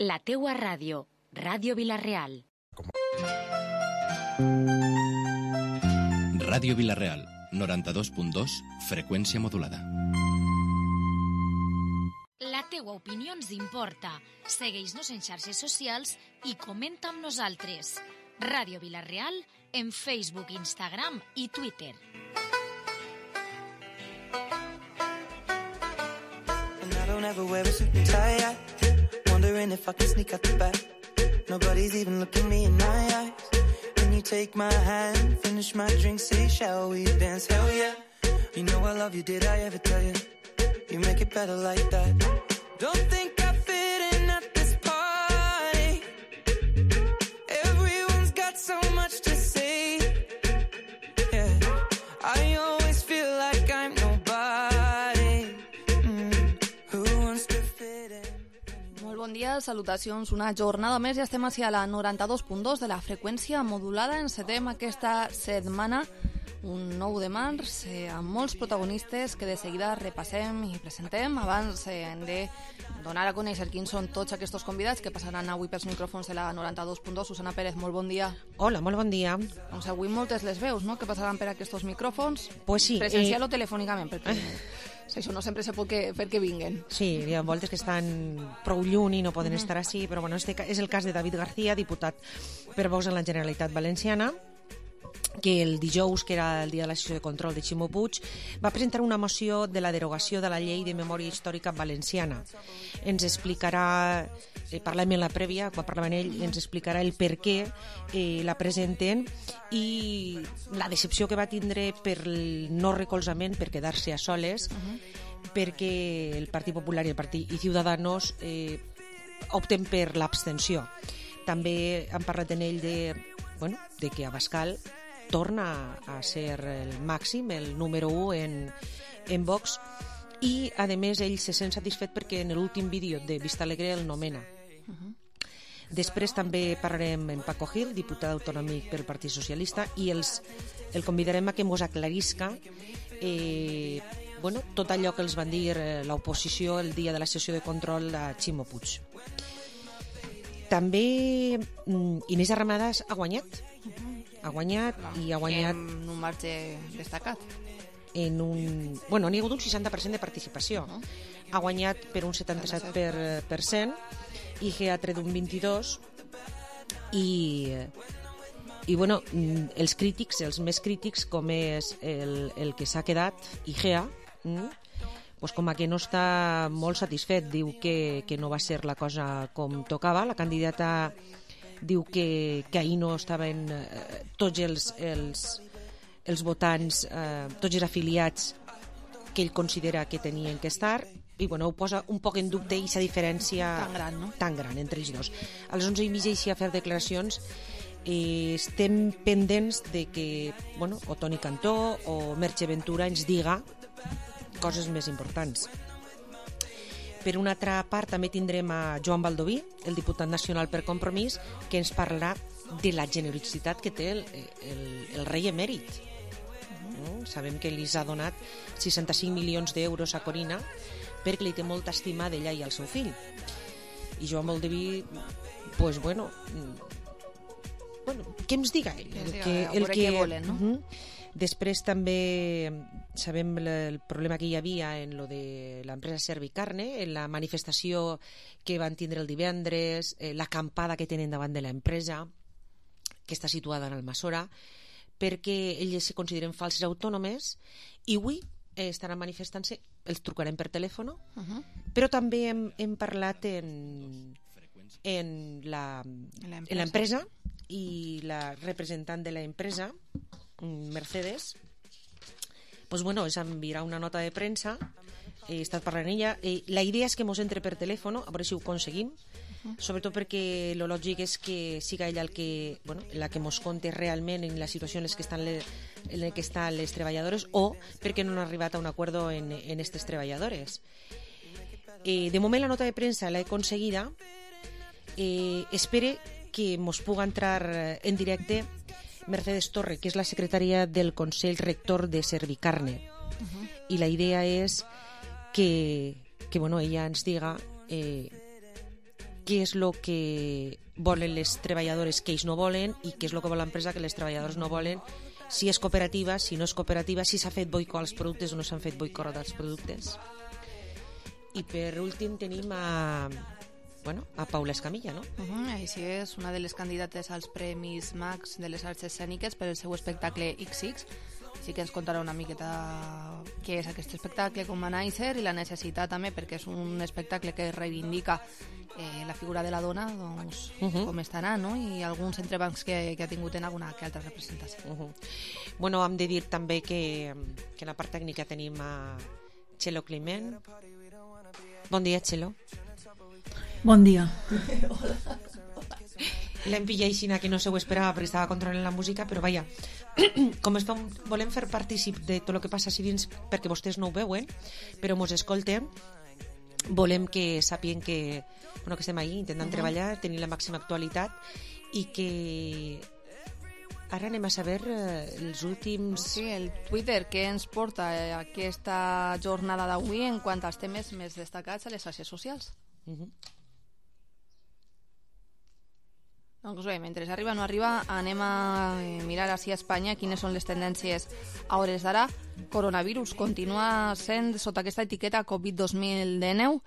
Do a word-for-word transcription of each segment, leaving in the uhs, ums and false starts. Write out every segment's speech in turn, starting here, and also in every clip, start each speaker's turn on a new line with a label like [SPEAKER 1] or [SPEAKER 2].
[SPEAKER 1] La teua ràdio, Ràdio Vila-real.
[SPEAKER 2] Ràdio Vila-real, noranta-dos punt dos, freqüència modulada.
[SPEAKER 1] La teua opinió ens importa. Segueix-nos en xarxes socials i comenta amb nosaltres. Ràdio Vila-real en Facebook, Instagram i Twitter.
[SPEAKER 3] And I don't ever wear a suit and tie. Wondering if I can sneak out the back. Nobody's even looking me in my eyes. When you take my hand, finish my drink, say, shall we dance? Hell yeah. You know I love you, did I ever tell you? You make it better like that. Don't think I fit in at this party. Everyone's got so much to say. Yeah, I always feel like I'm nobody. Mm. Who wants to fit in?
[SPEAKER 4] Molt bon dia, salutacions. Una jornada més i estem ací a la noranta-dos punt dos de la freqüència modulada. Encetem aquesta setmana, un nou de març, eh, amb molts protagonistes que de seguida repassem i presentem. Abans eh, hem de donar a conèixer quins són tots aquests convidats que passaran avui pels micròfons de la noranta-dos punt dos. Susana Pérez, molt bon dia.
[SPEAKER 5] Hola, molt bon dia.
[SPEAKER 4] Doncs avui moltes les veus, no?, que passaran per aquests micròfons.
[SPEAKER 5] Pues sí.
[SPEAKER 4] Presencial
[SPEAKER 5] eh...
[SPEAKER 4] o telefònicament, perquè això no sempre se pot que, fer que vinguen.
[SPEAKER 5] Sí, hi ha voltes que estan prou lluny i no poden mm. estar així, però bueno, este és el cas de David García, diputat per Vox en la Generalitat Valenciana, que el dijous, que era el dia de la sessió de control de Ximo Puig, va presentar una moció de la derogació de la llei de memòria històrica valenciana. Ens explicarà, eh, parlem en la prèvia, quan parlava ell, ens explicarà el per què eh, la presenten i la decepció que va tindre per el no recolzament, per quedar-se a soles, uh-huh. perquè el Partit Popular i el Partit i Ciudadanos eh, opten per l'abstenció. També han parlat en ell de, bueno, de que Abascal torna a ser el màxim, el número u en, en Vox, i a més ell se sent satisfet perquè en l'últim vídeo de Vista Alegre el nomena. Uh-huh. Després també parlarem amb Paco Gil, diputat autonòmic pel Partit Socialista, i els, el convidarem a que mos aclarisca eh, bueno, tot allò que els van dir eh, l'oposició el dia de la sessió de control a Ximo Puig. També Inés Arramadas ha guanyat. Uh-huh. Ha guanyat no, i ha guanyat...
[SPEAKER 4] En un marge destacat.
[SPEAKER 5] En un... Bueno, n'hi ha hagut un seixanta per cent de participació. Uh-huh. Ha guanyat per un setanta-set per cent i Geatre d'un vint-i-dos i... I, bueno, els crítics, els més crítics, com és el, el que s'ha quedat, Igea, mm? pues com a que no està molt satisfet, diu que, que no va ser la cosa com tocava. La candidata diu que, que ahir no estaven eh, tots els, els, els votants, eh, tots els afiliats que ell considera que tenien que estar, i bueno, ho posa un poc en dubte aquesta diferència
[SPEAKER 4] tan gran, no?
[SPEAKER 5] tan gran entre els dos. A les onze i mitja així a fer declaracions. Eh, estem pendents de que, bueno, o Toni Cantó o Merche Ventura ens diga coses més importants. Per una altra part també tindrem a Joan Baldoví, el diputat nacional per Compromís, que ens parlarà de la generositat que té el, el, el rei emèrit. Uh-huh. Sabem que li ha donat seixanta-cinc milions d'euros a Corina perquè li té molta estima d'ella i al seu fill. I Joan Baldoví, pues bueno, bueno, què ens diga ell? El que, el que,
[SPEAKER 4] que volen, no?
[SPEAKER 5] Uh-huh. Després també sabem el problema que hi havia en lo de l'empresa Servicarne, en la manifestació que van tindre el divendres, eh, l'acampada que tenen davant de l'empresa, que està situada en Almassora, perquè ells se consideren falses autònomes, i avui eh, estaran manifestant-se, els trucarem per telèfon, uh-huh. però també hem, hem parlat en, en la en l'empresa i la representant de l'empresa, Mercedes, pues bueno, ens enviarà una nota de premsa, he estat parlant ella, eh, la idea és que mos entre per telèfon, a veure si ho aconseguim, uh-huh. sobretot perquè lo lògic és que siga ella el que, bueno, la que mos conte realment en la situació en la que estan les, en la que estan les treballadores, o perquè no han arribat a un acord en, en estes treballadores. Eh, de moment la nota de premsa l'he aconseguida, eh, espere que mos puga entrar en directe Mercedes Torre, que és la secretària del Consell Rector de Servicarne. Uh-huh. I la idea és que, que bueno, ella ens diga eh, què és el que volen les treballadores que ells no volen i què és el que vol l'empresa que les treballadores no volen, si és cooperativa, si no és cooperativa, si s'ha fet boicot als productes o no s'han fet boicot als productes. I per últim tenim a, bueno, a Paula Escamilla, no?
[SPEAKER 4] Uh -huh, així és, una de les candidates als Premis Max de les Arts Escèniques per el seu espectacle X X. Sí que ens contarà una miqueta què és aquest espectacle, com va néixer i la necessitat també, perquè és un espectacle que reivindica eh, la figura de la dona, doncs, uh -huh. com estarà, no? I alguns entrebancs que, que ha tingut en alguna que altra representació.
[SPEAKER 5] Uh -huh. Bueno, hem de dir també que, que en la part tècnica tenim a Txelo Climent. Bon dia, Txelo.
[SPEAKER 6] Bon dia.
[SPEAKER 5] L'hem pillat així que no se ho esperava perquè estava controlant la música, però vaja, com es fem, volem fer partícip de tot el que passa així dins perquè vostès no ho veuen, però mos escolten, volem que sàpien que, bueno, que estem ahí intentant uh-huh. treballar, tenir la màxima actualitat i que ara anem a saber eh, els últims...
[SPEAKER 4] Sí, el Twitter que ens porta eh, aquesta jornada d'avui en quant als temes més destacats a les xarxes socials. Uh-huh. Doncs bé, mentre arriba o no arriba, anem a mirar així a Espanya quines són les tendències a hores d'ara. Coronavirus continua sent sota aquesta etiqueta Covid dos mil dinou.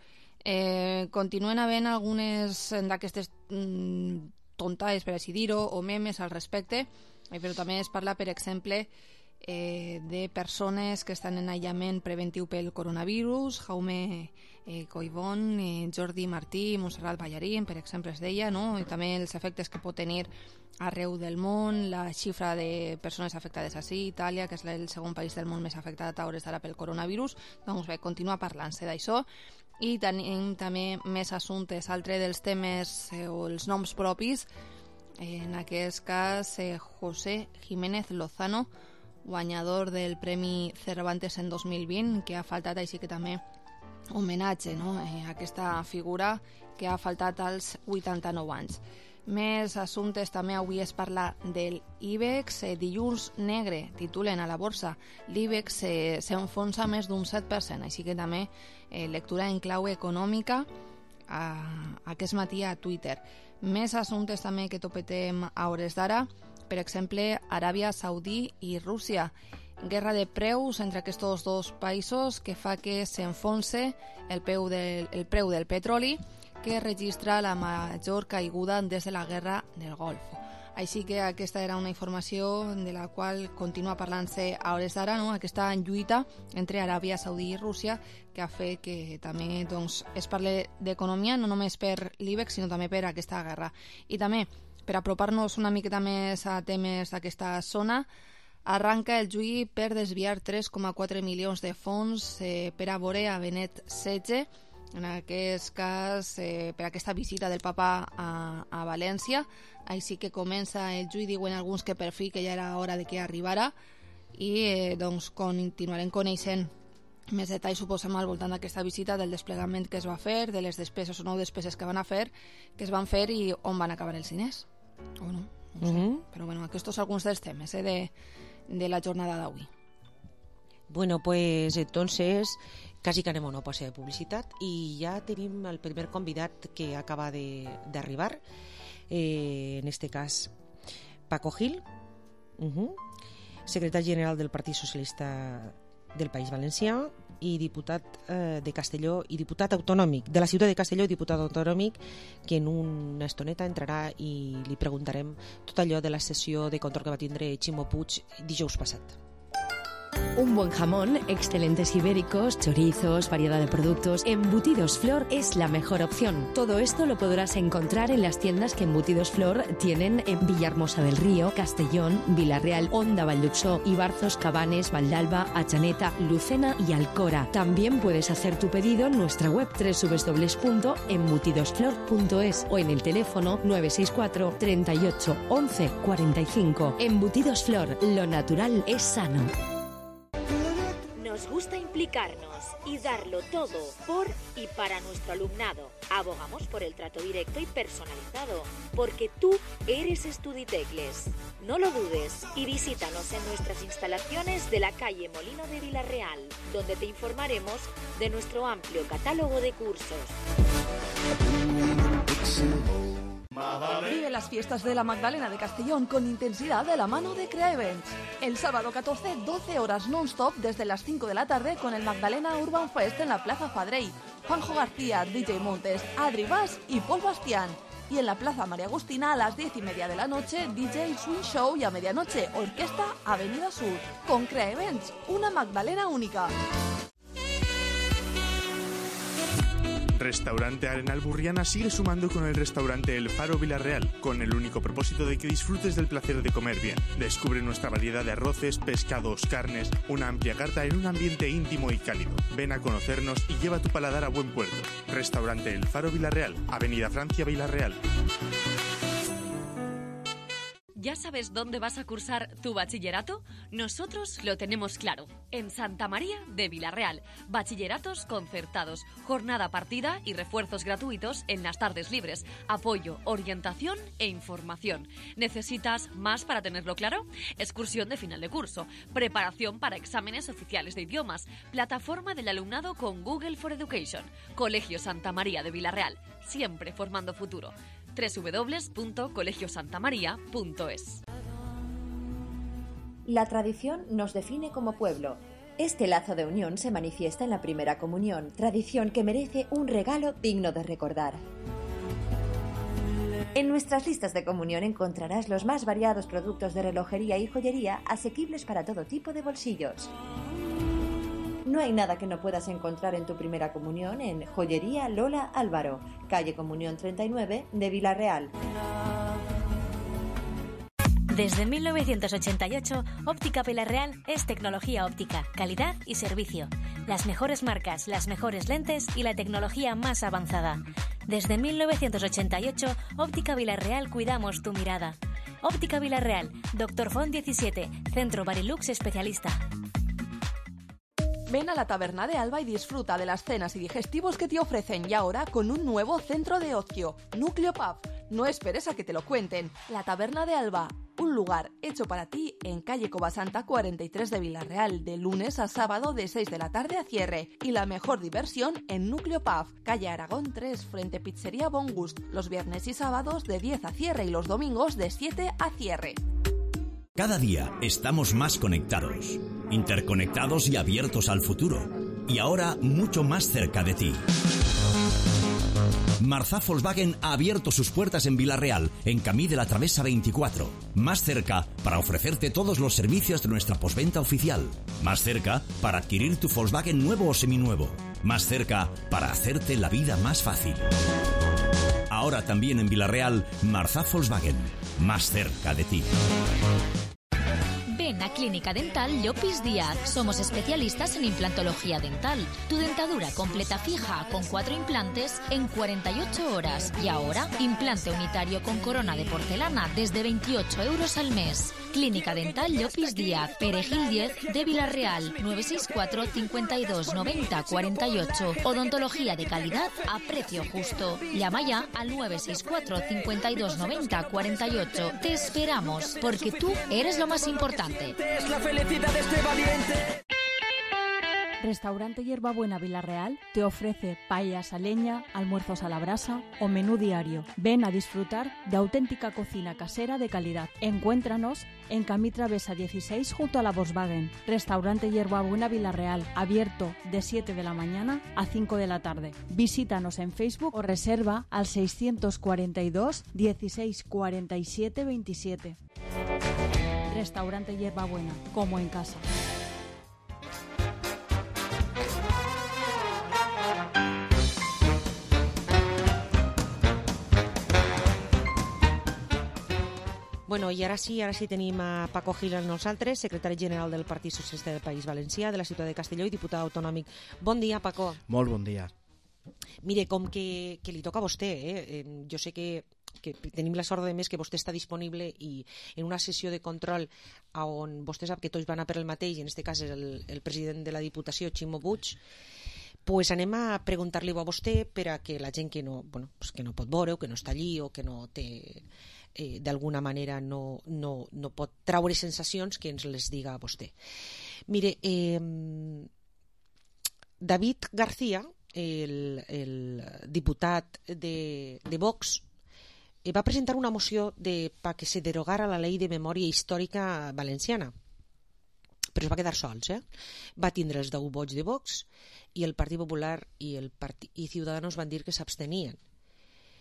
[SPEAKER 4] Eh, continuen havent algunes d'aquestes mm, tontaes, per així dir-ho, o memes al respecte, eh, però també es parla, per exemple, eh, de persones que estan en aïllament preventiu pel coronavirus. Jaume eh, Collbon, eh, Jordi Martí, Montserrat Ballarín, per exemple, es deia, no? I també els efectes que pot tenir arreu del món, la xifra de persones afectades així, Itàlia, que és el segon país del món més afectat a hores d'ara pel coronavirus. Doncs bé, continua parlant-se d'això. I tenim també més assumptes, altre dels temes eh, o els noms propis, eh, en aquest cas eh, José Jiménez Lozano, guanyador del Premi Cervantes en dos mil vint, que ha faltat així que també homenatge, no? eh, a aquesta figura que ha faltat als vuitanta-nou anys. Més assumptes també avui es parla del IBEX, eh, dilluns negre, titulen a la borsa. L'IBEX eh, s'enfonsa més d'un set per cent, així que també eh, lectura en clau econòmica a, aquest matí a Twitter. Més assumptes també que topetem a hores d'ara, per exemple, Aràbia Saudí i Rússia. Guerra de preus entre aquests dos països que fa que s'enfonse el, peu del, el preu del petroli, que registra la major caiguda des de la Guerra del Golf. Així que aquesta era una informació de la qual continua parlant-se a hores d'ara, no? Aquesta lluita entre Aràbia Saudí i Rússia, que ha fet que també doncs, es parli d'economia, no només per l'IBEX, sinó també per aquesta guerra. I també, per apropar-nos una miqueta més a temes d'aquesta zona, arranca el juí per desviar tres coma quatre milions de fons eh, per a veure a Benet setze, en aquest cas eh, per aquesta visita del papa a, a València. Així que comença el juí, diuen alguns que per fi que ja era hora de que arribara, i eh, doncs continuarem coneixent més detalls, suposem, al voltant d'aquesta visita, del desplegament que es va fer, de les despeses o no despeses que van a fer, que es van fer i on van acabar els diners. O no, no sé. Uh-huh. Però bueno, aquests són alguns dels temes eh, de, de la jornada d'avui.
[SPEAKER 5] Bueno, pues entonces casi que anem a una pausa de publicitat i ja tenim el primer convidat que acaba d'arribar, eh, en este cas Paco Gil, uh-huh, secretari general del Partit Socialista del País Valencià i diputat eh, de Castelló i diputat autonòmic de la ciutat de Castelló i diputat autonòmic, que en una estoneta entrarà i li preguntarem tot allò de la sessió de control que va tindre Ximo Puig dijous passat.
[SPEAKER 7] Un buen jamón, excelentes ibéricos, chorizos, variedad de productos. Embutidos Flor es la mejor opción. Todo esto lo podrás encontrar en las tiendas que Embutidos Flor tienen en Villahermosa del Río, Castellón, Vila-real, Onda, Valldupsó, Ibarzos, Cabanes, Valdalba, Atxaneta, Lucena y Alcora. También puedes hacer tu pedido en nuestra web doble u doble u doble u punto embutidosflor punto es o en el teléfono nueve seis cuatro, treinta y ocho, once, cuarenta y cinco. Embutidos Flor, lo natural es sano.
[SPEAKER 8] Nos gusta implicarnos y darlo todo por y para nuestro alumnado. Abogamos por el trato directo y personalizado, porque tú eres Estuditecles. No lo dudes y visítanos en nuestras instalaciones de la calle Molino de Vila-real, donde te informaremos de nuestro amplio catálogo de cursos.
[SPEAKER 4] las fiestas de la Magdalena de Castellón con intensidad de la mano de Crea Events. El sábado catorce, doce horas non-stop desde las cinco de la tarde con el Magdalena Urban Fest en la Plaza Fadrey. Juanjo García, D J Montes, Adri Bas y Paul Bastián. Y en la Plaza María Agustina a las diez y media de la noche, D J Swing Show y a medianoche, Orquesta Avenida Sur. Con Crea Events, una Magdalena única.
[SPEAKER 9] Restaurante Arenal Burriana sigue sumando con el restaurante El Faro Villarreal, con el único propósito de que disfrutes del placer de comer bien. Descubre nuestra variedad de arroces, pescados, carnes, una amplia carta en un ambiente íntimo y cálido. Ven a conocernos y lleva tu paladar a buen puerto. Restaurante El Faro Villarreal, Avenida Francia Villarreal.
[SPEAKER 7] ¿Ya sabes dónde vas a cursar tu bachillerato? Nosotros lo tenemos claro. En Santa María de Villarreal. Bachilleratos concertados, jornada partida y refuerzos gratuitos en las tardes libres. Apoyo, orientación e información. ¿Necesitas más para tenerlo claro? Excursión de final de curso. Preparación para exámenes oficiales de idiomas. Plataforma del alumnado con Google for Education. Colegio Santa María de Villarreal. Siempre formando futuro. doble u doble u doble u punto colegio santa maría punto es.
[SPEAKER 8] La tradición nos define como pueblo. Este lazo de unión se manifiesta en la primera comunión, tradición que merece un regalo digno de recordar. En nuestras listas de comunión encontrarás los más variados productos de relojería y joyería asequibles para todo tipo de bolsillos. No hay nada que no puedas encontrar en tu primera comunión en Joyería Lola Álvaro, calle Comunión treinta y nueve de Villarreal.
[SPEAKER 1] Desde mil novecientos ochenta y ocho, Óptica Villarreal es tecnología óptica, calidad y servicio. Las mejores marcas, las mejores lentes y la tecnología más avanzada. Desde mil novecientos ochenta y ocho, Óptica Villarreal cuidamos tu mirada. Óptica Villarreal, Doctor Font diecisiete, Centro Barilux especialista.
[SPEAKER 4] Ven a la Taberna de Alba y disfruta de las cenas y digestivos que te ofrecen y ahora con un nuevo centro de ocio, Núcleo Pub. No esperes a que te lo cuenten. La Taberna de Alba, un lugar hecho para ti en calle Covasanta cuarenta y tres de Villarreal, de lunes a sábado de seis de la tarde a cierre. Y la mejor diversión en Núcleo Pub, calle Aragón tres, frente Pizzería Bon Gust, los viernes y sábados de diez a cierre y los domingos de siete a cierre.
[SPEAKER 10] Cada día estamos más conectados, interconectados y abiertos al futuro. Y ahora mucho más cerca de ti. Marzá Volkswagen ha abierto sus puertas en Villarreal, en Camí de la Travesa veinticuatro. Más cerca para ofrecerte todos los servicios de nuestra postventa oficial. Más cerca para adquirir tu Volkswagen nuevo o seminuevo. Más cerca para hacerte la vida más fácil. Ahora también en Villarreal, Marzá Volkswagen. Más cerca de ti.
[SPEAKER 1] Ven a Clínica Dental Llopis Díaz. Somos especialistas en implantología dental. Tu dentadura completa fija con cuatro implantes en cuarenta y ocho horas. Y ahora, implante unitario con corona de porcelana desde veintiocho euros al mes. Clínica Dental Llopis Díaz, Perejil diez de Villarreal, nueve seis cuatro, cincuenta y dos, noventa, cuarenta y ocho. Odontología de calidad a precio justo. Llama ya al nueve seis cuatro, cincuenta y dos, noventa, cuarenta y ocho. Te esperamos, porque tú eres lo más importante.
[SPEAKER 11] Es la felicidad de este valiente.
[SPEAKER 6] Restaurante Hierbabuena Villarreal te ofrece paellas a leña, almuerzos a la brasa o menú diario. Ven a disfrutar de auténtica cocina casera de calidad. Encuéntranos en Camí Travesa dieciséis junto a la Volkswagen. Restaurante Hierbabuena Villarreal, abierto de siete de la mañana a cinco de la tarde. Visítanos en Facebook o reserva al seiscientos cuarenta y dos, dieciséis cuarenta y siete, veintisiete. Restaurante Hierbabuena, como en casa.
[SPEAKER 5] Bueno, i ara sí, ara sí tenim a Paco Gil amb nosaltres, secretari general del Partit Socialista del País Valencià, de la ciutat de Castelló i diputat autonòmic. Bon dia, Paco.
[SPEAKER 12] Molt bon dia.
[SPEAKER 5] Mire, com que, que li toca a vostè, eh? jo sé que, que tenim la sort de més que vostè està disponible i en una sessió de control on vostè sap que tots van a per el mateix, en aquest cas és el, el president de la Diputació, Ximo Puig, pues anem a preguntar-li a vostè per a que la gent que no, bueno, pues que no pot veure o que no està allí o que no té... Eh, d'alguna manera no, no, no pot traure sensacions que ens les diga a vostè. Mire, eh, David García, el, el diputat de, de Vox, va presentar una moció de, para que se derogara la Ley de Memòria Històrica Valenciana, però es va quedar sols, eh? Va tindre els deu vots de Vox i el Partit Popular i, el Partit, i Ciudadanos van dir que s'abstenien.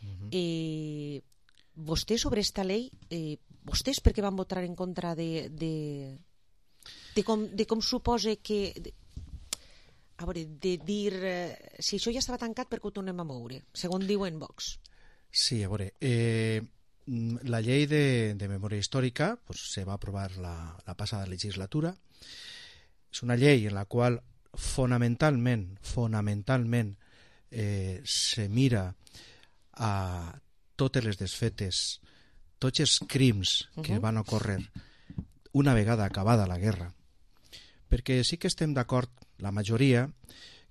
[SPEAKER 5] Uh-huh. eh, vostès sobre esta llei, eh, vostès per què van votar en contra de, de, de, com, de com suposa que... De, a veure, de dir eh, si això ja estava tancat, per què ho tornem a moure, segons diuen Vox?
[SPEAKER 12] Sí, a veure, eh, la llei de, de memòria històrica pues, se va aprovar la, la passada legislatura. És una llei en la qual fonamentalment, fonamentalment eh, se mira a totes les desfetes, tots els crims que uh-huh. van ocórrer una vegada acabada la guerra. Perquè sí que estem d'acord, la majoria,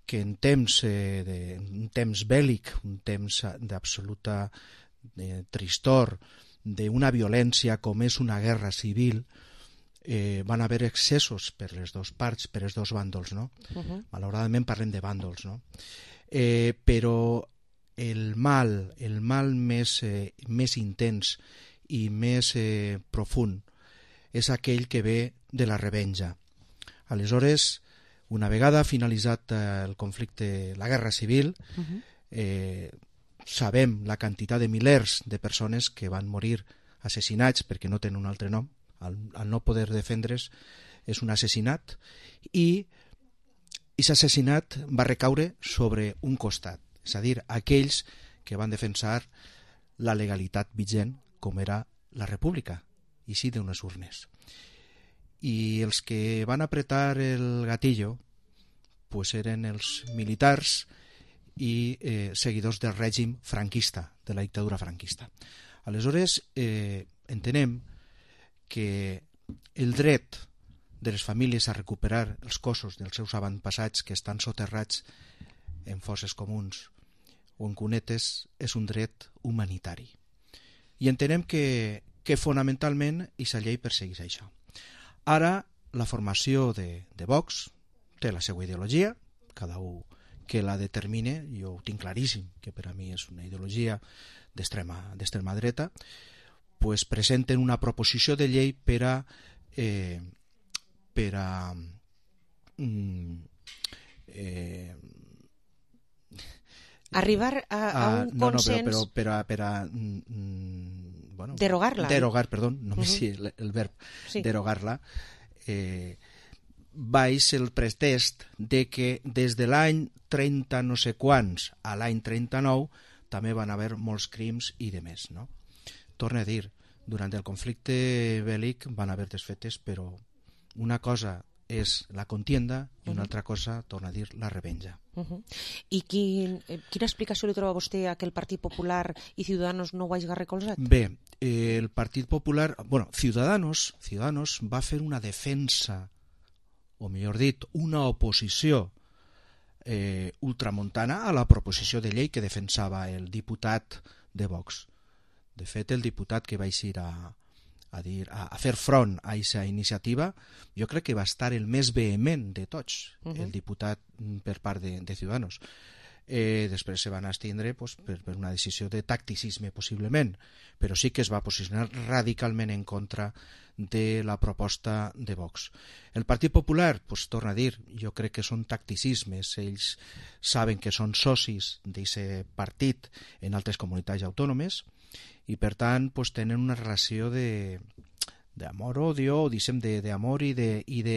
[SPEAKER 12] que en temps, eh, de, un temps bèl·lic, un temps d'absoluta eh, tristor, d'una violència com és una guerra civil, eh, van haver excessos per les dues parts, per els dos bàndols, no? Uh-huh. Malauradament parlem de bàndols, no? Eh, però el mal, el mal més, eh, més intens i més eh, profund és aquell que ve de la revenja. Aleshores, una vegada finalitzat eh, el conflicte, la guerra civil, uh-huh. eh, sabem la quantitat de milers de persones que van morir assassinats perquè no tenen un altre nom, al, al no poder defendre's és un assassinat, i aquest assassinat va recaure sobre un costat, és a dir, aquells que van defensar la legalitat vigent com era la república, i sí d'unes urnes. I els que van apretar el gatillo pues eren els militars i eh, seguidors del règim franquista, de la dictadura franquista. Aleshores, eh, entenem que el dret de les famílies a recuperar els cossos dels seus avantpassats que estan soterrats en fosses comuns o en cunetes és un dret humanitari. I entenem que, que fonamentalment aquesta llei persegueix això. Ara, la formació de, de Vox té la seva ideologia, cada un que la determine, jo ho tinc claríssim, que per a mi és una ideologia d'extrema d'extrema dreta, pues presenten una proposició de llei per a eh, per a mm, eh,
[SPEAKER 5] arribar a, a un
[SPEAKER 12] no,
[SPEAKER 5] consens,
[SPEAKER 12] no, però, però per a, per a mm, bueno,
[SPEAKER 5] derogar-la.
[SPEAKER 12] Derogar, perdó, no me
[SPEAKER 5] uh-huh.
[SPEAKER 12] sé el, el verb,
[SPEAKER 5] sí.
[SPEAKER 12] derogar-la, eh, baix el pretest de que des de l'any trenta no sé quants a l'any trenta-nou també van haver molts crims i de més, no? Torno a dir, durant el conflicte bèl·lic van haver desfetes, però una cosa és la contienda i una uh-huh. altra cosa, torna a dir, la revenja.
[SPEAKER 5] Uh-huh. I quin, quina explicació li troba vostè a que el Partit Popular i Ciudadanos no ho hagi recolzat?
[SPEAKER 12] Bé, eh, el Partit Popular... Bueno, Ciudadanos, Ciudadanos va fer una defensa, o millor dit, una oposició eh, ultramontana a la proposició de llei que defensava el diputat de Vox. De fet, el diputat que va eixir a... A, dir, a, a fer front a aquesta iniciativa, jo crec que va estar el més vehement de tots, uh-huh. el diputat per part de, de Ciudadanos. Eh, després se van abstindre pues, per, per una decisió de tacticisme, possiblement, però sí que es va posicionar radicalment en contra de la proposta de Vox. El Partit Popular, pues, torna a dir, jo crec que són tacticismes, ells saben que són socis d'aquest partit en altres comunitats autònomes, i per tant pues, tenen una relació de d'amor-odio, diguem, d'amor i de, i de,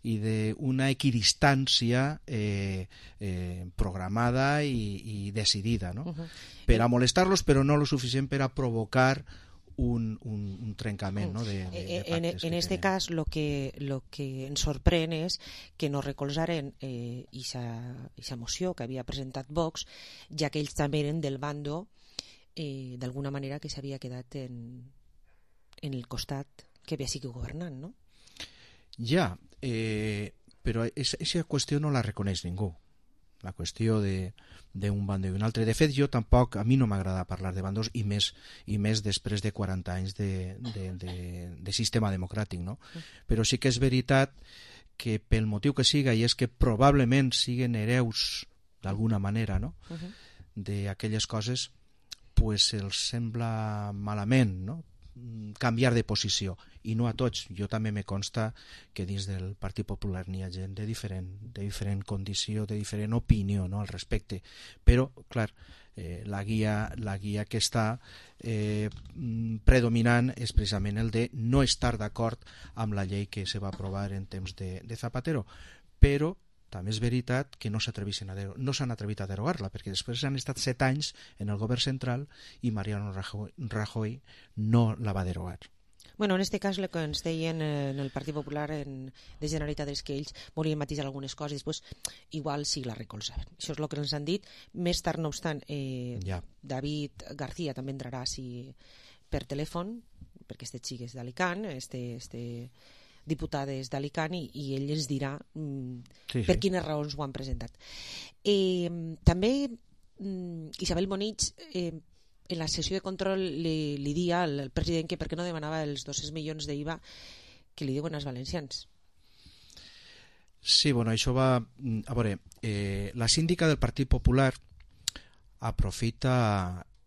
[SPEAKER 12] i de una equidistància eh, eh, programada i, i decidida, no? Uh-huh. Per a molestar-los, però no lo suficient per a provocar un, un, un trencament, no? de, de, de
[SPEAKER 5] en, en este tenen. Cas lo que, lo que ens sorprèn és que no recolzaren eh, aquesta moció que havia presentat Vox, ja que ells també eren del bando Eh, d'alguna manera que s'havia quedat en, en el costat que havia sigut governant, no?
[SPEAKER 12] Ja, eh, però aquesta qüestió no la reconeix ningú, la qüestió d'un bando i un altre. De fet, jo tampoc, a mi no m'agrada parlar de bandos i més, i més després de quaranta anys de, de, de, de sistema democràtic, no? Però sí que és veritat que pel motiu que siga, i és que probablement siguen hereus d'alguna manera, no? Uh-huh. D'aquelles coses, pues els sembla malament, no?, canviar de posició, i no a tots. Jo també me consta que dins del Partit Popular n'hi ha gent de diferent, de diferent condició, de diferent opinió, no?, al respecte, però, clar, eh, la, guia, la guia que està eh, predominant és precisament el de no estar d'acord amb la llei que se va aprovar en temps de, de Zapatero, però també és veritat que no s'atreveixen a dero- no s'han atrevit a derogar-la, perquè després han estat set anys en el govern central i Mariano Rajoy, Rajoy no la va derogar.
[SPEAKER 5] Bueno, en este cas el que ens deien en el Partit Popular en, de Generalitat és que ells volien matisar algunes coses i després igual sí la recolzaven. Això és el que ens han dit. Més tard, no obstant, eh,
[SPEAKER 12] ja.
[SPEAKER 5] David García també entrarà si, per telèfon, perquè este xic és d'Alicant, este... este diputades d'Alicant, i, i ell ens dirà mm,
[SPEAKER 12] sí, sí.
[SPEAKER 5] per quines raons ho han presentat. Eh, també mm, Isabel Bonich eh, en la sessió de control li, li dia al, al president que per què no demanava els dos-cents milions d'I V A que li diuen als valencians.
[SPEAKER 12] Sí, bueno, això va... A veure, eh, la síndica del Partit Popular aprofita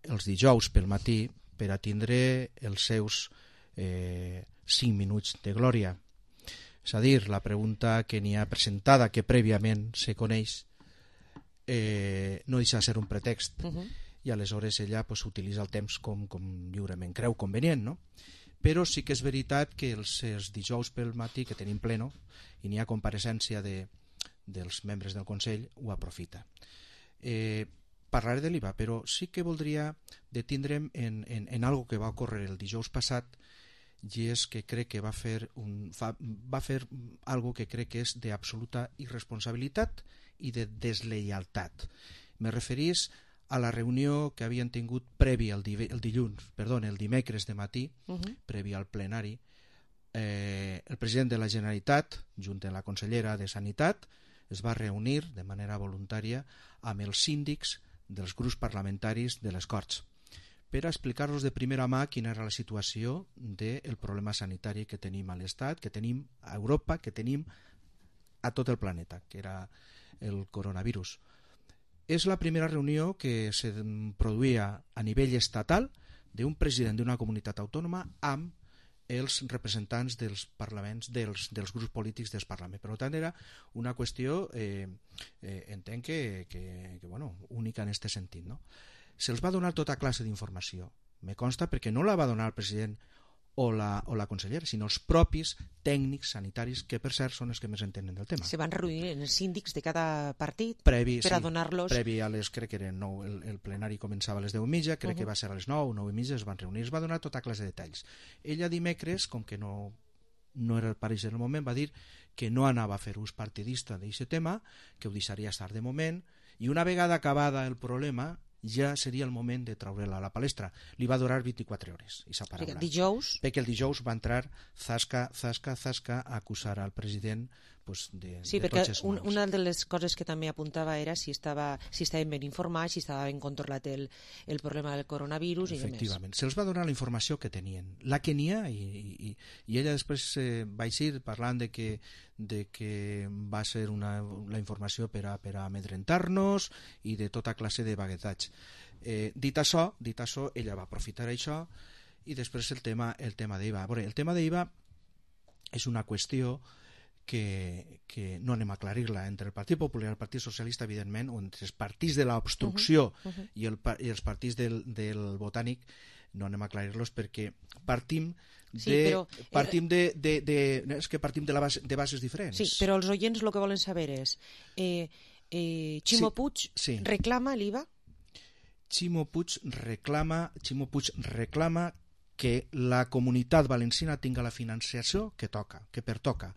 [SPEAKER 12] els dijous pel matí per a tindre els seus eh, cinc minuts de glòria. És a dir, la pregunta que n'hi ha presentada, que prèviament se coneix, eh, no deixa de ser un pretext, uh-huh. i aleshores ella pues, utilitza el temps com, com lliurement creu convenient, no? Però sí que és veritat que els, els dijous pel matí, que tenim pleno, i n'hi ha compareixença de, dels membres del Consell, ho aprofita. Eh, parlaré de l'I V A, però sí que voldria detindre'm en, en, en algo que va ocórrer el dijous passat, i és que crec que va fer, un, fa, va fer algo que crec que és d'absoluta irresponsabilitat i de deslleialtat. Me referís a la reunió que havien tingut previ al di, el dilluns, perdó, el dimecres de matí, uh-huh. previ al plenari. Eh, el president de la Generalitat, junt amb la consellera de Sanitat, es va reunir de manera voluntària amb els síndics dels grups parlamentaris de les Corts, per a explicar-los de primera mà quina era la situació del problema sanitari que tenim a l'Estat, que tenim a Europa, que tenim a tot el planeta, que era el coronavirus. És la primera reunió que se produïa a nivell estatal d'un president d'una comunitat autònoma amb els representants dels parlaments, dels, dels grups polítics del Parlament. Per tant, era una qüestió, eh, eh, entenc que, que, que bueno, única en aquest sentit, no? Se'ls va donar tota classe d'informació. Me consta perquè no la va donar el president o la, o la consellera, sinó els propis tècnics sanitaris, que per cert són els que més entenen del tema.
[SPEAKER 5] Se van reunir en els síndics de cada partit
[SPEAKER 12] previ,
[SPEAKER 5] per
[SPEAKER 12] sí,
[SPEAKER 5] a donar-los...
[SPEAKER 12] Previ a les, crec que eren nou, el, el plenari començava a les deu i mitja, crec uh-huh. que va ser a les nou, nou i mitja, es van reunir, es va donar tota classe de detalls. Ella dimecres, com que no, no era el pareix del moment, va dir que no anava a fer ús partidista d'aquest tema, que ho deixaria estar de moment, i una vegada acabada el problema ja seria el moment de treure-la a la palestra. Li va durar vint-i-quatre hores, aquesta paraula.
[SPEAKER 5] Perquè dijous...
[SPEAKER 12] Perquè el dijous va entrar zasca, zasca, zasca a acusar al president pues, de,
[SPEAKER 5] sí,
[SPEAKER 12] de
[SPEAKER 5] tots els
[SPEAKER 12] mals.
[SPEAKER 5] Sí, perquè una de les coses que també apuntava era si estava si estaven ben informats, si estava ben controlat el, el problema del coronavirus i
[SPEAKER 12] efectivament, se'ls va donar la informació que tenien, la que n'hi ha, i, i, i ella després eh, va eixir parlant de que, de que va ser una, la informació per a, per a amedrentar-nos i de tota classe de vaguetats. Eh, dit això, dit això, ella va aprofitar això i després el tema, el tema d'I V A. Veure, el tema d'I V A és una qüestió que, que no anem a aclarir-la entre el Partit Popular i el Partit Socialista, evidentment, o entre els partits de l'obstrucció uh-huh, uh-huh. i, el, i els partits del, del Botànic, no anem a aclarir-los perquè partim de, sí, però, partim de, de, de, de és que partim de, la base, de bases diferents.
[SPEAKER 5] Sí, però els oients el que volen saber és eh, eh, Ximo
[SPEAKER 12] sí,
[SPEAKER 5] Puig
[SPEAKER 12] sí.
[SPEAKER 5] reclama l'I V A?
[SPEAKER 12] Ximo Puig reclama Ximo Puig reclama que la comunitat valenciana tinga la financiació que toca, que pertoca,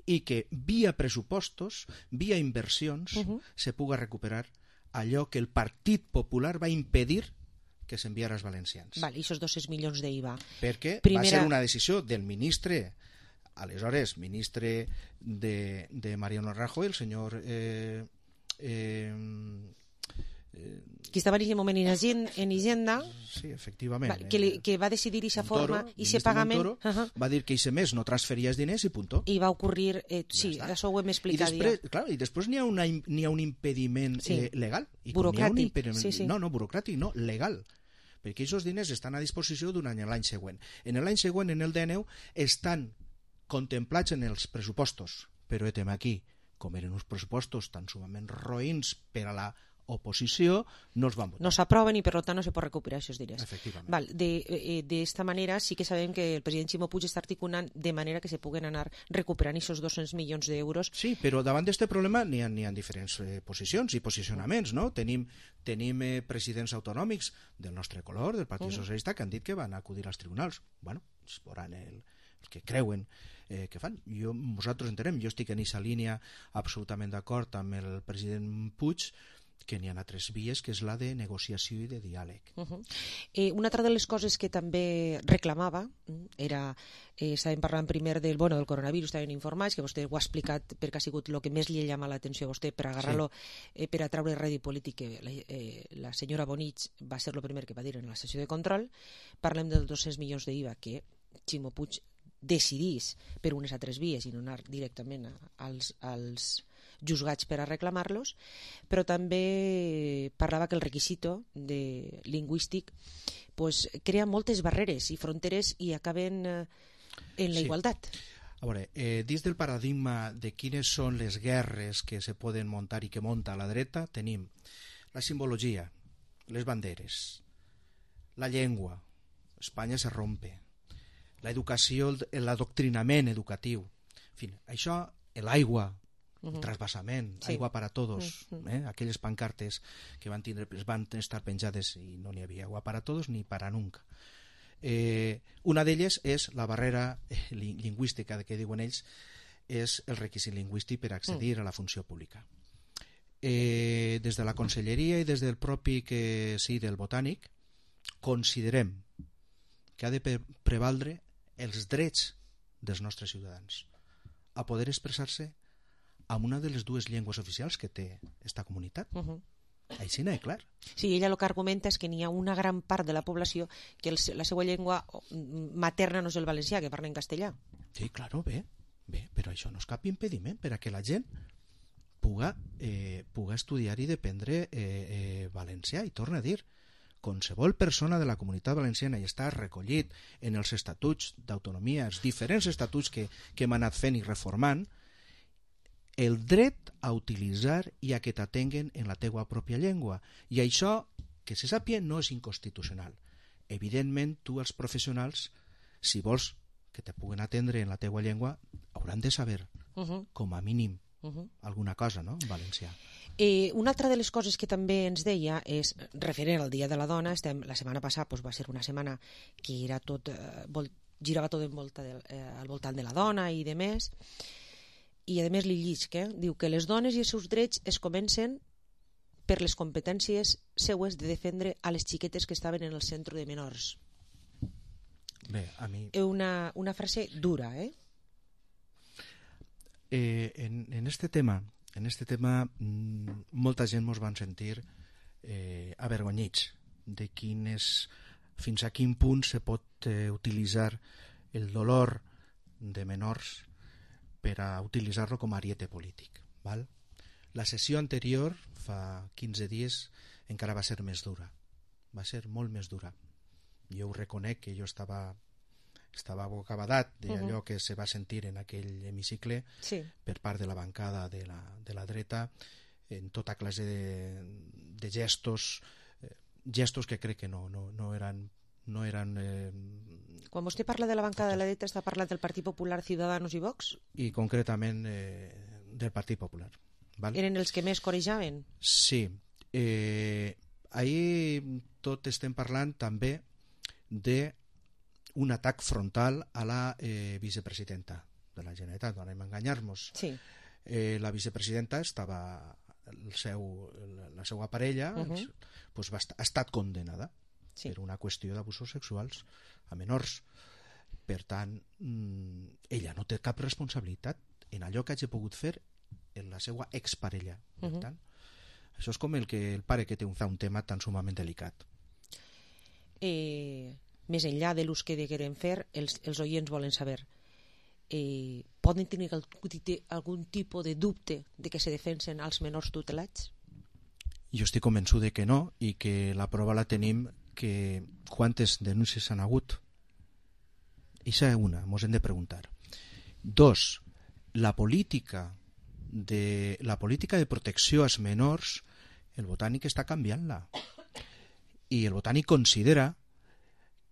[SPEAKER 12] i que via pressupostos, via inversions, uh-huh. se puga recuperar allò que el Partit Popular va impedir que s'enviara als valencians.
[SPEAKER 5] Vale, i aquests dos-cents milions d'I V A.
[SPEAKER 12] Perquè
[SPEAKER 5] Primera...
[SPEAKER 12] va ser una decisió del ministre, aleshores ministre de, de Mariano Rajoy, el senyor... Eh, eh,
[SPEAKER 5] qui estava en aquest moment en Hisenda,
[SPEAKER 12] sí, efectivament,
[SPEAKER 5] va, que, li, que va decidir aquesta forma i aquest pagament
[SPEAKER 12] uh-huh. va dir que aquest mes no transferia els diners i puntó.
[SPEAKER 5] I va ocurrir, eh, sí, ja això ho hem explicat.
[SPEAKER 12] I després, clar, i després n'hi ha, una, n'hi ha un impediment sí. eh, legal. I
[SPEAKER 5] burocràtic.
[SPEAKER 12] Impediment,
[SPEAKER 5] sí, sí.
[SPEAKER 12] No, no, burocràtic, no, legal. perquè aquests diners estan a disposició d'un any a l'any següent. En l'any següent, en el D N U, estan contemplats en els pressupostos, però etem aquí, com eren uns pressupostos tan sumament roïns per a la oposició, no els van votar.
[SPEAKER 5] No s'aproven i per tant no se pot recuperar aquests diners.
[SPEAKER 12] Efectivament.
[SPEAKER 5] Val, d'esta eh, manera sí que sabem que el president Ximo Puig està articulant de manera que se puguen anar recuperant aquests dos-cents milions d'euros.
[SPEAKER 12] Sí, però davant d'aquest problema n'hi ha, ha diferents eh, posicions i posicionaments, no? Tenim, tenim eh, presidents autonòmics del nostre color, del Partit uh-huh. Socialista, que han dit que van acudir als tribunals. Bueno, es veuran el, el que creuen eh, que fan. Jo, nosaltres entenem, jo estic en aquesta línia absolutament d'acord amb el president Puig, que n'hi ha altres vies, que és la de negociació i de diàleg.
[SPEAKER 5] Uh-huh. eh, una altra de les coses que també reclamava era, eh, estàvem parlant primer del, bueno, del coronavirus, estàvem informats, que vostè ho ha explicat perquè ha sigut el que més li ha llamat l'atenció a vostè per agarrar-lo, sí. eh, per atraure rèdit polític, que la, eh, la senyora Bonich va ser el primer que va dir en la sessió de control. Parlem dels dos-cents milions d'I V A que Ximo Puig decidís per unes altres vies i no anar directament a, als, als juzgats per a reclamar-los, però també parlava que el requisito de lingüístic pues, crea moltes barreres i fronteres i acaben eh, en la
[SPEAKER 12] sí.
[SPEAKER 5] igualtat.
[SPEAKER 12] A veure, eh, dins del paradigma de quines són les guerres que se poden muntar i que munta la dreta, tenim la simbologia, les banderes, la llengua, Espanya se rompe, la educació, l'adoctrinament educatiu, en fi, això, l'aigua, Uh-huh. el trasbassament, sí. aigua para todos, uh-huh. eh? aquelles pancartes que van, tindre, van estar penjades i no n'hi havia agua para todos ni para nunca. Eh, una d'elles és la barrera eh, lingüística que diuen ells, és el requisit lingüístic per accedir uh-huh. a la funció pública. Eh, des de la Conselleria i des del propi que sí, del Botànic, considerem que ha de prevaldre els drets dels nostres ciutadans a poder expressar-se amb una de les dues llengües oficials que té esta comunitat. Uh-huh. Així n'hi ha clar.
[SPEAKER 5] Sí, ella el que argumenta és que n'hi ha una gran part de la població que el, la seva llengua materna no és el valencià, que parla en castellà.
[SPEAKER 12] Sí, claro, bé, bé, però això no és cap impediment per a que la gent puga, eh, puga estudiar i dependre eh, eh, valencià. I torna a dir, qualsevol persona de la comunitat valenciana i està recollit en els estatuts d'autonomia, els diferents estatuts que, que hem anat fent i reformant, el dret a utilitzar i a que t'atenguen en la teua pròpia llengua. I això, que se sàpia, no és inconstitucional. Evidentment, tu, els professionals, si vols que te puguen atendre en la teua llengua, hauran de saber, uh-huh. com a mínim, uh-huh. alguna cosa, no?, en valencià.
[SPEAKER 5] Eh, una altra de les coses que també ens deia és, referent al Dia de la Dona, estem, la setmana passada pues, va ser una setmana que era tot, eh, vol, girava tot en volta de, eh, al voltant de la dona i de més, i a més li llisc, eh? Diu que les dones i els seus drets es comencen per les competències seues de defendre a les xiquetes que estaven en el centre de menors.
[SPEAKER 12] Bé, a mi...
[SPEAKER 5] Una, una frase dura, eh?
[SPEAKER 12] eh en, en este tema, en este tema mmm, molta gent mos van sentir eh, avergonyits de quin és, fins a quin punt se pot eh, utilitzar el dolor de menors per a utilitzar-lo com a ariete polític. Val? La sessió anterior, fa quinze dies, encara va ser més dura. Va ser molt més dura. Jo ho reconec que jo estava, estava bocabadat d'allò uh-huh. que se va sentir en aquell hemicicle sí. per part de la bancada de la, de la dreta en tota classe de, de gestos, eh, gestos que crec que no, no, no eren no eren... Eh...
[SPEAKER 5] Quan vostè parla de la bancada de la dreta està parlant del Partit Popular, Ciudadanos i Vox?
[SPEAKER 12] I concretament eh, del Partit Popular. Val?
[SPEAKER 5] Eren els que més corejaven?
[SPEAKER 12] Sí. Eh, ahir tot estem parlant també d'un atac frontal a la eh, vicepresidenta de la Generalitat, no anem a enganyar-nos. Sí. Eh, la vicepresidenta estava... El seu, la seva parella uh-huh. pues, va, ha estat condenada sí. per una qüestió d'abusos sexuals a menors. Per tant, mmm, ella no té cap responsabilitat en allò que hagi pogut fer en la seva exparella. Per uh-huh. tant, això és com el, que, el pare que té un, fa un tema tan sumament delicat.
[SPEAKER 5] Eh, més enllà de l'ús que degueren fer, els, els oients volen saber, eh, poden tenir algun tipus de dubte de que se defensen els menors tutelats?
[SPEAKER 12] Jo estic convençut de que no, i que la prova la tenim que quantes denúncies han hagut? Ixa és una, mos hem de preguntar. Dos, la política de, la política de protecció als menors, el Botànic està canviant-la. I el Botànic considera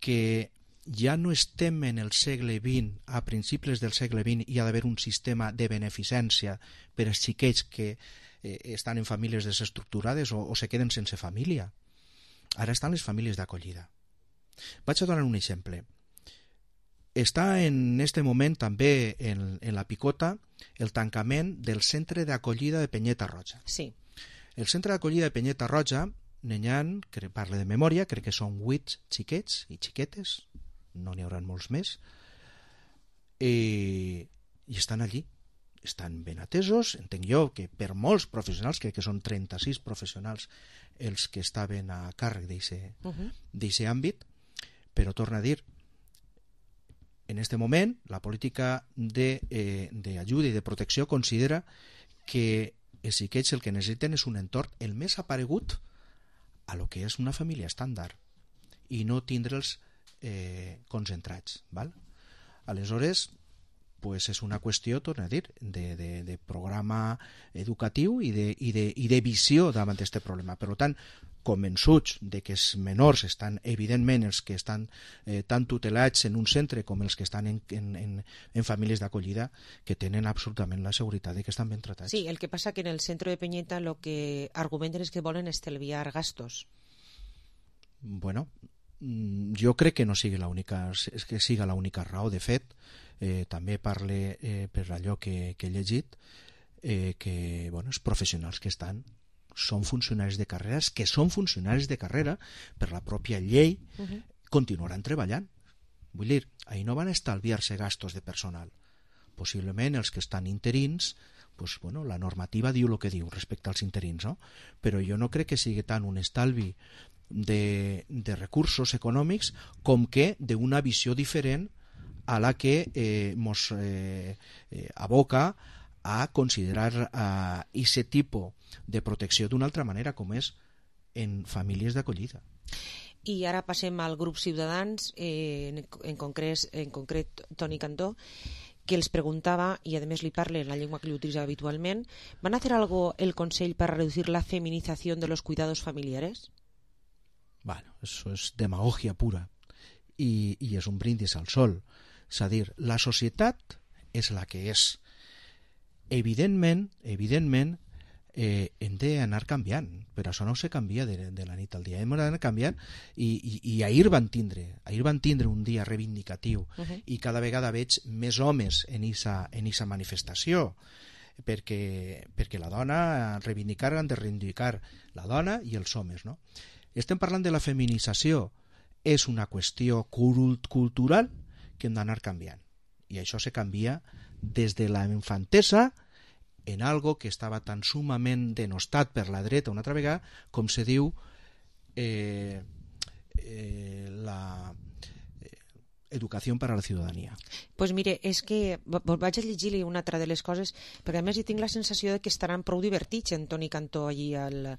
[SPEAKER 12] que ja no estem en el segle vint, a principis del segle vint hi ha d'haver un sistema de beneficència per als xiquets que eh, estan en famílies desestructurades o, o se queden sense família. Ara estan les famílies d'acollida. Vaig a donar un exemple. Està en este moment també en, en la picota el tancament del centre d'acollida de Penyeta Roja.
[SPEAKER 5] Sí.
[SPEAKER 12] El centre d'acollida de Penyeta Roja, n'hi ha, que parle de memòria, crec que són vuit xiquets i xiquetes, no n'hi haurà molts més, i, i estan allí, estan ben atesos. Entenc jo que per molts professionals, crec que són trenta-sis professionals els que estaven a càrrec d'aquest uh-huh. àmbit, però torna a dir, en aquest moment la política d'ajuda eh, i de protecció considera que els xiquets el que necessiten és un entorn el més aparegut a lo que és una família estàndard i no tindre'ls eh, concentrats. Val? Aleshores, pues és una qüestió, torna a dir, de, de, de programa educatiu i de, i de, i de visió davant d'aquest problema. Per tant, convençuts de que els menors estan, evidentment, els que estan eh, tan tutelats en un centre com els que estan en, en, en, en famílies d'acollida, que tenen absolutament la seguretat de que estan ben tratats.
[SPEAKER 5] Sí, el que passa que en el centre de Penyeta lo que argumenten és que volen estalviar gastos.
[SPEAKER 12] Bueno, jo crec que no sigui l'única, que siga l'única raó. De fet, eh, també parle eh, per allò que, que he llegit, eh, que bueno, els professionals que estan són funcionaris de carrera, que són funcionaris de carrera per la pròpia llei, uh-huh. continuaran treballant. Vull dir, ahí no van estalviar-se gastos de personal. Possiblement els que estan interins, pues, bueno, la normativa diu el que diu respecte als interins, no? Però jo no crec que sigui tant un estalvi de, de recursos econòmics com que d'una visió diferent a la que eh, mos eh, eh, aboca a considerar aquest tipus de protecció d'una altra manera, com és en famílies d'acollida.
[SPEAKER 5] I ara passem al grup Ciutadans, eh, en, en, concret, en concret Toni Cantó, que els preguntava, i a més li parle en la llengua que li utilitza habitualment, ¿van a hacer algo el Consell para reducir la feminización de los cuidados familiares?
[SPEAKER 12] Bueno, eso es demagogia pura i, i és un brindis al sol. És a dir, la societat és la que és. Evidentment, evidentment, eh, hem d'anar canviant, però això no se canvia de, de la nit al dia. Hem d'anar canviant i, i, i ahir van tindre, ahir van tindre un dia reivindicatiu uh-huh. i cada vegada veig més homes en esa, en esa manifestació, perquè, perquè la dona, reivindicar, han de reivindicar la dona i els homes, no? Estem parlant de la feminització, és una qüestió cult cultural que hem d'anar canviant, i això se canvia des de la infantesa en algo que estava tan sumament denostat per la dreta una altra vegada, com se diu eh, eh, la eh, educació per a la ciutadania.
[SPEAKER 5] Pues mire, és que vaig a llegir-li una altra de les coses, perquè a més hi tinc la sensació de que estaran prou divertits en Toni Cantó allí al,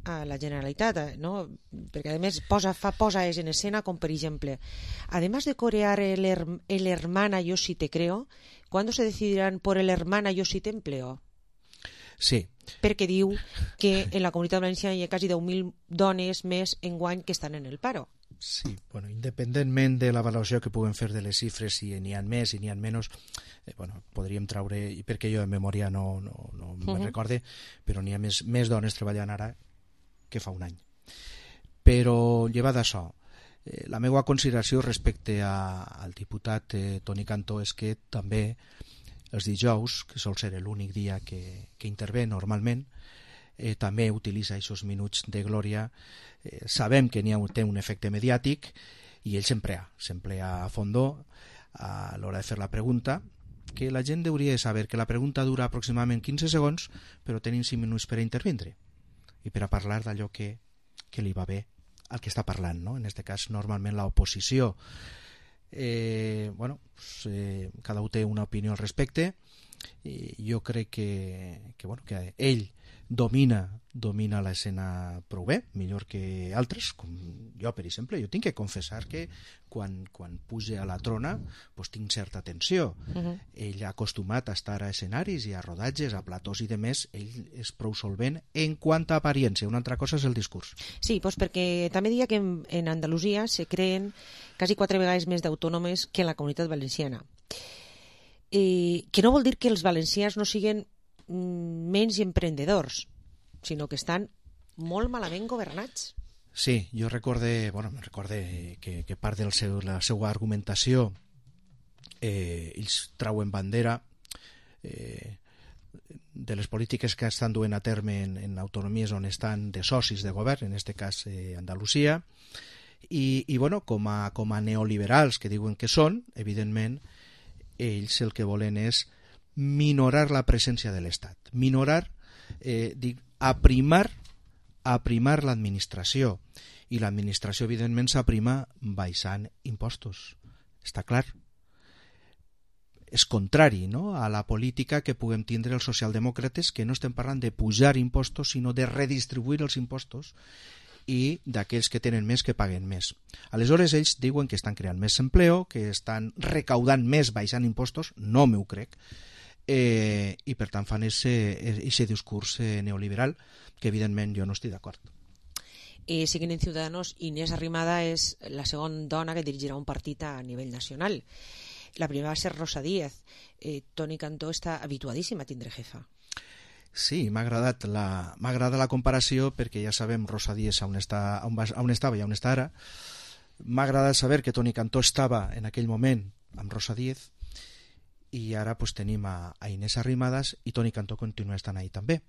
[SPEAKER 5] a la Generalitat, ¿no? Perquè a més posa, fa posaes en escena, com per exemple, además de corear el, el hermana yo sí te creo, ¿cuándo se decidirán por el hermana yo sí te empleo?
[SPEAKER 12] Sí.
[SPEAKER 5] Perquè diu que en la Comunitat Valenciana hi ha quasi deu mil dones més enguany que estan en el paro.
[SPEAKER 12] Sí, bueno, independentment de la valoració que puguem fer de les xifres, si n'hi ha més i n'hi ha menys, eh, bueno, podríem traure, perquè jo de memòria no, no, no uh-huh. me'n recorde, però n'hi ha més, més dones treballant ara que fa un any. Però llevat d'això, eh, la meva consideració respecte a, al diputat eh, Toni Cantó és que també els dijous, que sol ser l'únic dia que, que intervé normalment, eh, també utilitza aquests minuts de glòria. Eh, sabem que n'hi ha, té un efecte mediàtic i ell s'emplea, s'emplea a fondo a l'hora de fer la pregunta, que la gent hauria de saber que la pregunta dura aproximadament quinze segons, però tenim cinc minuts per a intervindre i per a parlar d'allò que, que li va bé al que està parlant, no? En aquest cas, normalment l'oposició. Eh, bueno, pues, eh, cada un té una opinió al respecte i jo crec que, que, bueno, que ell domina domina l'escena prou bé, millor que altres, com jo, per exemple. Jo tinc que confessar que quan, quan puja a la trona pues, tinc certa tensió. Uh-huh. Ell ha acostumat a estar a escenaris i a rodatges, a platós i de més, ell és prou solvent en quant a apariència. Una altra cosa és el discurs.
[SPEAKER 5] Sí, pues perquè també diria que en, en Andalusia se creen quasi quatre vegades més d'autònomes que en la Comunitat Valenciana. Eh, que no vol dir que els valencians no siguin mm, menys emprendedors, sinó que estan molt malament governats.
[SPEAKER 12] Sí, jo recorde, bueno, recorde que, que part de seu, la seva argumentació eh, ells trauen bandera eh, de les polítiques que estan duent a terme en, en autonomies on estan de socis de govern, en este cas eh, Andalusia, i, i bueno, com a, com a neoliberals que diuen que són, evidentment, ells el que volen és minorar la presència de l'Estat, minorar, eh, dic, aprimar aprimar l'administració, i l'administració evidentment s'aprima baixant impostos, està clar. És contrari, no?, a la política que puguem tindre els socialdemòcrates, que no estem parlant de pujar impostos sinó de redistribuir els impostos i d'aquells que tenen més que paguen més. Aleshores ells diuen que estan creant més empleo, que estan recaudant més baixant impostos, no m'ho crec, Eh, i per tant fan aquest discurs eh, neoliberal que evidentment jo no estic d'acord.
[SPEAKER 5] Eh, seguint en Ciudadanos, Inés Arrimada és la segona dona que dirigirà un partit a nivell nacional. La primera va ser Rosa Díez. eh, Toni Cantó està habituadíssim a tindre jefa.
[SPEAKER 12] Sí, m'ha agradat la, m'ha agradat la comparació, perquè ja sabem Rosa Díez on, està, on, va, on estava i on està ara. M'ha agradat saber que Toni Cantó estava en aquell moment amb Rosa Díez, i ara pues, tenim a, a Inés Arrimadas i Toni Cantó continua estant ahí també.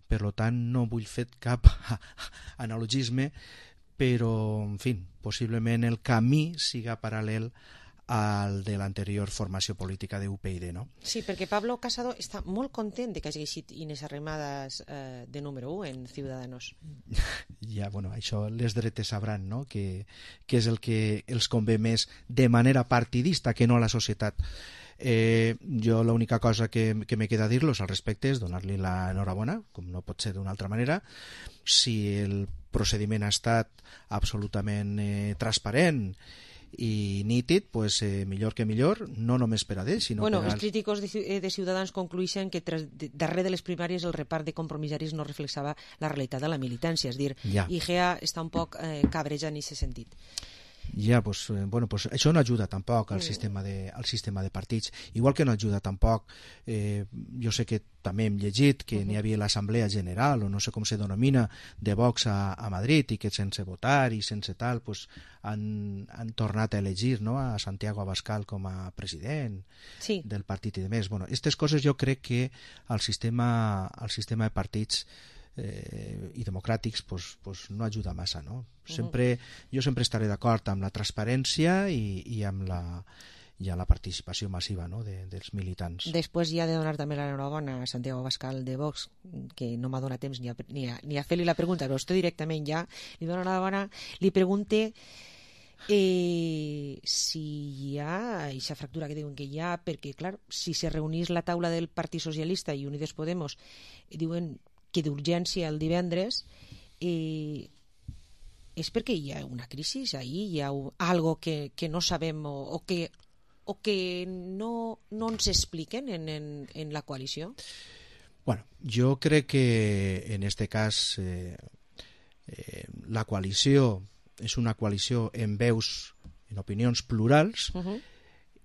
[SPEAKER 12] Per tant, no vull fer cap analogisme, però, en fi, possiblement el camí siga paral·lel al de l'anterior formació política de U P YD, no?
[SPEAKER 5] Sí, perquè Pablo Casado està molt content de que hagi eixit Inés Arrimadas eh, de número u en Ciudadanos.
[SPEAKER 12] Ja, bueno, això les dretes sabran, no?, que, que és el que els convé més de manera partidista que no a la societat. Eh, jo l'única cosa que, que me queda dir-los al respecte és donar-li l'enhorabona, com no pot ser d'una altra manera. Si el procediment ha estat absolutament eh, transparent i nítid, pues, eh, millor que millor, no només per a ells, sinó
[SPEAKER 5] bueno,
[SPEAKER 12] per als...
[SPEAKER 5] Els crítics de, de Ciutadans concluïxen que tras, de, darrere de les primàries el repart de compromissaris no reflexava la realitat de la militància, és dir, ja. I G E A està un poc eh, cabreja en aquest sentit.
[SPEAKER 12] Ja, pues, bueno, pues això no ajuda tampoc al, mm. sistema de, al sistema de partits, igual que no ajuda tampoc, eh, jo sé que també hem llegit que uh-huh. n'hi havia l'Assemblea General, o no sé com se denomina, de Vox a, a Madrid, i que sense votar i sense tal, pues, han, han tornat a elegir, no?, a Santiago Abascal com a president sí. del partit i de més. Bueno, aquestes coses jo crec que al sistema, al sistema de partits Eh, i democràtics pues, pues no ajuda massa, no? Sempre, jo sempre estaré d'acord amb la transparència i, i amb la, i amb la participació massiva, no?, de, dels militants.
[SPEAKER 5] Després ja de donar també l'enhorabona a Santiago Abascal de Vox, que no m'ha donat temps ni a, ni a, ni a fer-li la pregunta, però estoy directament ja, li dono l'enhorabona, li pregunte eh, si hi ha aquesta fractura que diuen que hi ha, perquè clar, si se reunís la taula del Partit Socialista i Unides Podemos, diuen que d'urgència el divendres, eh, és perquè hi ha una crisi ahí, hi ha algo que, que no sabem o, o que, o que no, no ens expliquen en, en, en la coalició?
[SPEAKER 12] Bueno, jo crec que en este cas eh, eh, la coalició és una coalició en veus, en opinions plurals, uh-huh.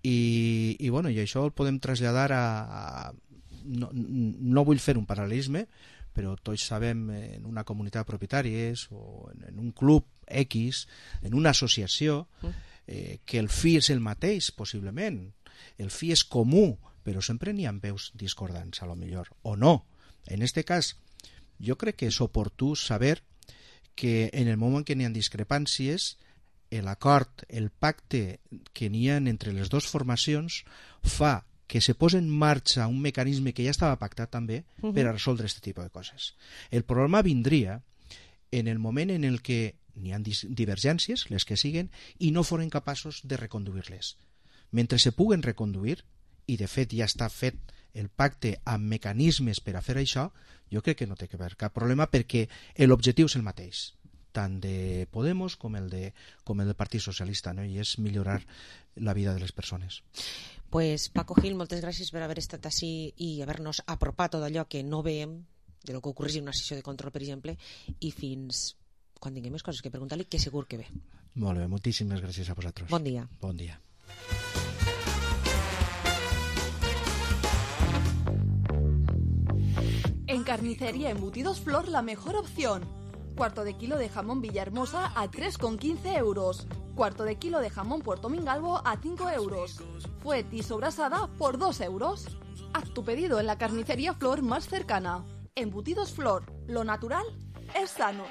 [SPEAKER 12] i, i, bueno, i això el podem traslladar a... a no, no vull fer un paral·lelisme, però tots sabem en una comunitat de propietaris o en un club X, en una associació, eh, que el fi és el mateix, possiblement. El fi és comú, però sempre n'hi ha veus discordants, a lo millor, o no. En este cas, jo crec que és oportú saber que en el moment que n'hi ha discrepàncies, l'acord, el pacte que n'hi ha entre les dues formacions fa que se posa en marxa un mecanisme que ja estava pactat també uh-huh. per a resoldre aquest tipus de coses. El problema vindria en el moment en el que n'hi ha divergències, les que siguen, i no foren capaços de reconduir-les. Mentre se puguen reconduir, i de fet ja està fet el pacte amb mecanismes per a fer això, jo crec que no té que haver cap problema, perquè l'objectiu és el mateix, tant de Podemos com el, de, com el del Partit Socialista, no? I és millorar la vida de les persones.
[SPEAKER 5] Pues Paco Gil, moltes gràcies per haver estat així i haver-nos apropat tot allò que no veiem de lo que ocorreix en una sessió de control, per exemple, i fins quan tinguem més coses que preguntar-li, que segur que ve.
[SPEAKER 12] Molt bé, moltíssimes gràcies a vosaltres.
[SPEAKER 5] Bon dia.
[SPEAKER 12] Bon dia.
[SPEAKER 4] En Carnicería Embutidos Flor, la mejor opción. Cuarto de kilo de jamón Villahermosa a tres con quince euros. Cuarto de kilo de jamón Puerto Mingalvo a cinco euros. Fuet y sobrasada por dos euros. Haz tu pedido en la Carnicería Flor más cercana. Embutidos Flor, lo natural es sano.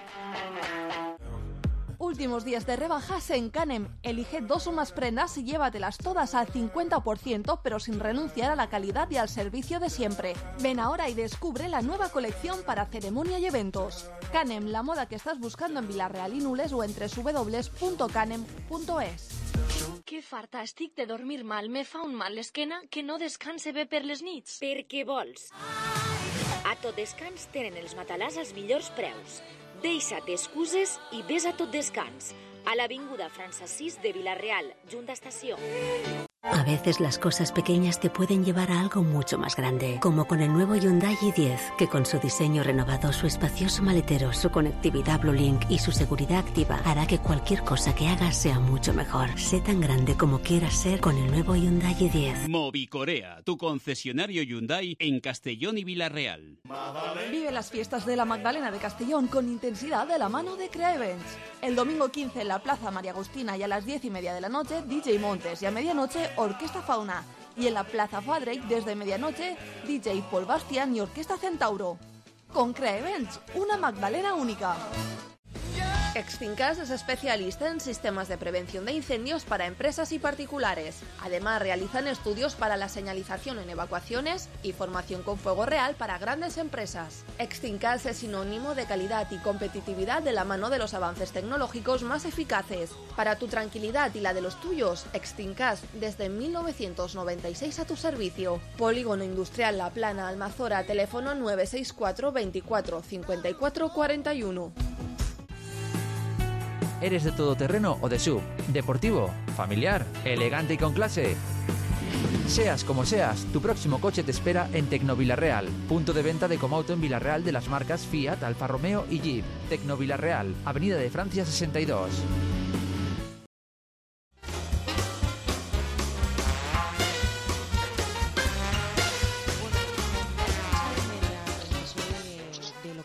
[SPEAKER 4] Últimos días de rebajas en Canem. Elige dos o más prendas y llévatelas todas al cincuenta por ciento, pero sin renunciar a la calidad y al servicio de siempre. Ven ahora y descubre la nueva colección para ceremonia y eventos. Canem, la moda que estás buscando en Vilareal i Nules o en doble u doble u doble u punto canem punto es.
[SPEAKER 13] Que farta estic de dormir mal. Me fa un mal l'esquena que no descanse bé per les nits.
[SPEAKER 8] Per què vols? A Tot Descans tenen els matalàs als millors preus. Deixa't excuses i ves a Tot Descans, a l'avinguda Francesís de Vilareal, junta estació.
[SPEAKER 14] A veces las cosas pequeñas te pueden llevar a algo mucho más grande, como con el nuevo Hyundai i diez, que con su diseño renovado, su espacioso maletero, su conectividad Blue Link y su seguridad activa hará que cualquier cosa que hagas sea mucho mejor. Sé tan grande como quieras ser con el nuevo Hyundai i diez.
[SPEAKER 15] Movicorea, tu concesionario Hyundai en Castellón y Vilareal.
[SPEAKER 4] Vive las fiestas de la Magdalena de Castellón con intensidad de la mano de Crea Events. El domingo quince en la Plaza María Agustina y a las diez y media de la noche D J Montes y a medianoche Orquesta Fauna. Y en la Plaza Fadrake desde medianoche D J Paul Bastian y Orquesta Centauro. Con Crea Events, una Magdalena única. Extincas es especialista en sistemas de prevención de incendios para empresas y particulares. Además, realizan estudios para la señalización en evacuaciones y formación con fuego real para grandes empresas. Extincas es sinónimo de calidad y competitividad de la mano de los avances tecnológicos más eficaces. Para tu tranquilidad y la de los tuyos, Extincas desde mil novecientos noventa y seis a tu servicio. Polígono Industrial La Plana, Almazora, teléfono nueve seis cuatro veinticuatro cincuenta y cuatro cuarenta y uno.
[SPEAKER 16] ¿Eres de todoterreno o de S U V? ¿Deportivo? ¿Familiar? ¿Elegante y con clase? Seas como seas, tu próximo coche te espera en Tecnovilareal, punto de venta de Comauto en Vilareal de las marcas Fiat, Alfa Romeo y Jeep. Tecnovilareal, Avenida de Francia sesenta y dos.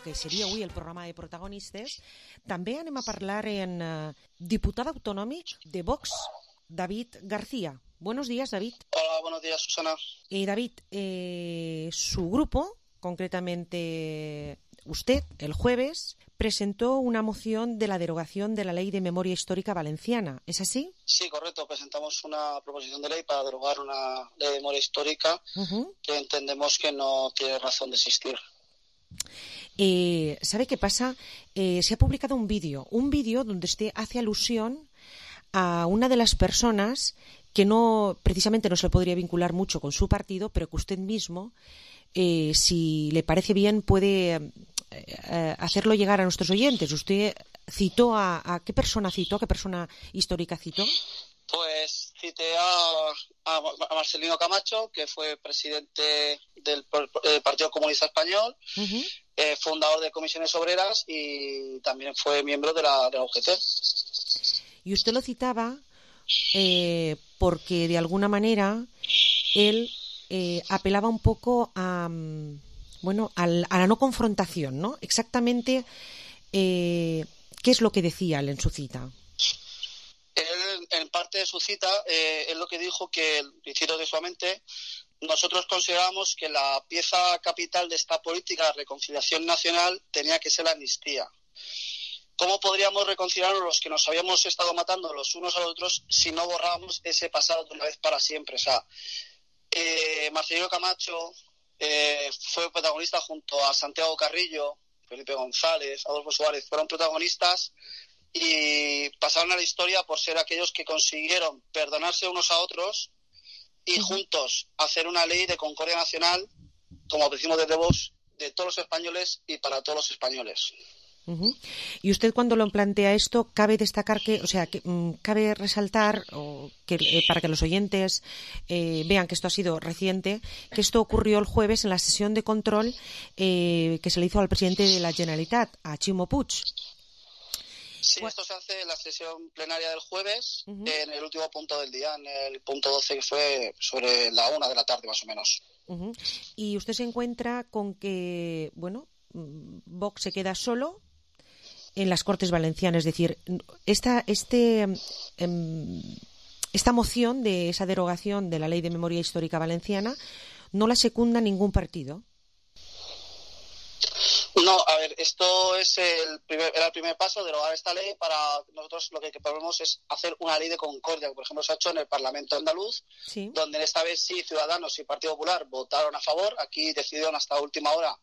[SPEAKER 5] Que seria avui el programa de protagonistes, també anem a parlar en uh, diputat autonòmic de Vox, David García. Buenos días, David.
[SPEAKER 17] Hola, buenos días, Susana.
[SPEAKER 5] Eh, David, eh, su grupo, concretamente usted, el jueves, presentó una moción de la derogación de la Ley de Memoria Histórica Valenciana. ¿Es así?
[SPEAKER 17] Sí, correcto. Presentamos una proposición de ley para derogar una ley de memoria histórica uh-huh. que entendemos que no tiene razón de existir.
[SPEAKER 5] Eh, ¿Sabe qué pasa? Eh, se ha publicado un vídeo, un vídeo donde usted hace alusión a una de las personas que no, precisamente no se le podría vincular mucho con su partido, pero que usted mismo, eh, si le parece bien, puede eh, hacerlo llegar a nuestros oyentes. ¿Usted citó a, a qué persona citó, a qué persona histórica citó?
[SPEAKER 17] Pues cité a, a, a Marcelino Camacho, que fue presidente del, del Partido Comunista Español, uh-huh. eh, fundador de Comisiones Obreras y también fue miembro de la, de la U G T.
[SPEAKER 5] Y usted lo citaba eh, porque de alguna manera él eh, apelaba un poco a, bueno, al, a la no confrontación, ¿no? Exactamente, eh, ¿qué es lo que decía él en su cita?
[SPEAKER 17] Él, en parte de su cita, eh, es lo que dijo que, y cito textualmente, nosotros consideramos que la pieza capital de esta política de reconciliación nacional tenía que ser la amnistía. ¿Cómo podríamos reconciliarnos los que nos habíamos estado matando los unos a los otros si no borrábamos ese pasado de una vez para siempre? O sea, eh, Marcelino Camacho eh, fue protagonista junto a Santiago Carrillo, Felipe González, Adolfo Suárez, fueron protagonistas y pasaron a la historia por ser aquellos que consiguieron perdonarse unos a otros y juntos hacer una ley de concordia nacional, como decimos desde Vox, de todos los españoles y para todos los españoles.
[SPEAKER 5] Uh-huh. Y usted, cuando lo plantea esto, cabe destacar que, o sea, que, um, cabe resaltar o que eh, para que los oyentes eh, vean que esto ha sido reciente, que esto ocurrió el jueves en la sesión de control eh, que se le hizo al presidente de la Generalitat, a Ximo Puig.
[SPEAKER 17] Sí, esto se hace en la sesión plenaria del jueves, uh-huh. en el último punto del día, en el punto doce, que fue sobre la una de la tarde, más o menos.
[SPEAKER 5] Uh-huh. Y usted se encuentra con que, bueno, Vox se queda solo en las Cortes Valencianas, es decir, esta, este, um, esta moción de esa derogación de la Ley de Memoria Histórica Valenciana no la secunda ningún partido.
[SPEAKER 17] No, a ver, esto es el primer, era el primer paso, derogar esta ley. Para nosotros lo que proponemos es hacer una ley de concordia, que por ejemplo se ha hecho en el Parlamento andaluz, sí. donde esta vez sí Ciudadanos y Partido Popular votaron a favor. Aquí decidieron hasta última hora,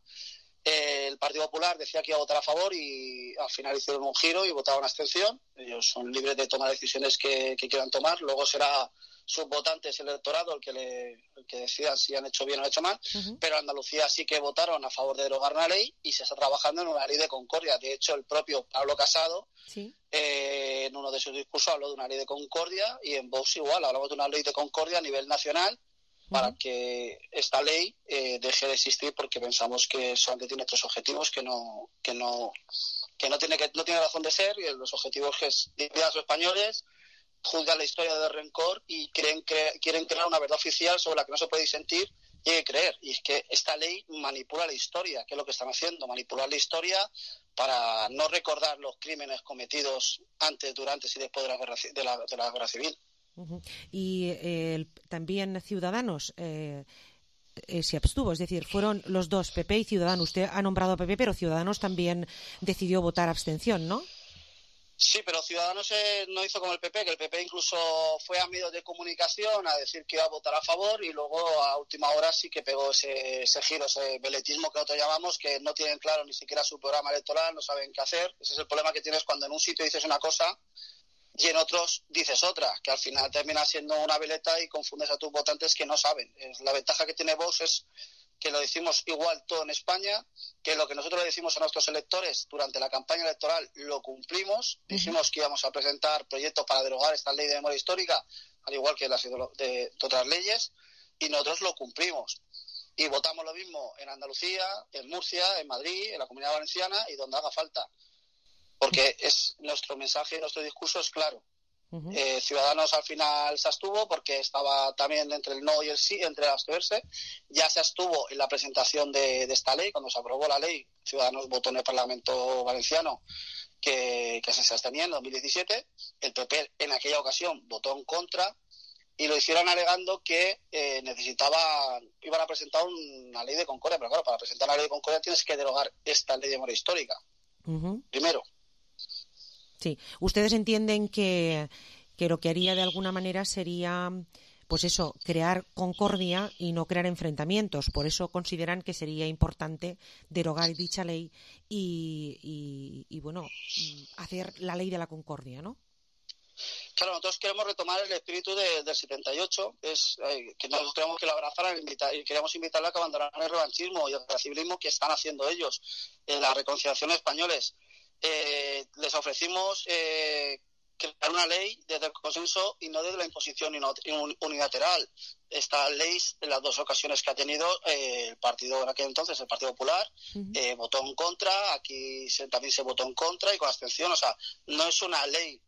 [SPEAKER 17] eh, el Partido Popular decía que iba a votar a favor y al final hicieron un giro y votaron a abstención. Ellos son libres de tomar decisiones que, que quieran tomar, luego será sus votantes, el electorado, el que le, el que decidan si han hecho bien o han hecho mal, uh-huh. pero en Andalucía sí que votaron a favor de derogar una ley y se está trabajando en una ley de concordia. De hecho, el propio Pablo Casado, sí. eh, en uno de sus discursos habló de una ley de concordia, y en Vox igual, hablamos de una ley de concordia a nivel nacional uh-huh. para que esta ley eh, deje de existir, porque pensamos que solamente tiene tres objetivos que no que no que no tiene que no tiene razón de ser, y los objetivos que es dividir a los españoles, juzgan la historia de rencor y creen, cre- quieren crear una verdad oficial sobre la que no se puede disentir y hay que creer. Y es que esta ley manipula la historia, que es lo que están haciendo, manipular la historia para no recordar los crímenes cometidos antes, durante y después de la guerra, de la, de la guerra civil.
[SPEAKER 5] Uh-huh. Y eh, también Ciudadanos eh, eh, se abstuvo, es decir, fueron los dos, P P y Ciudadanos. Usted ha nombrado a P P, pero Ciudadanos también decidió votar abstención, ¿no?
[SPEAKER 17] Sí, pero Ciudadanos eh, no hizo como el P P, que el P P incluso fue a medios de comunicación a decir que iba a votar a favor, y luego a última hora sí que pegó ese, ese giro, ese veletismo que nosotros llamamos, que no tienen claro ni siquiera su programa electoral, no saben qué hacer. Ese es el problema que tienes cuando en un sitio dices una cosa y en otros dices otra, que al final termina siendo una veleta y confundes a tus votantes que no saben. La ventaja que tiene Vox es que lo decimos igual todo en España, que lo que nosotros le decimos a nuestros electores durante la campaña electoral lo cumplimos. Uh-huh. Dijimos que íbamos a presentar proyectos para derogar esta ley de memoria histórica, al igual que las de, de otras leyes, y nosotros lo cumplimos. Y votamos lo mismo en Andalucía, en Murcia, en Madrid, en la Comunidad Valenciana y donde haga falta. Porque es nuestro mensaje, nuestro discurso es claro. Uh-huh. Eh, Ciudadanos al final se abstuvo porque estaba también entre el no y el sí, entre abstenerse. Ya se abstuvo en la presentación de, de esta ley. Cuando se aprobó la ley, Ciudadanos votó en el Parlamento Valenciano que, que se abstenía en dos mil diecisiete. El P P en aquella ocasión votó en contra y lo hicieron alegando que eh, necesitaban, iban a presentar una ley de concordia. Pero claro, para presentar la ley de concordia tienes que derogar esta ley de memoria histórica. Uh-huh. Primero.
[SPEAKER 5] Sí, ustedes entienden que, que lo que haría de alguna manera sería, pues eso, crear concordia y no crear enfrentamientos. Por eso consideran que sería importante derogar dicha ley y, y, y bueno, hacer la ley de la concordia, ¿no?
[SPEAKER 17] Claro, nosotros queremos retomar el espíritu de, del setenta y ocho, es eh, que nosotros queremos que lo abrazaran invitar, y queremos invitarla a que abandonaran el revanchismo y el racialismo que están haciendo ellos, en la reconciliación españoles. Eh, les ofrecimos eh, crear una ley desde el consenso y no desde la imposición unilateral. Esta ley, en las dos ocasiones que ha tenido eh, el partido en aquel entonces, el Partido Popular, uh-huh. eh, votó en contra, aquí se, también se votó en contra y con abstención. O sea, no es una ley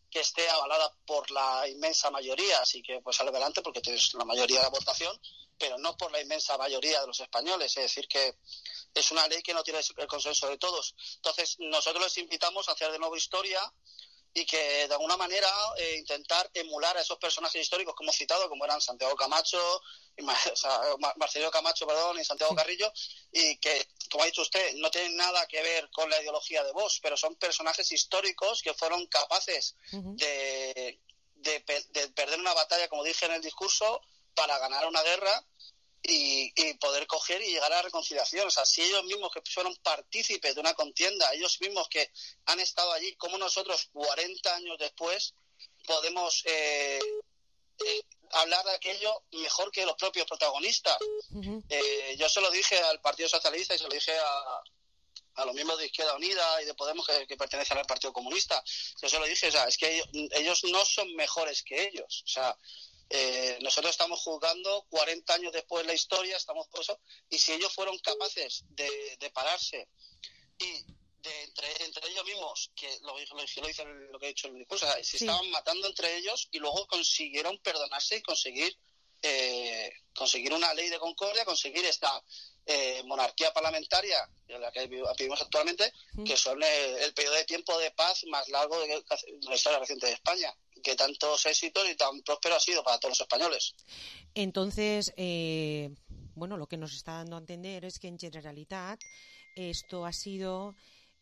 [SPEAKER 17] que esté avalada por la inmensa mayoría, así que pues sale adelante porque tienes la mayoría de la votación, pero no por la inmensa mayoría de los españoles. Es decir, que es una ley que no tiene el consenso de todos. Entonces, nosotros les invitamos a hacer de nuevo historia y que, de alguna manera, eh, intentar emular a esos personajes históricos que hemos citado, como eran Santiago Camacho, y, o sea, Marcelino Camacho, perdón, y Santiago Carrillo, y que, como ha dicho usted, no tienen nada que ver con la ideología de Vox, pero son personajes históricos que fueron capaces uh-huh. de, de, de perder una batalla, como dije en el discurso, para ganar una guerra y, y poder coger y llegar a la reconciliación. O sea, si ellos mismos que fueron partícipes de una contienda, ellos mismos que han estado allí, como nosotros cuarenta años después podemos eh, eh, hablar de aquello mejor que los propios protagonistas. Uh-huh. Eh, yo se lo dije al Partido Socialista y se lo dije a, a los miembros de Izquierda Unida y de Podemos que, que pertenecen al Partido Comunista. Yo se lo dije, o sea, es que ellos, ellos no son mejores que ellos. O sea, eh, nosotros estamos juzgando cuarenta años después la historia, estamos por eso, y si ellos fueron capaces de, de pararse y de entre, entre ellos mismos, que lo, lo, lo dice lo que he dicho en el discurso, o sea, se sí. estaban matando entre ellos y luego consiguieron perdonarse y conseguir eh, conseguir una ley de concordia, conseguir esta eh, monarquía parlamentaria en la que vivimos actualmente, sí. que son el, el periodo de tiempo de paz más largo de, de la historia reciente de España, que tantos éxitos y tan próspero ha sido para todos los españoles.
[SPEAKER 5] Entonces, eh, bueno, lo que nos está dando a entender es que en Generalitat esto ha sido...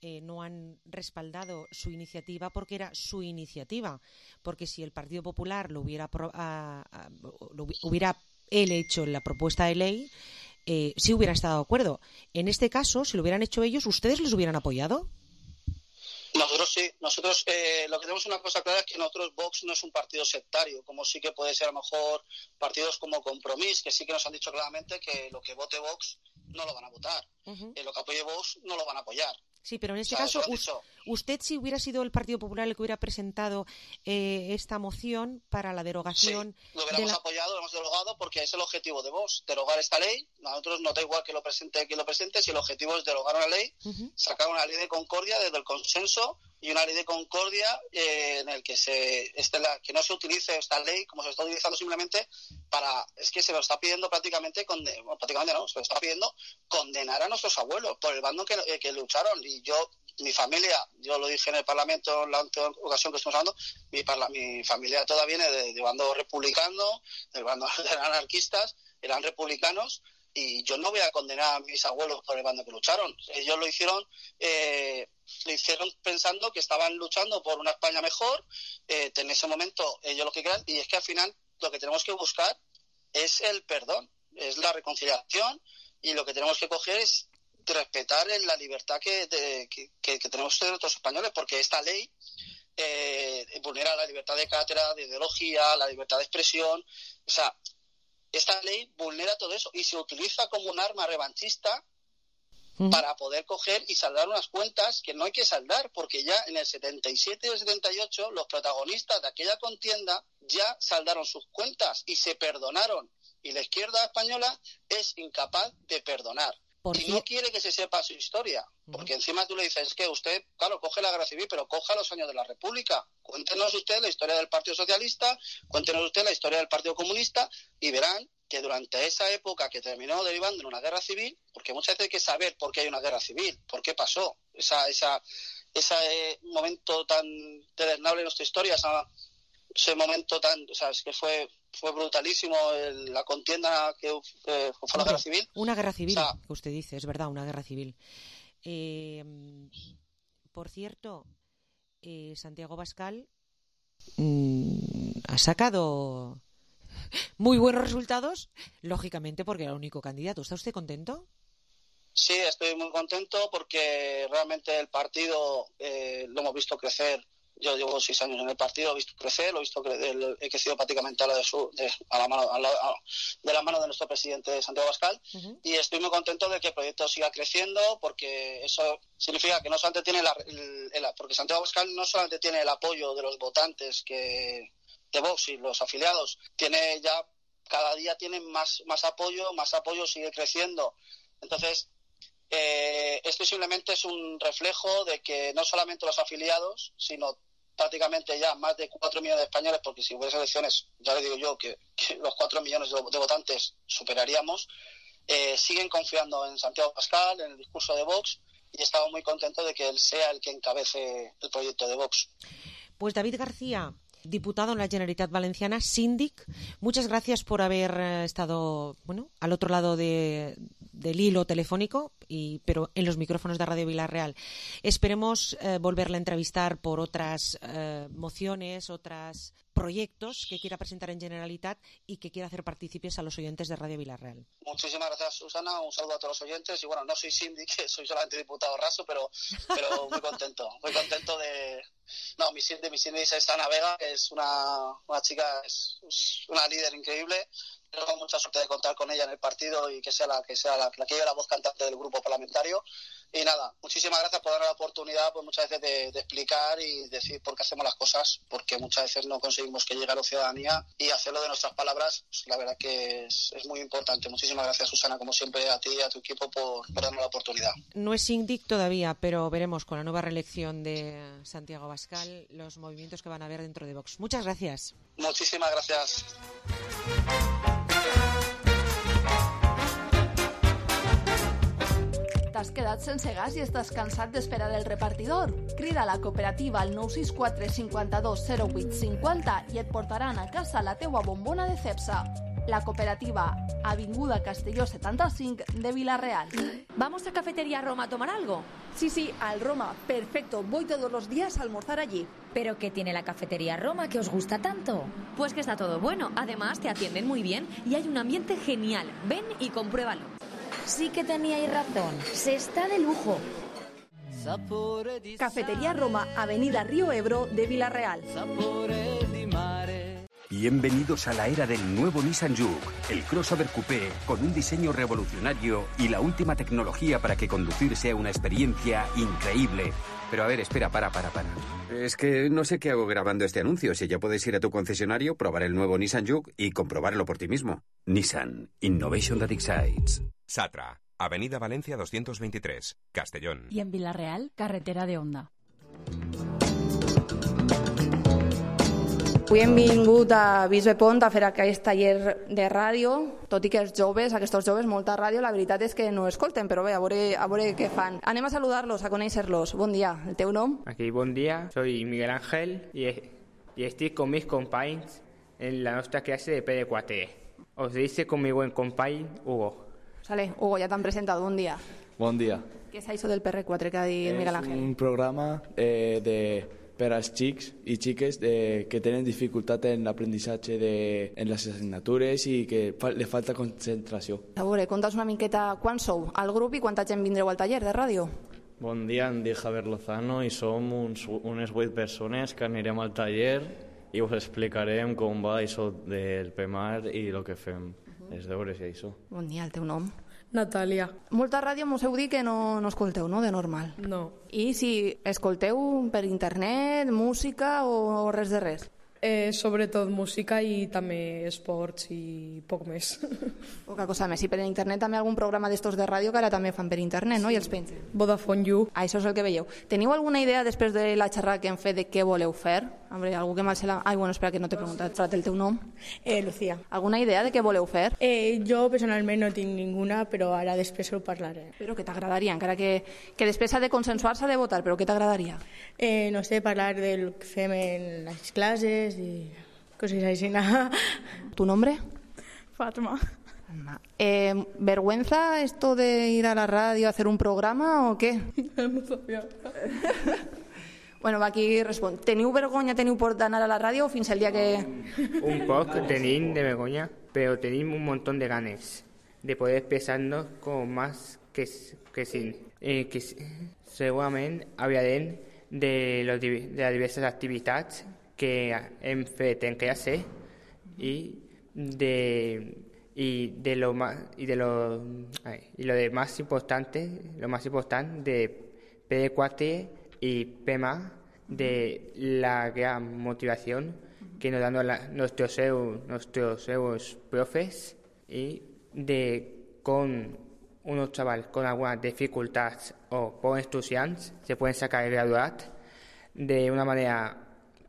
[SPEAKER 5] Eh, no han respaldado su iniciativa porque era su iniciativa, porque si el Partido Popular lo hubiera pro, a, a, lo hubiera él hecho la propuesta de ley, eh, sí hubiera estado de acuerdo. En este caso, si lo hubieran hecho ellos, ¿ustedes les hubieran apoyado?
[SPEAKER 17] Nosotros sí, nosotros eh, lo que tenemos una cosa clara es que nosotros Vox no es un partido sectario, como sí que puede ser a lo mejor partidos como Compromís, que sí que nos han dicho claramente que lo que vote Vox no lo van a votar, uh-huh. eh, lo que apoye Vox no lo van a apoyar.
[SPEAKER 5] Sí, pero en este o sea, caso, us, usted si hubiera sido el Partido Popular el que hubiera presentado eh, esta moción para la derogación...
[SPEAKER 17] Sí, lo hubiéramos
[SPEAKER 5] de la...
[SPEAKER 17] apoyado, lo hemos derogado porque es el objetivo de Vox, derogar esta ley. A nosotros no da igual que lo presente quien lo presente, si el objetivo es derogar una ley, uh-huh. sacar una ley de concordia desde el consenso y una ley de concordia eh, en el que se este, la, que no se utilice esta ley como se está utilizando simplemente para... Es que se lo está pidiendo prácticamente, conde, bueno, prácticamente no, se lo está pidiendo condenar a nuestros abuelos por el bando que, eh, que lucharon. Y yo, mi familia, yo lo dije en el Parlamento en la ocasión que estuvimos hablando, mi, parla, mi familia toda viene de, de bando republicano, del bando de anarquistas, eran republicanos, y yo no voy a condenar a mis abuelos por el bando que lucharon. Ellos lo hicieron eh, lo hicieron pensando que estaban luchando por una España mejor, eh, en ese momento ellos lo que crean, y es que al final lo que tenemos que buscar es el perdón, es la reconciliación, y lo que tenemos que coger es respetar la libertad que, de, que, que, que tenemos nosotros españoles, porque esta ley eh, vulnera la libertad de cátedra, de ideología, la libertad de expresión. O sea, esta ley vulnera todo eso y se utiliza como un arma revanchista uh-huh. para poder coger y saldar unas cuentas que no hay que saldar, porque ya en el setenta y siete y el setenta y ocho los protagonistas de aquella contienda ya saldaron sus cuentas y se perdonaron, y la izquierda española es incapaz de perdonar. Por y no quiere que se sepa su historia, porque uh-huh. encima tú le dices que usted, claro, coge la guerra civil, pero coja los años de la República. Cuéntenos usted la historia del Partido Socialista, cuéntenos usted la historia del Partido Comunista, y verán que durante esa época que terminó derivando en una guerra civil, porque muchas veces hay que saber por qué hay una guerra civil, por qué pasó, esa, esa, ese eh, momento tan deleznable en nuestra historia, esa, ese momento tan, o sea, es que fue... fue brutalísimo el, la contienda que eh, fue la guerra civil.
[SPEAKER 5] Una guerra civil, o sea, que usted dice, es verdad, una guerra civil. Eh, por cierto, eh, Santiago Abascal mmm, ha sacado muy buenos resultados, lógicamente porque era el único candidato. ¿Está usted contento?
[SPEAKER 17] Sí, estoy muy contento porque realmente el partido eh, lo hemos visto crecer. Yo llevo seis años en el partido, he visto crecer, lo he visto crecer, he crecido prácticamente a la, de su, de, a la mano a la, a, de la mano de nuestro presidente Santiago Abascal, uh-huh. y estoy muy contento de que el proyecto siga creciendo, porque eso significa que no solamente tiene la, el, el, porque Santiago Abascal no solamente tiene el apoyo de los votantes que de Vox y los afiliados, tiene ya cada día tienen más más apoyo, más apoyo, sigue creciendo. Entonces eh, esto simplemente es un reflejo de que no solamente los afiliados, sino prácticamente ya más de cuatro millones de españoles, porque si hubiese elecciones, ya le digo yo que, que los cuatro millones de, de votantes superaríamos, eh, siguen confiando en Santiago Abascal, en el discurso de Vox, y estamos muy contentos de que él sea el que encabece el proyecto de Vox.
[SPEAKER 5] Pues David García, diputado en la Generalitat Valenciana, síndic, muchas gracias por haber estado bueno al otro lado de, del hilo telefónico, y, pero en los micrófonos de Radio Vila-real. Esperemos eh, volverla a entrevistar por otras eh, mociones, otros proyectos que quiera presentar en Generalitat y que quiera hacer partícipes a los oyentes de Radio Vila-real.
[SPEAKER 17] Muchísimas gracias, Susana. Un saludo a todos los oyentes. Y bueno, no soy síndic, soy solamente diputado raso, pero, pero muy contento. Muy contento de... No, mi síndic, mi síndic es Ana Vega, que es una, una chica, es, es una líder increíble. Tengo mucha suerte de contar con ella en el partido y que sea la que sea la, la que lleve la voz cantante del grupo parlamentario. Y nada, muchísimas gracias por darme la oportunidad, pues muchas veces de, de explicar y decir por qué hacemos las cosas, porque muchas veces no conseguimos que llegue a la ciudadanía, y hacerlo de nuestras palabras, pues, la verdad que es, es muy importante. Muchísimas gracias, Susana, como siempre, a ti y a tu equipo por, por darnos la oportunidad.
[SPEAKER 5] No es síndic todavía, pero veremos con la nueva reelección de Santiago Abascal los movimientos que van a haber dentro de Vox. Muchas gracias.
[SPEAKER 17] Muchísimas gracias.
[SPEAKER 4] T'has quedat sense gas i estàs cansat d'esperar el repartidor? Crida a la cooperativa al nou sis quatre cinquanta-dos zero vuit cinquanta i et portaran a casa la teua bombona de Cepsa. La cooperativa, Avinguda Castelló setanta-cinc de Vila-real.
[SPEAKER 18] ¿Vamos a Cafetería Roma a tomar algo?
[SPEAKER 19] Sí, sí, al Roma. Perfecto. Voy todos los días a almorzar allí.
[SPEAKER 18] ¿Pero qué tiene la Cafetería Roma que os gusta tanto? Pues que está todo bueno. Además, te atienden muy bien y hay un ambiente genial. Ven y compruébalo.
[SPEAKER 19] Sí que teníais razón. Se está de lujo. Cafetería Roma, Avenida Río Ebro de Vila-real.
[SPEAKER 20] Bienvenidos a la era del nuevo Nissan Juke, el crossover coupé con un diseño revolucionario y la última tecnología para que conducir sea una experiencia increíble. Pero a ver, espera, para, para, para. Es que no sé qué hago grabando este anuncio. Si ya puedes ir a tu concesionario, probar el nuevo Nissan Juke y comprobarlo por ti mismo. Nissan, Innovation that excites.
[SPEAKER 21] Satra, Avenida Valencia doscientos veintitrés, Castellón.
[SPEAKER 6] Y en Vila-real, carretera de Onda.
[SPEAKER 4] Avui hem vingut a Bisbe Pont a fer aquest taller de ràdio, tot i que els joves, aquests joves, molta ràdio, la veritat és que no escolten, però bé, a veure, a veure què fan. Anem a saludar-los, a conèixer-los. Bon dia, el teu nom?
[SPEAKER 22] Aquí, bon dia, soy Miguel Ángel i, i estic con mis companys en la nostra clase de P D quatre. Os dice con mi buen company Hugo.
[SPEAKER 4] Sale, Hugo, ja t'han presentat, bon dia.
[SPEAKER 23] Bon dia.
[SPEAKER 4] Què és això del P R quatre que ha dit Miguel Ángel?
[SPEAKER 23] És un programa eh, de... per als xics i xiques de, que tenen dificultat en l'aprenentatge de, en les assignatures i que fa, li falta concentració.
[SPEAKER 4] A veure, conta'ns una miqueta quan sou al grup i quanta gent vindreu al taller de ràdio?
[SPEAKER 23] Bon dia, em dic Javier Lozano i som uns, unes vuit persones que anirem al taller i us explicarem com va això del P M A R i el que fem, uh-huh. els deures i això.
[SPEAKER 4] Bon dia, el teu nom?
[SPEAKER 24] Natàlia.
[SPEAKER 4] Molta ràdio m'ho heu dit que no, no escolteu, no?, de normal.
[SPEAKER 24] No.
[SPEAKER 4] I si escolteu per internet, música o, o res de res?
[SPEAKER 24] Eh, sobretot música i també esports i poc més.
[SPEAKER 4] Poca cosa més. I per internet també algun programa d'estos de ràdio que ara també fan per internet, no? I els pengen.
[SPEAKER 24] Vodafone You.
[SPEAKER 4] Ah, això és el que veieu. Teniu alguna idea després de la xerrada que hem fet de què voleu fer? Hombre, algú que mal se la... Ai, bueno, espera, que no t'he preguntat. Frat, el teu nom?
[SPEAKER 24] Eh, Lucía.
[SPEAKER 4] Alguna idea de què voleu fer?
[SPEAKER 24] Eh, jo personalment no tinc ninguna, però ara després ho parlaré.
[SPEAKER 4] Però què t'agradaria? Encara que, que després s'ha de consensuar, s'ha de votar, però què t'agradaria?
[SPEAKER 24] Eh, no sé, parlar del que fem en les classes y cosas así.
[SPEAKER 4] ¿Tu nombre?
[SPEAKER 24] Fatma.
[SPEAKER 4] Eh, ¿Vergüenza esto de ir a la radio a hacer un programa o qué?
[SPEAKER 24] No sabia.
[SPEAKER 4] Bueno, va, aquí respon. Teniu vergonya, teniu por d'anar a la ràdio fins el dia que...
[SPEAKER 22] Un poc tenim de vergonya, però tenim un montón de ganes de poder expressar-nos com més que, que sin. Eh, que segurament hablarem de, los, de las diversas activitats que hem fet en clase y de y de lo más y de lo y lo de más importante lo más importante de P D cuatro y P M A, de la gran motivación que nos dan la, nuestros nuestros profes, y de con unos chavales con algunas dificultades o por estudiantes se pueden sacar el graduat de una manera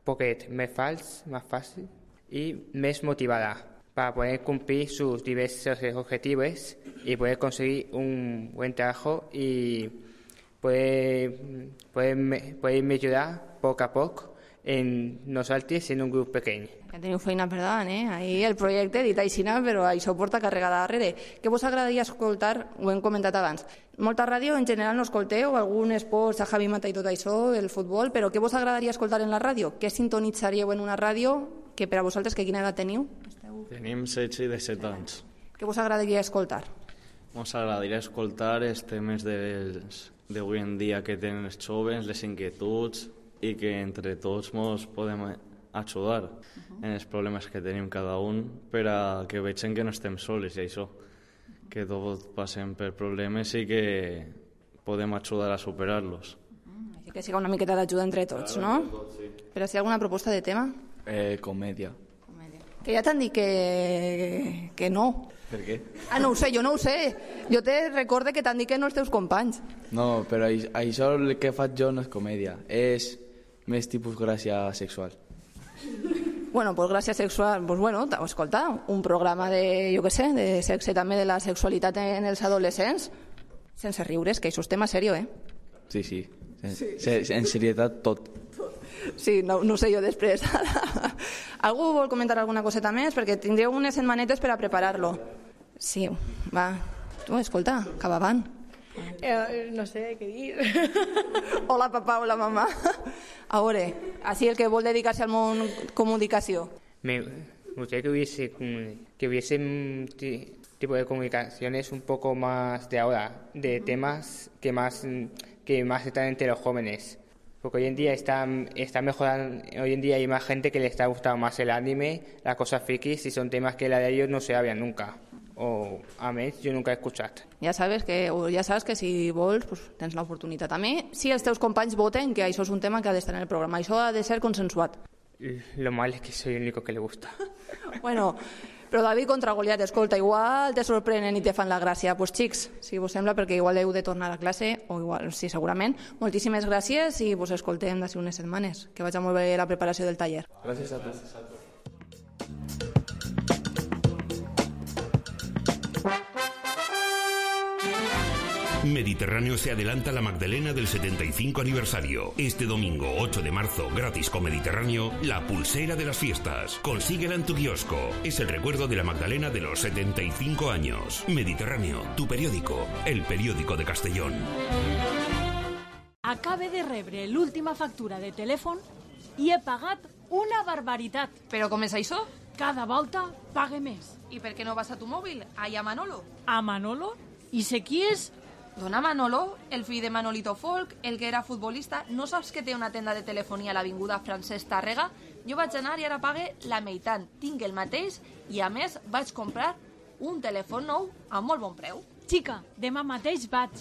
[SPEAKER 22] poquet més fals, más fácil y más motivada para poder cumplir sus diversos objetivos y poder conseguir un buen trabajo y poder, poder, poder mejorar poco a poco en nosaltres en un grup pequeñ.
[SPEAKER 4] Ja teniu feina per davant, eh? Ahir el projecte dit aixina, però això porta carregada darrere. Què vos agradaria escoltar? Ho hem comentat abans. Molta ràdio en general no escolteu, algun esports, a Javi Mata i tot això, el futbol, però què vos agradaria escoltar en la ràdio? Què sintonitzaríeu en una ràdio? Que per a vosaltres, que quina edat teniu?
[SPEAKER 23] Tenim setze i disset anys.
[SPEAKER 4] Què vos agradaria escoltar?
[SPEAKER 23] Ens agradaria escoltar els temes d'avui en dia que tenen els joves, les inquietuds, i que entre tots ens podem ajudar uh-huh. en els problemes que tenim cada un per a que vegin que no estem sols i això, que tots passem per problemes i que podem ajudar a superar-los.
[SPEAKER 4] Uh-huh. Així que siga una miqueta d'ajuda entre tots, no?
[SPEAKER 23] Tots, sí.
[SPEAKER 4] Però si hi ha alguna proposta de tema?
[SPEAKER 2] Eh, comèdia.
[SPEAKER 4] Comèdia. Que ja t'han dit que... que no.
[SPEAKER 2] Per què?
[SPEAKER 4] Ah, no ho sé, jo no ho sé. Jo te recorde que t'han dit que no els teus companys.
[SPEAKER 2] No, però això el que faig jo no és comèdia, és més tipus gràcia sexual.
[SPEAKER 4] Bueno, pues gràcia sexual, pues bueno, escolta, un programa de, jo què sé, de sexe també, de la sexualitat en els adolescents, sense riures, que això és tema serio, eh?
[SPEAKER 2] Sí, sí, en,
[SPEAKER 4] sí.
[SPEAKER 2] en serietat tot.
[SPEAKER 4] Sí, no, no sé jo després. Algú vol comentar alguna coseta més? Perquè tindreu unes setmanetes per a preparar-lo. Sí, va, tu, escolta, cap avant.
[SPEAKER 24] Eh, no sé què dir.
[SPEAKER 4] Hola, papà, hola, mamà. A veure, així el que vol dedicar-se al món comunicació.
[SPEAKER 22] Me gustaría que hubiese, que hubiese un tipo de comunicaciones un poco más de ahora, de temas que más, que más están entre los jóvenes. Porque hoy en día está, está mejorando, hoy en día hay más gente que le está gustando más el anime, las cosas frikis, y son temas que la de ellos no se habían nunca. O a més, jo nunca he escuchat.
[SPEAKER 4] Ja sabes que, ja sabes que si vols pues, tens l'oportunitat. A mi, si els teus companys voten que això és un tema que ha d'estar en el programa, això ha de ser consensuat.
[SPEAKER 22] Lo mal es que soy el único que le gusta.
[SPEAKER 4] Bueno, però David contra Goliat, escolta, igual te sorprenen i te fan la gràcia. Pues xics, si vos sembla, perquè igual heu de tornar a classe, o igual, sí, segurament. Moltíssimes gràcies i vos escoltem d'ací unes setmanes. Que vaig molt bé la preparació del taller.
[SPEAKER 2] Gràcies a tu.
[SPEAKER 3] Mediterráneo se adelanta a la Magdalena del setenta y cinco aniversario. Este domingo ocho de marzo, gratis con Mediterráneo, la pulsera de las fiestas. Consíguela en tu kiosco. Es el recuerdo de la Magdalena de los setenta y cinco años. Mediterráneo, tu periódico, el periódico de Castellón.
[SPEAKER 6] Acabe de rebre l'última factura de telèfon i he pagat una barbaritat.
[SPEAKER 4] Però com és això?
[SPEAKER 6] Cada volta pague més.
[SPEAKER 4] I per què no vas a tu mòbil? Allà a Manolo.
[SPEAKER 6] A Manolo? I sé qui és?
[SPEAKER 4] Dona Manolo, el fill de Manolito Folk, el que era futbolista, no saps que té una tenda de telefonia a l'avinguda Francesc Tàrrega? Jo vaig anar i ara pague la meitat. Tinc el mateix i, a més, vaig comprar un telèfon nou a molt bon preu.
[SPEAKER 6] Xica, demà mateix vaig.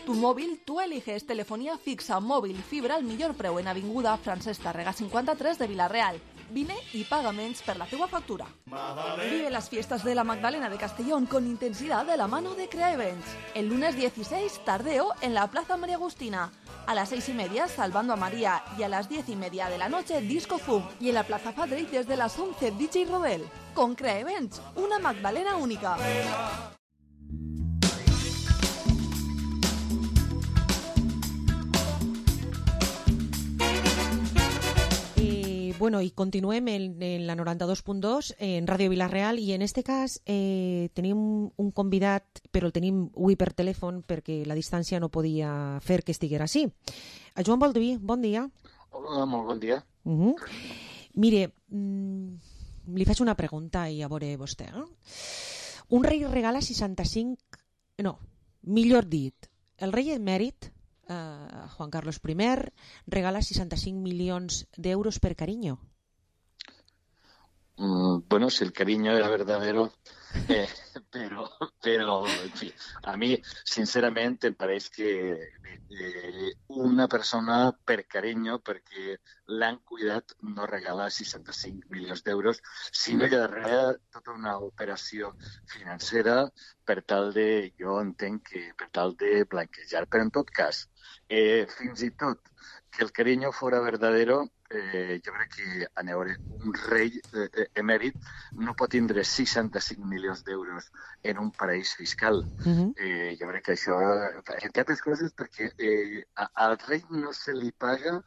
[SPEAKER 4] Tu mòbil, tu eliges telefonia fixa, mòbil, fibra al millor preu en avinguda Francesc Tàrrega cinquanta-tres de Vila-real. Vine y paga menos per la teua factura. Vive las fiestas de la Magdalena de Castellón con intensidad de la mano de Crea Events. El lunes dieciséis, tardeo, en la Plaza María Agustina. A las seis y media, Salvando a María. Y a las diez y media de la noche, Disco Zoom. Y en la Plaza Padre, desde las once, D J Rodel. Con Crea Events, una Magdalena única.
[SPEAKER 5] Bueno, i continuem en, en la noranta-dos punt dos en Ràdio Vila-real i en este cas eh, tenim un convidat, però el tenim avui per telèfon perquè la distància no podia fer que estiguera així. A Joan Balduí, bon dia.
[SPEAKER 7] Hola, molt bon dia.
[SPEAKER 5] Uh -huh. Mire, mm, li faig una pregunta i a veure vostè. Eh? Un rei regala seixanta-cinc... No, millor dit, el rei emèrit Uh, Juan Carlos primer regala seixanta-cinc milions d'euros per cariño.
[SPEAKER 7] Mm, bueno, si el cariño era verdadero, eh, pero, pero, en fin, a mí, sinceramente, em pareix que eh, una persona per cariño, perquè l'han cuidat, no regala seixanta-cinc milions d'euros, sinó que darrere tota una operació financera per tal de, jo entenc que per tal de blanquejar. Però en tot cas, eh, fins i tot que el cariño fora verdadero, eh, jo crec que a veure, un rei eh, emèrit no pot tindre seixanta-cinc milions d'euros en un paraís fiscal. Uh-huh. eh, jo crec que això, entre altres coses, perquè eh, a, al rei no se li paga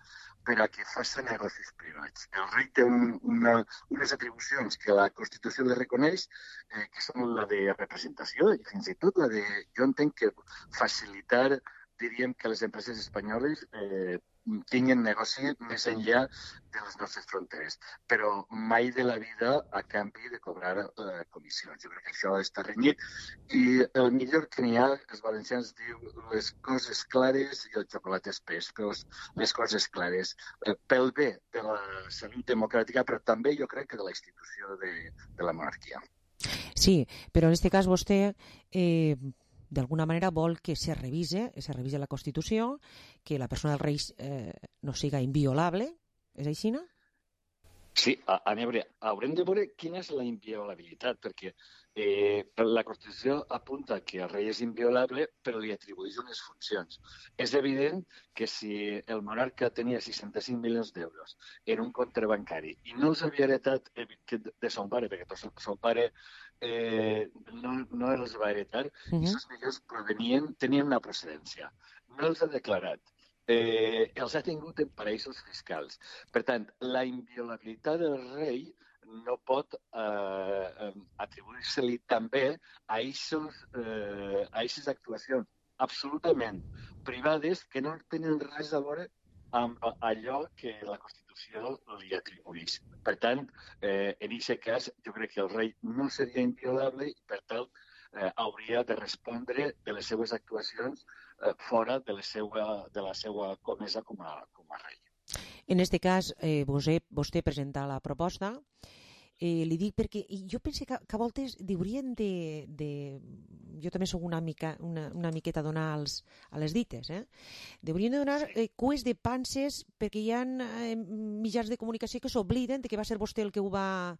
[SPEAKER 7] per a que facin negocis privats. El rei té un, una, unes atribucions que la Constitució li reconeix, eh, que són la de representació i fins i tot la de, jo entenc que facilitar, diríem, que les empreses espanyoles eh, tinguin negoci més enllà de les nostres fronteres, però mai de la vida a canvi de cobrar eh, comissions. Jo crec que això està renyit i el millor que n'hi ha, els valencians diu les coses clares i el xocolate espès, però les coses clares, eh, pel bé de la salut democràtica, però també jo crec que de la institució de, de la monarquia.
[SPEAKER 5] Sí, però en aquest cas vostè... Eh... d'alguna manera vol que se revise, se revise la Constitució, que la persona del rei eh, no siga inviolable, és així, no?
[SPEAKER 7] Sí, a, a veure, haurem de veure quina és la inviolabilitat, perquè eh, la Constitució apunta que el rei és inviolable, però li atribueix unes funcions. És evident que si el monarca tenia seixanta-cinc milions d'euros en un compte bancari i no els havia heretat de son pare, perquè son pare eh, no, no els va heretar, uh-huh. i aquests milions provenien, tenien una procedència. No els ha declarat. Eh, els ha tingut en paraïsos fiscals. Per tant, la inviolabilitat del rei no pot eh, atribuir-se-li també a aquestes eh, actuacions absolutament privades que no tenen res a veure amb allò que la Constitució li atribueix. Per tant, eh, en aquest cas, jo crec que el rei no seria inviolable i, per tant, eh, hauria de respondre de les seues actuacions eh, fora de la seva, de la seva comesa com a, com a rei.
[SPEAKER 5] En aquest cas, eh, vostè, vostè presenta la proposta. Eh, li dic perquè jo penso que, que a voltes haurien de, de... Jo també soc una, mica, una, una miqueta a donar als, a les dites. Eh? Haurien de donar eh, cues de panses perquè hi ha eh, mitjans de comunicació que s'obliden de que va ser vostè el que ho va...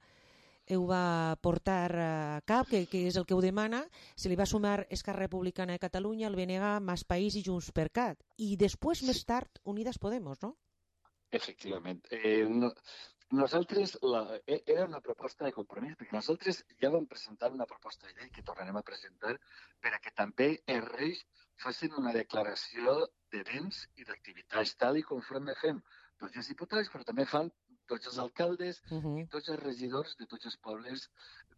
[SPEAKER 5] ho va portar a cap, que, que és el que ho demana. Se li va sumar Esquerra Republicana de Catalunya, el B N G, Mas País i Junts per Cat. I després, més tard, Unidas Podemos, no?
[SPEAKER 7] Efectivament. Eh, no, nosaltres, la, era una proposta de compromís, perquè nosaltres ja vam presentar una proposta de llei que tornarem a presentar per a que també els reis facin una declaració de béns i d'activitats, tal i conforme fem tots els diputats, però també fan tots els alcaldes uh-huh. i tots els regidors de tots els pobles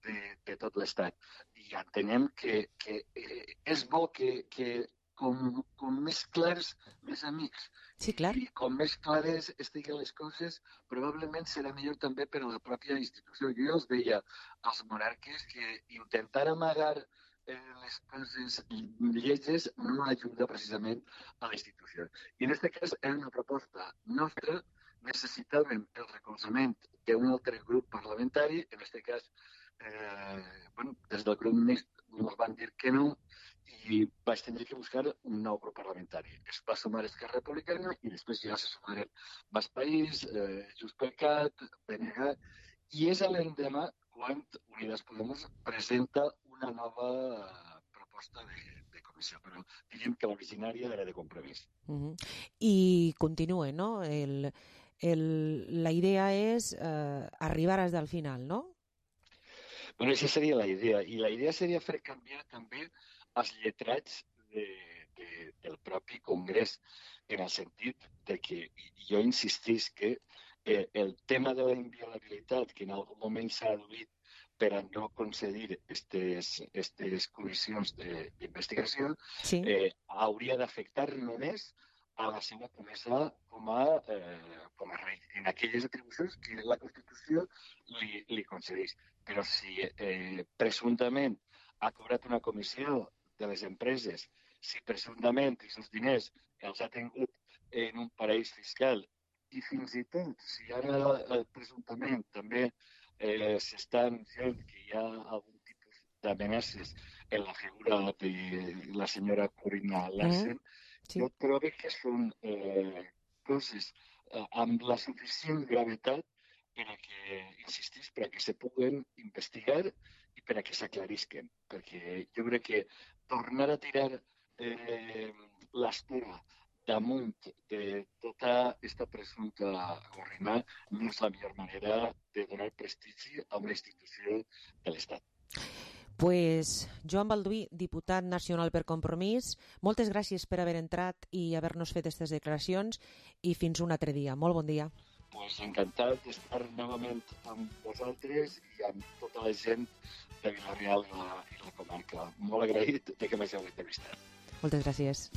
[SPEAKER 7] de, de tot l'Estat. I entenem que, que eh, és bo que, que com, com més clars, més amics.
[SPEAKER 5] Sí, clar.
[SPEAKER 7] I com més clares estiguen les coses, probablement serà millor també per a la pròpia institució. Jo ja els veia als monarques que intentar amagar eh, les coses lleges no ajuda precisament a la institució. I en aquest cas és una proposta nostra. Necessitàvem el recolzament d'un altre grup parlamentari, en aquest cas, eh, bueno, des del grup mixt ens van dir que no i vaig tenir que buscar un nou grup parlamentari. Es va sumar Esquerra Republicana i després ja se sumaren Mas País, eh, Junts per Cat, B N G, i és a l'endemà quan Unidas Podemos presenta una nova proposta de, de comissió, però diríem que l'originària era de compromís.
[SPEAKER 5] Uh-huh. I continua, no? El... El, la idea és eh, arribar fins al final, no?
[SPEAKER 7] Bueno, aquesta seria la idea. I la idea seria fer canviar també els lletrats de, de, del propi Congrés, en el sentit de que jo insistís que eh, el tema de la inviolabilitat, que en algun moment s'ha adduït per a no concedir aquestes comissions d'investigació, sí. eh, hauria d'afectar només a la seva comesa com a, eh, com a rei, en aquelles atribucions que la Constitució li, li concedeix. Però si eh, presumptament ha cobrat una comissió de les empreses, si presumptament aquests diners els ha tingut en un paraís fiscal i fins i tot si ara eh, presumptament també eh, s'està anunciant que hi ha algun tipus d'amenaces en la figura de la senyora Corinna Larsen, mm. Sí. Jo trobo que són eh, coses eh, amb la suficient gravetat per a que, insistís, per a que se puguen investigar i per a que s'aclarisquen. Perquè jo crec que tornar a tirar eh, l'estora damunt de tota aquesta presumpta gorrina no és la millor manera de donar prestigi a una institució de l'Estat.
[SPEAKER 5] Pues Joan Balduí, diputat nacional per Compromís, moltes gràcies per haver entrat i haver-nos fet aquestes declaracions i fins un altre dia. Molt bon dia.
[SPEAKER 7] Pues encantat d'estar novament amb vosaltres i amb tota la gent de Vila-real i la, i la comarca. Molt agraït de que m'heu entrevistat.
[SPEAKER 5] Moltes gràcies.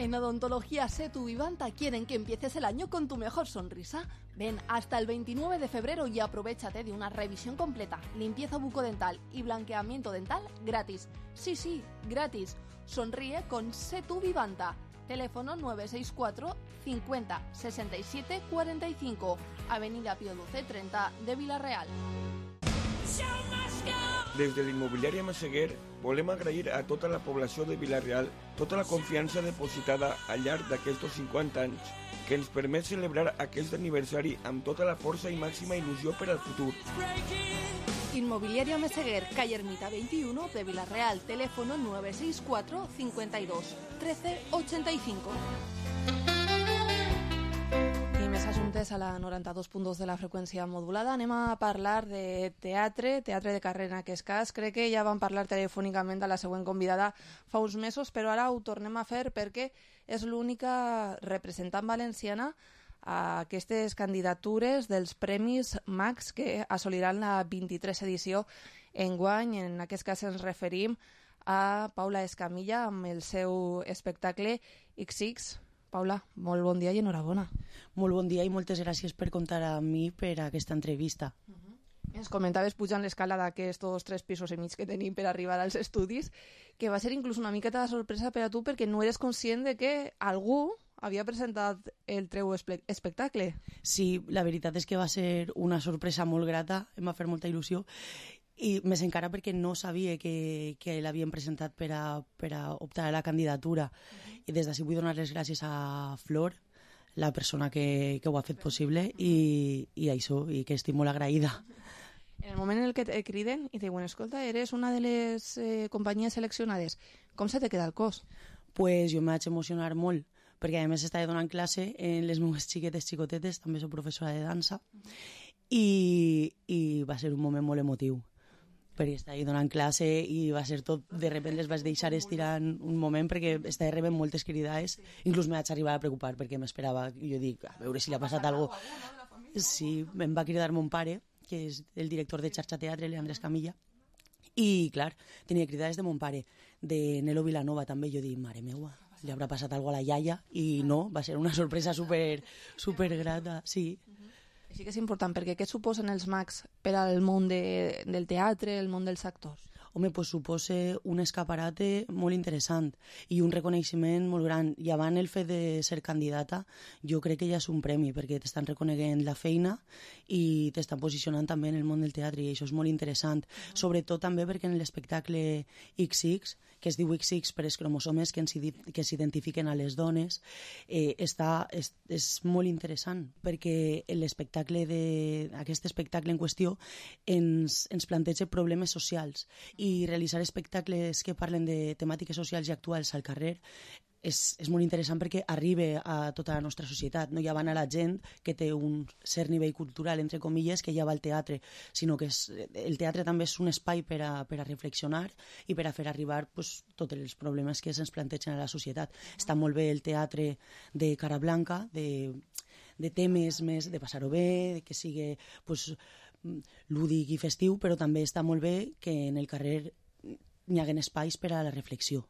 [SPEAKER 4] En Odontología Setu Vivanta quieren que empieces el año con tu mejor sonrisa. Ven hasta el veintinueve de febrero y aprovéchate de una revisión completa, limpieza bucodental y blanqueamiento dental gratis. Sí, sí, gratis. Sonríe con Setu Vivanta. Teléfono nueve seis cuatro cincuenta sesenta y siete cuarenta y cinco, Avenida Pío doce treinta de Vila-real.
[SPEAKER 1] Des de l'immobiliària Massaguer volem agrair a tota la població de Vila-real tota la confiança depositada al llarg d'aquests cinquanta anys que ens permet celebrar aquest aniversari amb tota la força i màxima il·lusió per al futur.
[SPEAKER 4] Inmobiliaria Meseguer, calle Ermita veintiuno de Vila-real, teléfono nueve seis cuatro cincuenta y dos trece ochenta y cinco. I més assumptes a la noranta-dos punt dos de la freqüència modulada. Anem a parlar de teatre, teatre de carrera en aquest cas. Crec que ja vam parlar telefònicament de la següent convidada fa uns mesos, però ara ho tornem a fer perquè és l'única representant valenciana a aquestes candidatures dels Premis Max que assoliran la vint-i-tres edició enguany. En aquest cas ens referim a Paula Escamilla amb el seu espectacle ics ics. Paula, molt bon dia i enhorabona.
[SPEAKER 9] Molt bon dia i moltes gràcies per comptar amb mi per a aquesta entrevista.
[SPEAKER 4] Uh-huh. Ens comentaves pujant l'escala d'aquests tres pisos i mig que tenim per arribar als estudis, que va ser inclús una miqueta de sorpresa per a tu perquè no eres conscient de que algú havia presentat el teu espectacle.
[SPEAKER 9] Sí, la veritat és que va ser una sorpresa molt grata, em va fer molta il·lusió, i més encara perquè no sabia que, que l'havien presentat per a, per a optar a la candidatura. I des d'ací vull donar les gràcies a Flor, la persona que, que ho ha fet possible, i, i això, i que estic molt agraïda.
[SPEAKER 4] En el moment en el que et criden i te diuen, escolta, eres una de les eh, companyies seleccionades, com se te queda el cos?
[SPEAKER 9] Pues jo em vaig emocionar molt, perquè a més estava donant classe en les meves xiquetes xicotetes, també soc professora de dansa, i, i va ser un moment molt emotiu, perquè estava donant classe i va ser tot, de sobte les vaig deixar estirant un moment perquè estava rebent moltes cridades, inclús me vaig arribar a preocupar perquè m'esperava, jo dic, a veure si li ha passat alguna cosa. Sí, em va cridar mon pare, que és el director de Xarxa Teatre, l'Andrés Camilla, i clar, tenia cridades de mon pare, de Nelo Vilanova també. Jo dic, mare meua, li haurà passat alguna cosa a la iaia, i no, va ser una sorpresa super, super grata, sí.
[SPEAKER 4] Sí que és important, perquè què suposen els Max per al món de, del teatre, el món dels actors?
[SPEAKER 9] Home, pues suposa un escaparate molt interessant i un reconeixement molt gran. I abans el fet de ser candidata, jo crec que ja és un premi, perquè t'estan reconeguent la feina i t'estan posicionant també en el món del teatre, i això és molt interessant. Sobretot també perquè en l'espectacle ics ics, que es diu ics ics per els cromosomes que s'identifiquen a les dones, eh, està, és, és molt interessant, perquè l'espectacle de, aquest espectacle en qüestió ens, ens planteja problemes socials, i realitzar espectacles que parlen de temàtiques socials i actuals al carrer és, és molt interessant perquè arriba a tota la nostra societat. No ja van a la gent que té un cert nivell cultural, entre comilles, que ja va al teatre, sinó que és, el teatre també és un espai per a, per a reflexionar i per a fer arribar pues, tots els problemes que se'ns plantegen a la societat. Està molt bé el teatre de cara blanca, de, de temes més de passar-ho bé, de que sigui pues, lúdic i festiu, però també està molt bé que en el carrer hi haguen espais per a la reflexió.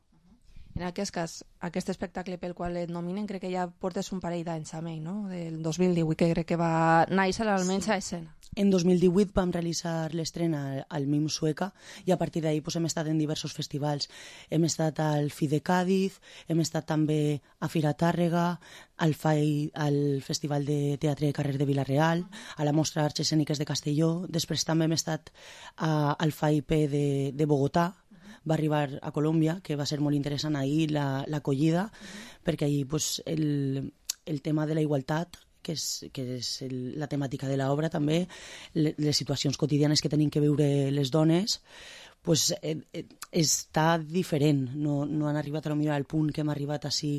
[SPEAKER 4] En aquest cas, aquest espectacle pel qual et nominen, crec que ja portes un parell d'anys amb ell, no? Del dos mil divuit, que crec que va néixer almenys a escena.
[SPEAKER 9] En dos mil divuit vam realitzar l'estrena al MIM Sueca i a partir d'ahir pues, hem estat en diversos festivals. Hem estat al F I de Cádiz, hem estat també a Fira Tàrrega, al, F A I, al Festival de Teatre de Carrer de Vila-real, a la Mostra d'Arts Escèniques de Castelló. Després també hem estat a, al F A I P de, de Bogotà. Va arribar a Colòmbia, que va ser molt interessant ahir l'acollida, la, perquè ahir pues, el, el tema de la igualtat, que és, que és el, la temàtica de l'obra també, le, les situacions quotidianes que tenim que viure les dones, pues, eh, eh, està diferent. No, no han arribat a lo millor al punt que hem arribat així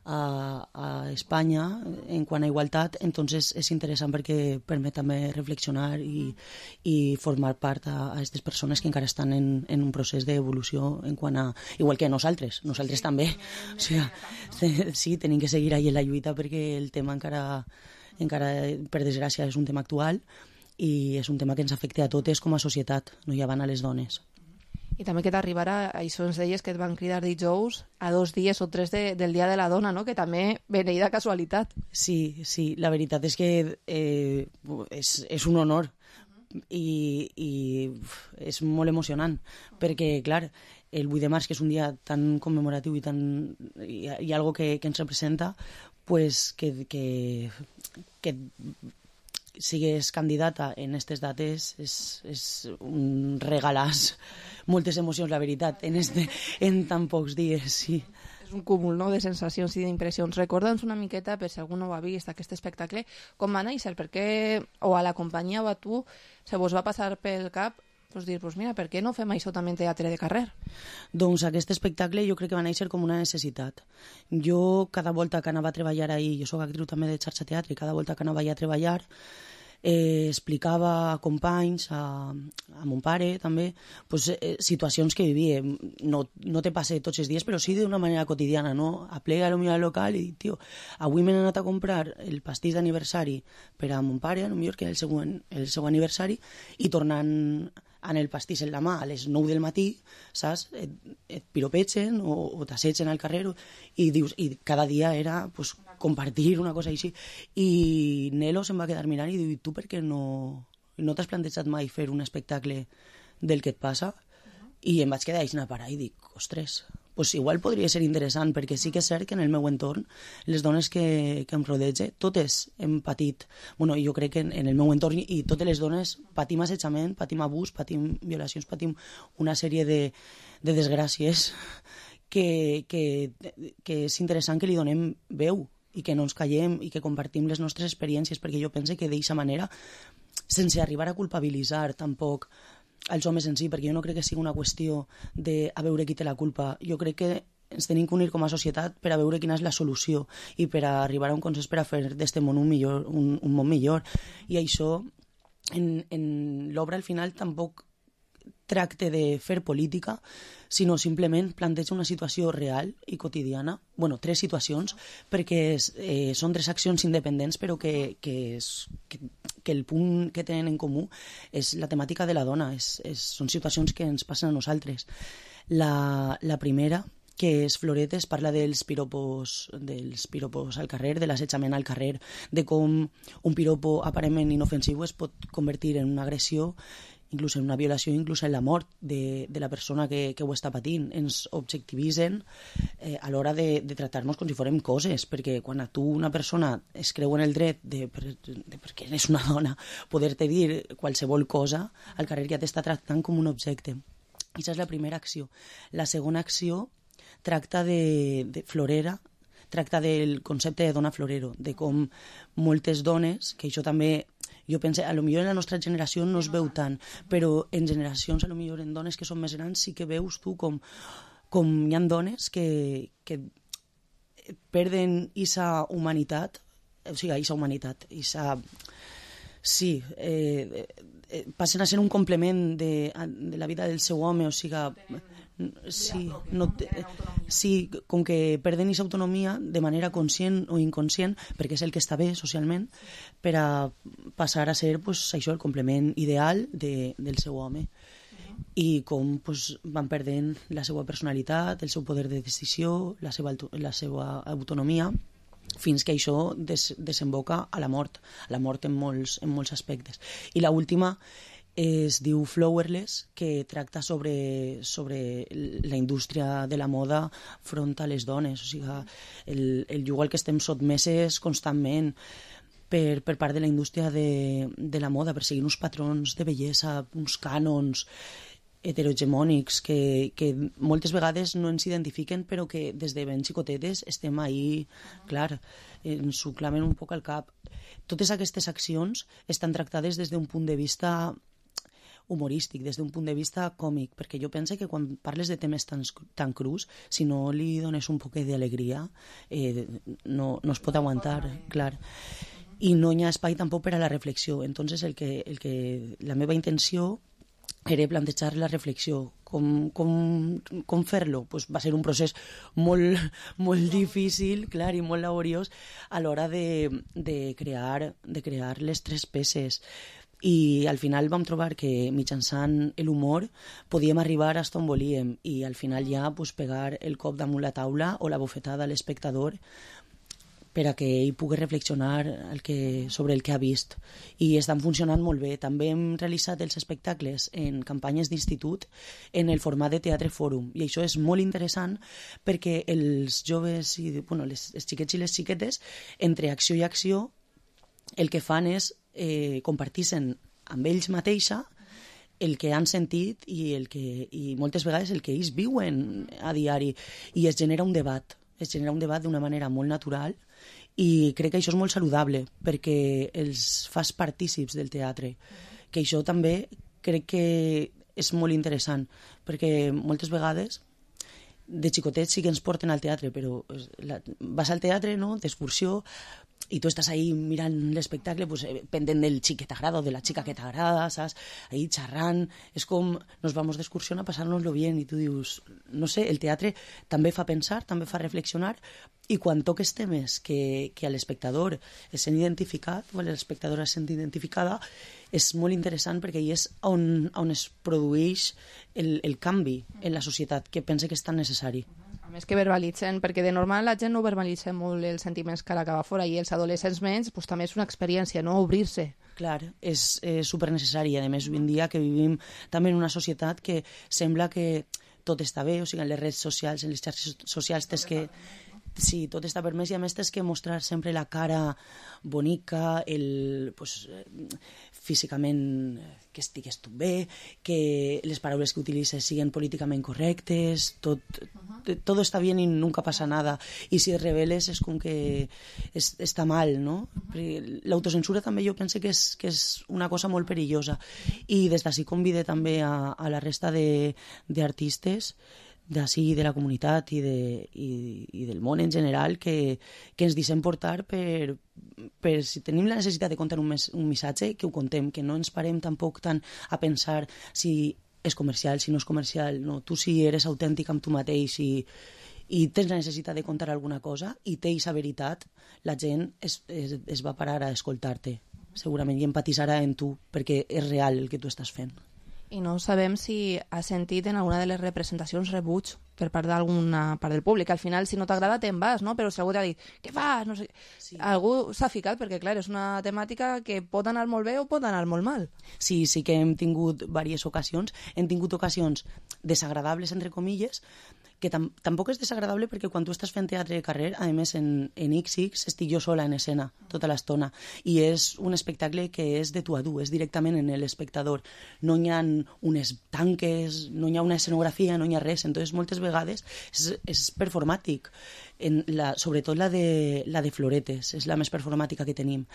[SPEAKER 9] a, a Espanya en quant a igualtat, entonces és interessant perquè permet també reflexionar i, i formar part a aquestes persones que encara estan en, en un procés d'evolució en quant a... Igual que nosaltres, nosaltres també. O sigui, sí, tenim que seguir ahí en la lluita perquè el tema encara, encara per desgràcia, és un tema actual i és un tema que ens afecta a totes com a societat, no ja van a les dones.
[SPEAKER 4] I també que t'arribarà, això ens deies que et van cridar dijous a dos dies o tres de, del Dia de la Dona, no? Que també beneïda casualitat.
[SPEAKER 9] Sí, sí, la veritat és que eh, és, és un honor i, i és molt emocionant, perquè, clar, el vuit de març, que és un dia tan commemoratiu i tan, i, i algo que, que ens representa, pues que, que, que sigues candidata en aquestes dates és, és un regalàs, moltes emocions, la veritat, en, este, en tan pocs dies, sí.
[SPEAKER 4] És un cúmul, no?, de sensacions i d'impressions. Recorda'ns una miqueta, per si algú no ho ha vist, aquest espectacle, com va néixer, perquè o a la companyia o a tu se vos va passar pel cap pues dir, pues mira, per què no fem això també en teatre de carrer?
[SPEAKER 9] Doncs aquest espectacle jo crec que va néixer com una necessitat. Jo cada volta que anava a treballar ahir, jo soc actriu també de xarxa teatre, i cada volta que anava a treballar eh, explicava a companys, a, a mon pare també, pues, eh, situacions que vivia. No, no te passa tots els dies, però sí d'una manera quotidiana, no? Aplega a lo millor al local i dic, tio, avui m'he anat a comprar el pastís d'aniversari per a mon pare, a lo millor que era el seu, el seu aniversari, i tornant en el pastís en la mà a les nou del matí, saps? Et, et piropegen o, o t'assetgen al carrer i dius, i cada dia era pues, compartir una cosa així. I Nelo se'm va quedar mirant i diu, tu per què no, no t'has plantejat mai fer un espectacle del que et passa? I em vaig quedar així a parar i dic, ostres, pues igual podria ser interessant, perquè sí que és cert que en el meu entorn, les dones que, que em rodege, totes hem patit, bueno, jo crec que en, en el meu entorn i totes les dones patim assetjament, patim abús, patim violacions, patim una sèrie de, de desgràcies que, que, que és interessant que li donem veu i que no ens callem i que compartim les nostres experiències, perquè jo penso que d'aquesta manera, sense arribar a culpabilitzar tampoc als homes en si, perquè jo no crec que sigui una qüestió de a veure qui té la culpa. Jo crec que ens tenim que unir com a societat per a veure quina és la solució i per a arribar a un consens per a fer d'este món un, millor, un, un món millor. I això, en, en l'obra al final tampoc tracte de fer política, sinó simplement planteja una situació real i quotidiana, bueno, tres situacions, perquè eh, són tres accions independents, però que, que, és, que, que el punt que tenen en comú és la temàtica de la dona, és, és, són situacions que ens passen a nosaltres. La, la primera, que és Floretes, parla dels piropos, dels piropos al carrer, de l'assetjament al carrer, de com un piropo aparentment inofensiu es pot convertir en una agressió, inclús en una violació, inclús en la mort de, de la persona que, que ho està patint. Ens objectivitzen eh, a l'hora de, de tractar-nos com si fórem coses, perquè quan a tu una persona es creu en el dret de, de, de perquè és una dona, poder-te dir qualsevol cosa, al carrer ja t'està tractant com un objecte. I aquesta és la primera acció. La segona acció tracta de, de Florera, tracta del concepte de dona florero, de com moltes dones, que això també jo penso, a lo millor en la nostra generació no es veu tant, però en generacions, a lo millor en dones que són més grans, sí que veus tu com, com hi ha dones que, que perden esa humanitat, o sigui, esa humanitat, esa... Sí, eh, eh, passen a ser un complement de, de la vida del seu home, o sigui, sí, no, sí, com que perden aquesta autonomia de manera conscient o inconscient, perquè és el que està bé socialment, per a passar a ser pues, això, el complement ideal de, del seu home. I com pues, van perdent la seva personalitat, el seu poder de decisió, la seva, la seva autonomia, fins que això des, desemboca a la mort, a la mort en molts, en molts aspectes. I l'última es diu Flowerless, que tracta sobre, sobre la indústria de la moda front a les dones, o sigui, el, el lloc al que estem sotmeses constantment per, per part de la indústria de, de la moda, per seguir uns patrons de bellesa, uns cànons heterohegemònics que, que moltes vegades no ens identifiquen, però que des de ben xicotetes estem ahí, clar, ens ho clamen un poc al cap. Totes aquestes accions estan tractades des d'un punt de vista humorístic, des d'un punt de vista còmic, perquè jo penso que quan parles de temes tan, tan crus, si no li dones un poquet d'alegria, eh, no, no es pot aguantar, clar. I no hi ha espai tampoc per a la reflexió. Entonces, el que, el que, la meva intenció era plantejar la reflexió. Com, com, com fer-lo? Pues va ser un procés molt, molt difícil, clar, i molt laboriós a l'hora de, de, crear, de crear les tres peces. I al final vam trobar que mitjançant l'humor podíem arribar a on volíem i al final ja pues, pegar el cop damunt la taula o la bofetada a l'espectador per a que ell pugui reflexionar el que, sobre el que ha vist. I estan funcionant molt bé. També hem realitzat els espectacles en campanyes d'institut en el format de teatre fòrum. I això és molt interessant perquè els joves, i, bueno, les, els xiquets i les xiquetes, entre acció i acció, el que fan és eh, compartir-se'n amb ells mateixa el que han sentit i, el que, i moltes vegades el que ells viuen a diari. I es genera un debat. Es genera un debat d'una manera molt natural i crec que això és molt saludable perquè els fas partícips del teatre, que això també crec que és molt interessant perquè moltes vegades de xicotets sí que ens porten al teatre, però la, vas al teatre, no?, d'excursió, i tu estàs ahí mirant l'espectacle pues, pendent del xic que t'agrada o de la xica que t'agrada, saps? Ahí xerrant, és com nos vamos d'excursió a passar-nos-lo bien i tu dius, no sé, el teatre també fa pensar, també fa reflexionar i quan toques temes que, que a l'espectador es sent identificat o a l'espectadora es sent identificada és molt interessant perquè hi és on, on es produeix el, el canvi en la societat que pense que és tan necessari.
[SPEAKER 4] A més que verbalitzen, perquè de normal la gent no verbalitza molt els sentiments que l'acaba fora i els adolescents menys, pues, també és una experiència, no?, obrir-se.
[SPEAKER 9] Clar, és eh, supernecessari. A més, avui en dia que vivim també en una societat que sembla que tot està bé, o sigui, en les redes socials, en les xarxes socials, tens que... Sí, tot està permès i a més tens que mostrar sempre la cara bonica, el, pues, físicament que estigues tu bé, que les paraules que utilitzes siguin políticament correctes, tot, tot està bé i nunca passa nada. I si es reveles és com que és, està mal, no? L'autocensura també jo penso que és, que és una cosa molt perillosa. I des d'ací convide també a, a la resta d'artistes d'ací de la comunitat i, de, i, i del món en general que, que ens deixem portar per, per si tenim la necessitat de contar un, mes, un missatge, que ho contem, que no ens parem tampoc tant a pensar si és comercial, si no és comercial, no, tu si eres autèntic amb tu mateix i, i tens la necessitat de contar alguna cosa i té aquesta veritat, la gent es, es, es va parar a escoltar-te segurament i empatitzarà en tu perquè és real el que tu estàs fent.
[SPEAKER 4] I no sabem si has sentit en alguna de les representacions rebuig per part d'alguna part del públic. Al final, si no t'agrada, te'n vas, no? Però si algú t'ha dit, què fas? No sé. Sí. Algú s'ha ficat, perquè, clar, és una temàtica que pot anar molt bé o pot anar molt mal.
[SPEAKER 9] Sí, sí que hem tingut diverses ocasions. Hem tingut ocasions desagradables, entre comilles, que tam tampoc és desagradable perquè quan tu estàs fent teatre de carrer, a més en, en ics ics estic jo sola en escena tota l'estona i és un espectacle que és de tu a tu, és directament en l'espectador. No hi ha unes tanques, no hi ha una escenografia, no hi ha res, entonces moltes vegades és, és performàtic, en la, sobretot la de, la de floretes, és la més performàtica que tenim.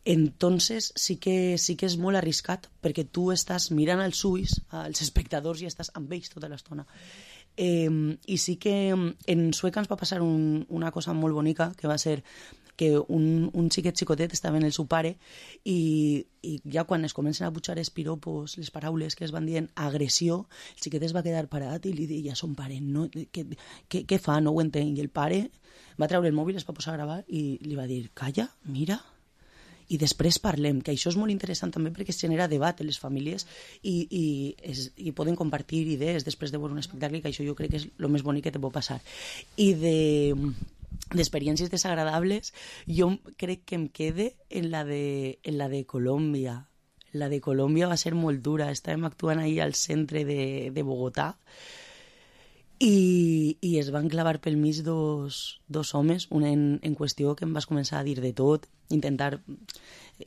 [SPEAKER 9] Entonces sí que, sí que és molt arriscat perquè tu estàs mirant als ulls als espectadors i estàs amb ells tota l'estona. Eh, i sí que en Sueca ens va passar un, una cosa molt bonica que va ser que un, un xiquet xicotet estava en el seu pare i, i ja quan es comencen a pujar els piropos, les paraules que es van dient agressió, el xiquet es va quedar parat i li deia a son pare, no, què, què, què fa? No ho entenc. I el pare va treure el mòbil, es va posar a gravar i li va dir, calla, mira, i després parlem, que això és molt interessant també perquè es genera debat en les famílies i, i, es, i poden compartir idees després de veure un espectacle, que això jo crec que és el més bonic que te pot passar. I de d'experiències desagradables jo crec que em quede en la de, en la de Colòmbia. La de Colòmbia va ser molt dura, estàvem actuant ahir al centre de, de Bogotà i, i es van clavar pel mig dos, dos homes, un en, en qüestió que em vas començar a dir de tot, intentar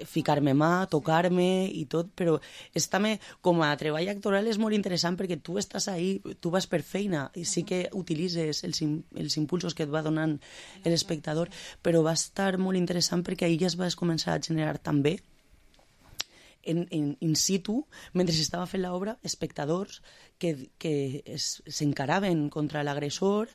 [SPEAKER 9] ficar-me mà, tocar-me i tot, però és també, com a treball actoral és molt interessant perquè tu estàs ahí, tu vas per feina i sí que utilitzes els, els impulsos que et va donant l'espectador, però va estar molt interessant perquè ahir ja es va començar a generar també en, en in situ, mentre s'estava fent l'obra, espectadors que, que s'encaraven contra l'agressor,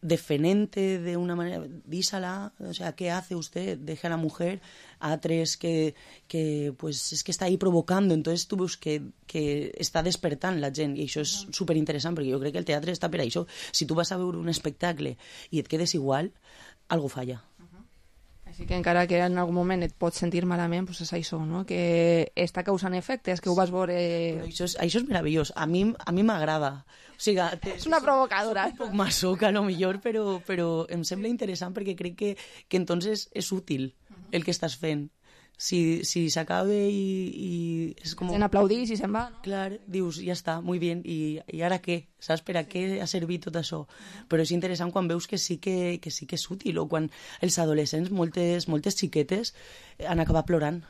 [SPEAKER 9] defenente de una manera, dísala, o sea, ¿qué hace usted? Deja a la mujer, a tres que, que pues es que está ahí provocando, entonces tu veus que, que està despertant la gent, i això és superinteressant, perquè jo crec que el teatre està per això. Si tu vas a veure un espectacle i et quedes igual, algo falla.
[SPEAKER 4] Així que encara que en algun moment et pots sentir malament, doncs és això, no? Que està causant efectes, que ho vas veure...
[SPEAKER 9] Però això és, això és meravellós, a mi a mi m'agrada. O sigui,
[SPEAKER 4] és una provocadora.
[SPEAKER 9] Un poc masoca, a lo millor, però, però em sembla interessant perquè crec que, que entonces és útil el que estàs fent. Si, si s'acaba i, i és com...
[SPEAKER 4] Se'n aplaudís i se'n va, no?
[SPEAKER 9] Clar, dius, ja està, muy bien, i, i ara què? Saps per a què ha servit tot això? Però és interessant quan veus que sí que, que, sí que és útil, o quan els adolescents, moltes, moltes xiquetes, han acabat plorant.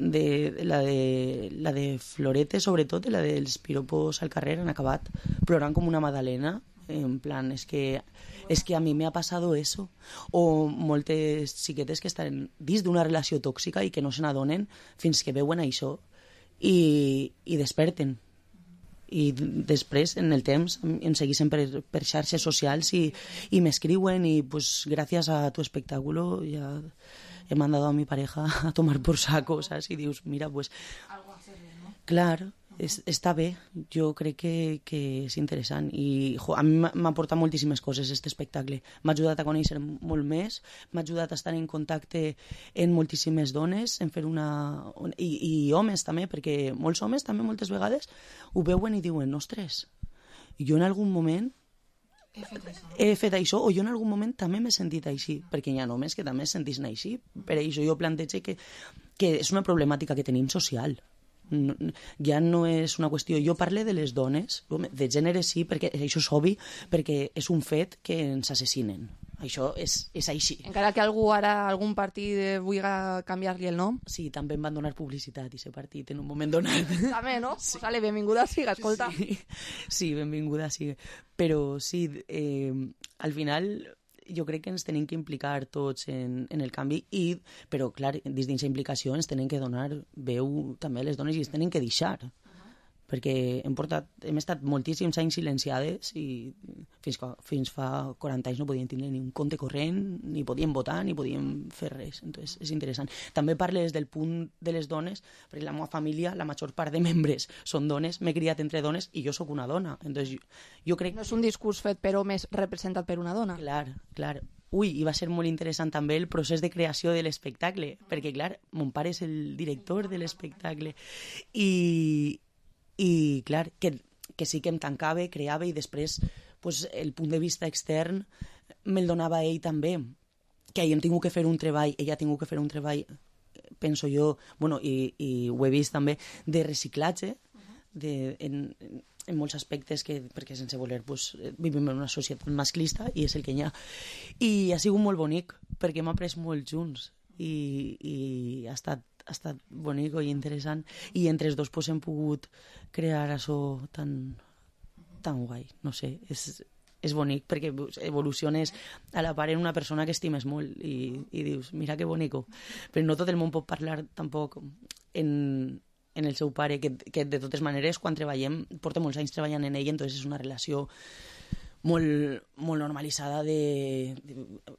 [SPEAKER 9] De, la, de, la de Florete, sobretot, i la dels piropos al carrer, han acabat plorant com una magdalena, en plan, es que, es que a mi me ha pasado eso. O moltes xiquetes que estan dins d'una relació tòxica i que no se n'adonen fins que veuen això i, i desperten. I després, en el temps, em segueixen per, per xarxes socials i, i m'escriuen i, pues, gràcies a tu espectáculo ja he mandado a mi pareja a tomar por saco, ¿sabes? Y dius, mira, pues...
[SPEAKER 4] Algo hacer bien, ¿no?
[SPEAKER 9] Clar, és, està bé, jo crec que, que és interessant i jo, a mi m'ha aportat moltíssimes coses aquest espectacle, m'ha ajudat a conèixer molt més, m'ha ajudat a estar en contacte amb moltíssimes dones, en fer una... I, i homes també, perquè molts homes també moltes vegades ho veuen i diuen, ostres, jo en algun moment
[SPEAKER 4] he fet això,
[SPEAKER 9] he fet això, o jo en algun moment també m'he sentit així, perquè hi ha homes que també es senteixen així, per això jo plantege que, que és una problemàtica que tenim social. No, ja no és una qüestió, jo parlo de les dones, de gènere sí, perquè això és obvi, perquè és un fet que ens assassinen, això és, és així.
[SPEAKER 4] Encara que algú ara, algun partit vulgui canviar-li el nom.
[SPEAKER 9] Sí, també em van donar publicitat aquest partit en un moment donat.
[SPEAKER 4] També, no? Sí. Pues vale, benvinguda siga, escolta.
[SPEAKER 9] Sí, sí, benvinguda siga. Però sí, eh, al final... jo crec que ens tenim que implicar tots en, en el canvi, i, però clar, dins d'aquesta implicació ens tenen que donar veu també a les dones i ens tenen que deixar, perquè hem, portat, hem estat moltíssims anys silenciades i fins, fins fa quaranta anys no podíem tenir ni un compte corrent, ni podíem votar, ni podíem fer res. Entonces, és interessant. També parlo des del punt de les dones, perquè la meva família, la major part de membres són dones, m'he criat entre dones i jo sóc una dona. Entonces, jo, jo crec...
[SPEAKER 4] No és un discurs fet per homes representat per una dona.
[SPEAKER 9] Clar, clar. Ui, i va ser molt interessant també el procés de creació de l'espectacle, perquè clar, mon pare és el director de l'espectacle i... i clar, que, que sí que em tancava, creava i després pues, el punt de vista extern me'l donava ell també, que ell hem tingut que fer un treball, ella ha tingut que fer un treball, penso jo, bueno, i, i ho he vist també, de reciclatge, de, en, en molts aspectes, que, perquè sense voler pues, vivim en una societat masclista i és el que hi ha. I ha sigut molt bonic, perquè hem après molt junts i, i ha estat ha estat bonic i interessant, i entre els dos pues, hem pogut crear això tan, tan guai, no sé, és, és bonic perquè evoluciones a la part en una persona que estimes molt i, i dius, mira que bonico, però no tot el món pot parlar tampoc en, en el seu pare, que, que de totes maneres quan treballem, porta molts anys treballant en ell, entonces és una relació molt, molt normalitzada de, de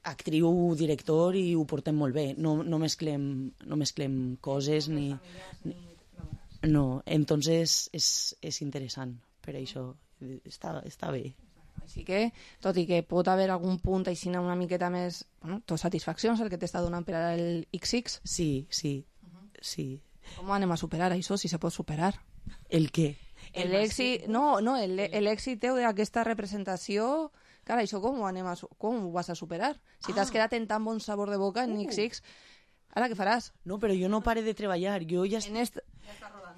[SPEAKER 9] actriu, director, i ho portem molt bé, no, no, mesclem, no mesclem coses ni, ni no, entonces és, és interessant, per això està, està bé.
[SPEAKER 4] Així que, tot i que pot haver algun punt així una miqueta més, bueno, tot satisfaccions el que t'està donant per al ics ics.
[SPEAKER 9] Sí, sí, sí.
[SPEAKER 4] Com anem a superar això, si se pot superar?
[SPEAKER 9] El què?
[SPEAKER 4] L'èxit, no, no, l'èxit teu d'aquesta representació, cara, això com ho, anem a, com ho vas a superar? Si t'has ah. quedat en tan bon sabor de boca en uh. ics ics, ara què faràs?
[SPEAKER 9] No, però jo no pare de treballar, jo ja, est...
[SPEAKER 4] est...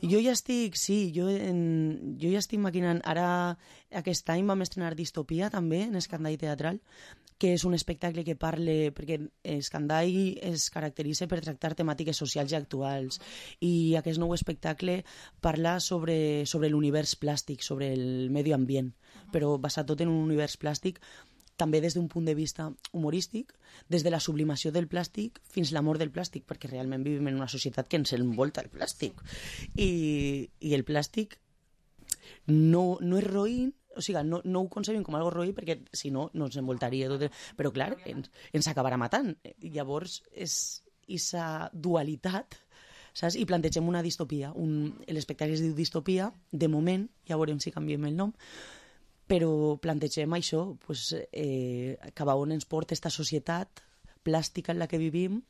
[SPEAKER 9] jo ja estic, sí, jo, en... jo ja estic maquinant, ara aquest any vam estrenar Distopia també, en Escandall Teatral, que és un espectacle que parle, perquè Escandall es caracteritza per tractar temàtiques socials i actuals, i aquest nou espectacle parla sobre, sobre l'univers plàstic, sobre el medi ambient, però basat tot en un univers plàstic també des d'un punt de vista humorístic, des de la sublimació del plàstic fins l'amor del plàstic, perquè realment vivim en una societat que ens envolta el plàstic. I, i el plàstic no, no és roïn, o sigui, no, no ho concebim com algo roïn perquè si no, no ens envoltaria tot. El... Però clar, ens, ens acabarà matant. Llavors, és aquesta dualitat, saps? I plantegem una distopia. Un... L'espectacle es diu Distopia, de moment, ja veurem si canviem el nom, però plantegem això, pues, eh, cap a on ens porta aquesta societat plàstica en la que vivim,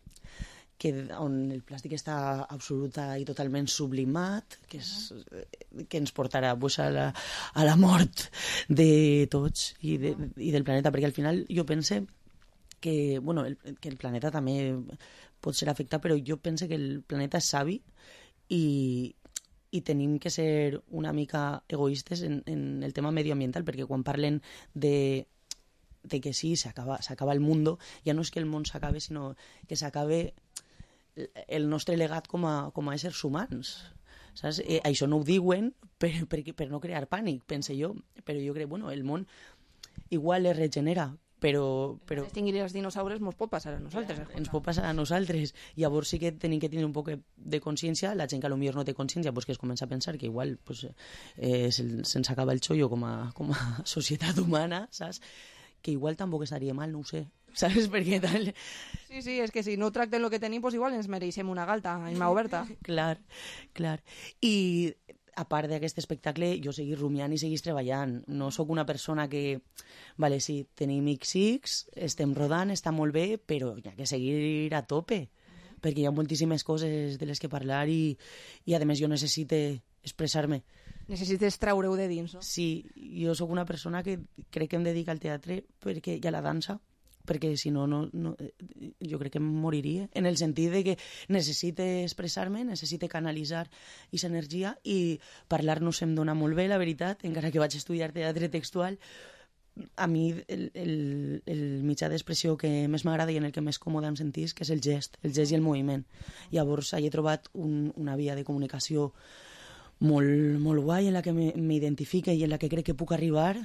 [SPEAKER 9] que, on el plàstic està absoluta i totalment sublimat, que, és, que ens portarà pues, a, la, a la mort de tots i, de, i del planeta, perquè al final jo pense que, bueno, el, que el planeta també pot ser afectat, però jo pense que el planeta és savi i, i tenim que ser una mica egoistes en, en el tema medioambiental, perquè quan parlen de de que sí, s'acaba el món, ja no és que el món s'acabe, sinó que s'acabe el nostre legat com a, com a éssers humans. Saps? Eh, això no ho diuen per, per, per no crear pànic, pense jo, però jo crec, bueno, el món igual es regenera, però... però...
[SPEAKER 4] Extingir els dinosaures ens pot passar a nosaltres.
[SPEAKER 9] Ens pot passar a nosaltres. Llavors sí que tenim que tenir un poc de consciència, la gent que potser no té consciència, pues que es comença a pensar que igual pues, eh, se'ns acaba el xollo com a, com a societat humana, saps? Que igual tampoc estaria mal, no ho sé, saps? Perquè tal...
[SPEAKER 4] Sí, sí, és que si no tracten el que tenim, pues igual ens mereixem una galta en mà oberta.
[SPEAKER 9] Clar, clar. I a part d'aquest espectacle, jo seguís rumiant i seguís treballant. No sóc una persona que... Vale, sí, tenim X X, estem rodant, està molt bé, però hi ha que seguir a tope, perquè hi ha moltíssimes coses de les que parlar i, i a més, jo necessito expressar-me.
[SPEAKER 4] Necessites treure-ho de dins, no?
[SPEAKER 9] Sí, jo sóc una persona que crec que em dedica al teatre perquè, i a la dansa, perquè si no, no, no jo crec que em moriria, en el sentit de que necessite expressar-me, necessite canalitzar aquesta energia i parlar-nos em dona molt bé, la veritat, encara que vaig estudiar teatre textual. A mi el, el, el mitjà d'expressió que més m'agrada i en el que més còmode em sentís, que és el gest, el gest i el moviment. Llavors, he trobat un, una via de comunicació molt, molt guai en la que m'identifique i en la que crec que puc arribar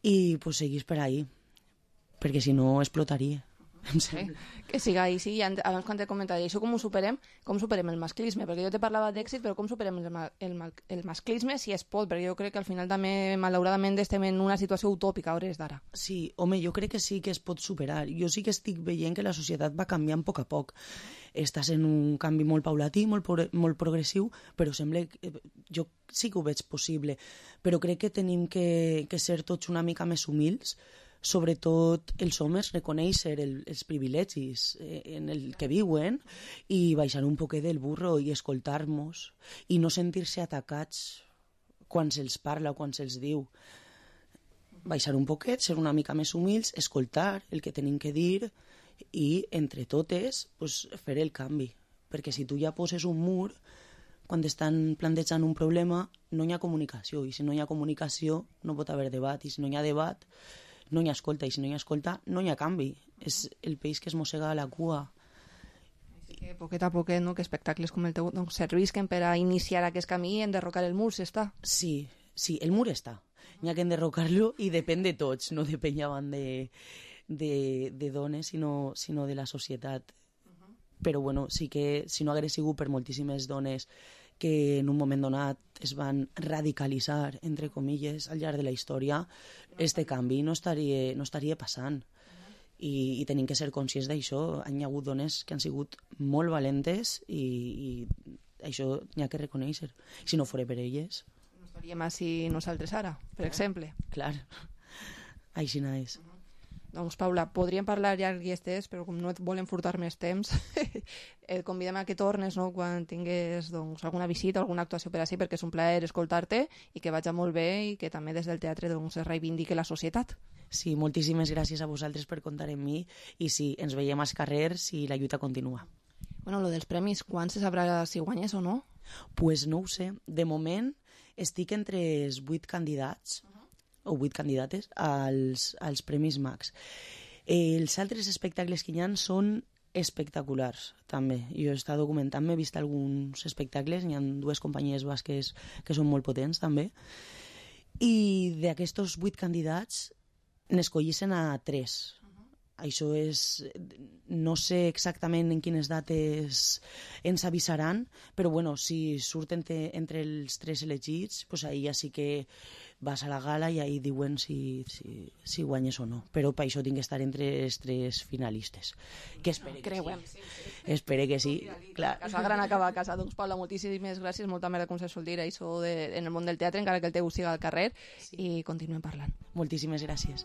[SPEAKER 9] i pues, seguís per ahí, perquè si no explotaria.
[SPEAKER 4] Sí, que siga ahí, sí. Abans quan t'he comentat això, com ho superem? Com superem el masclisme? Perquè jo te parlava d'èxit, però com superem el, el, el masclisme si es pot? Perquè jo crec que al final també, malauradament, estem en una situació utòpica a hores d'ara.
[SPEAKER 9] Sí, home, jo crec que sí que es pot superar. Jo sí que estic veient que la societat va canviant a poc a poc. Estàs en un canvi molt paulatí, molt, molt progressiu, però sembla que jo sí que ho veig possible. Però crec que tenim que, que ser tots una mica més humils, sobretot els homes, reconèixer el, els privilegis eh, en el que viuen i baixar un poquet del burro i escoltar-nos i no sentir-se atacats quan se'ls parla o quan se'ls diu. Baixar un poquet, ser una mica més humils, escoltar el que tenim que dir i entre totes pues, fer el canvi, perquè si tu ja poses un mur quan estan plantejant un problema no hi ha comunicació i si no hi ha comunicació no pot haver debat i si no hi ha debat no hi ha escolta, i si no hi ha escolta, no hi ha canvi. És el peix que es mossega a la cua.
[SPEAKER 4] Així que, poquet a poquet, no?, que espectacles com el teu doncs, servisquen per a iniciar aquest camí i enderrocar el mur, s'està.
[SPEAKER 9] Sí, sí, el mur està. N'hi ha que enderrocar-lo i depèn de tots, no depèn llavant de, de, de dones, sinó, sinó de la societat. Uh-huh. Però, bueno, sí que si no hagués sigut per moltíssimes dones que en un moment donat es van radicalitzar, entre comilles, al llarg de la història, este canvi no estaria, no estaria passant. I, i tenim que ser conscients d'això. Hi ha hagut dones que han sigut molt valentes i, i això n'hi ha que reconèixer. Si no fos per elles...
[SPEAKER 4] No estaríem així nosaltres ara, per exemple.
[SPEAKER 9] Clar, així no és.
[SPEAKER 4] Doncs, Paula, podríem parlar llarg i estès, però com no et volen furtar més temps, et convidem a que tornes, no?, quan tingués doncs, alguna visita o alguna actuació per així, perquè és un plaer escoltar-te i que vagi molt bé i que també des del teatre doncs, es reivindique la societat.
[SPEAKER 9] Sí, moltíssimes gràcies a vosaltres per comptar amb mi i sí, ens veiem als carrers i la lluita continua.
[SPEAKER 4] Bueno, lo dels premis, quan se sabrà si guanyes o no?
[SPEAKER 9] Pues no ho sé. De moment estic entre els vuit candidats, o vuit candidates als, als Premis Max. Els altres espectacles que hi ha són espectaculars, també. Jo he estat documentant, m'he vist alguns espectacles, hi ha dues companyies basques que són molt potents, també. I d'aquests vuit candidats, N'escollissen a tres. Això és... No sé exactament en quines dates ens avisaran, però bueno, si surten entre, entre els tres elegits, pues ahí ja sí que vas a la gala i ahí diuen si, si, si guanyes o no. Però per això tinc que estar entre els tres finalistes. Que espere que
[SPEAKER 4] Creuem.
[SPEAKER 9] sí. Espere que sí, clar.
[SPEAKER 4] Casa gran acaba a casa. Doncs, Paula, moltíssimes gràcies, molta merda, com se sol dir, això de, en el món del teatre, encara que el teu siga al carrer, sí. I continuem parlant.
[SPEAKER 9] Moltíssimes gràcies.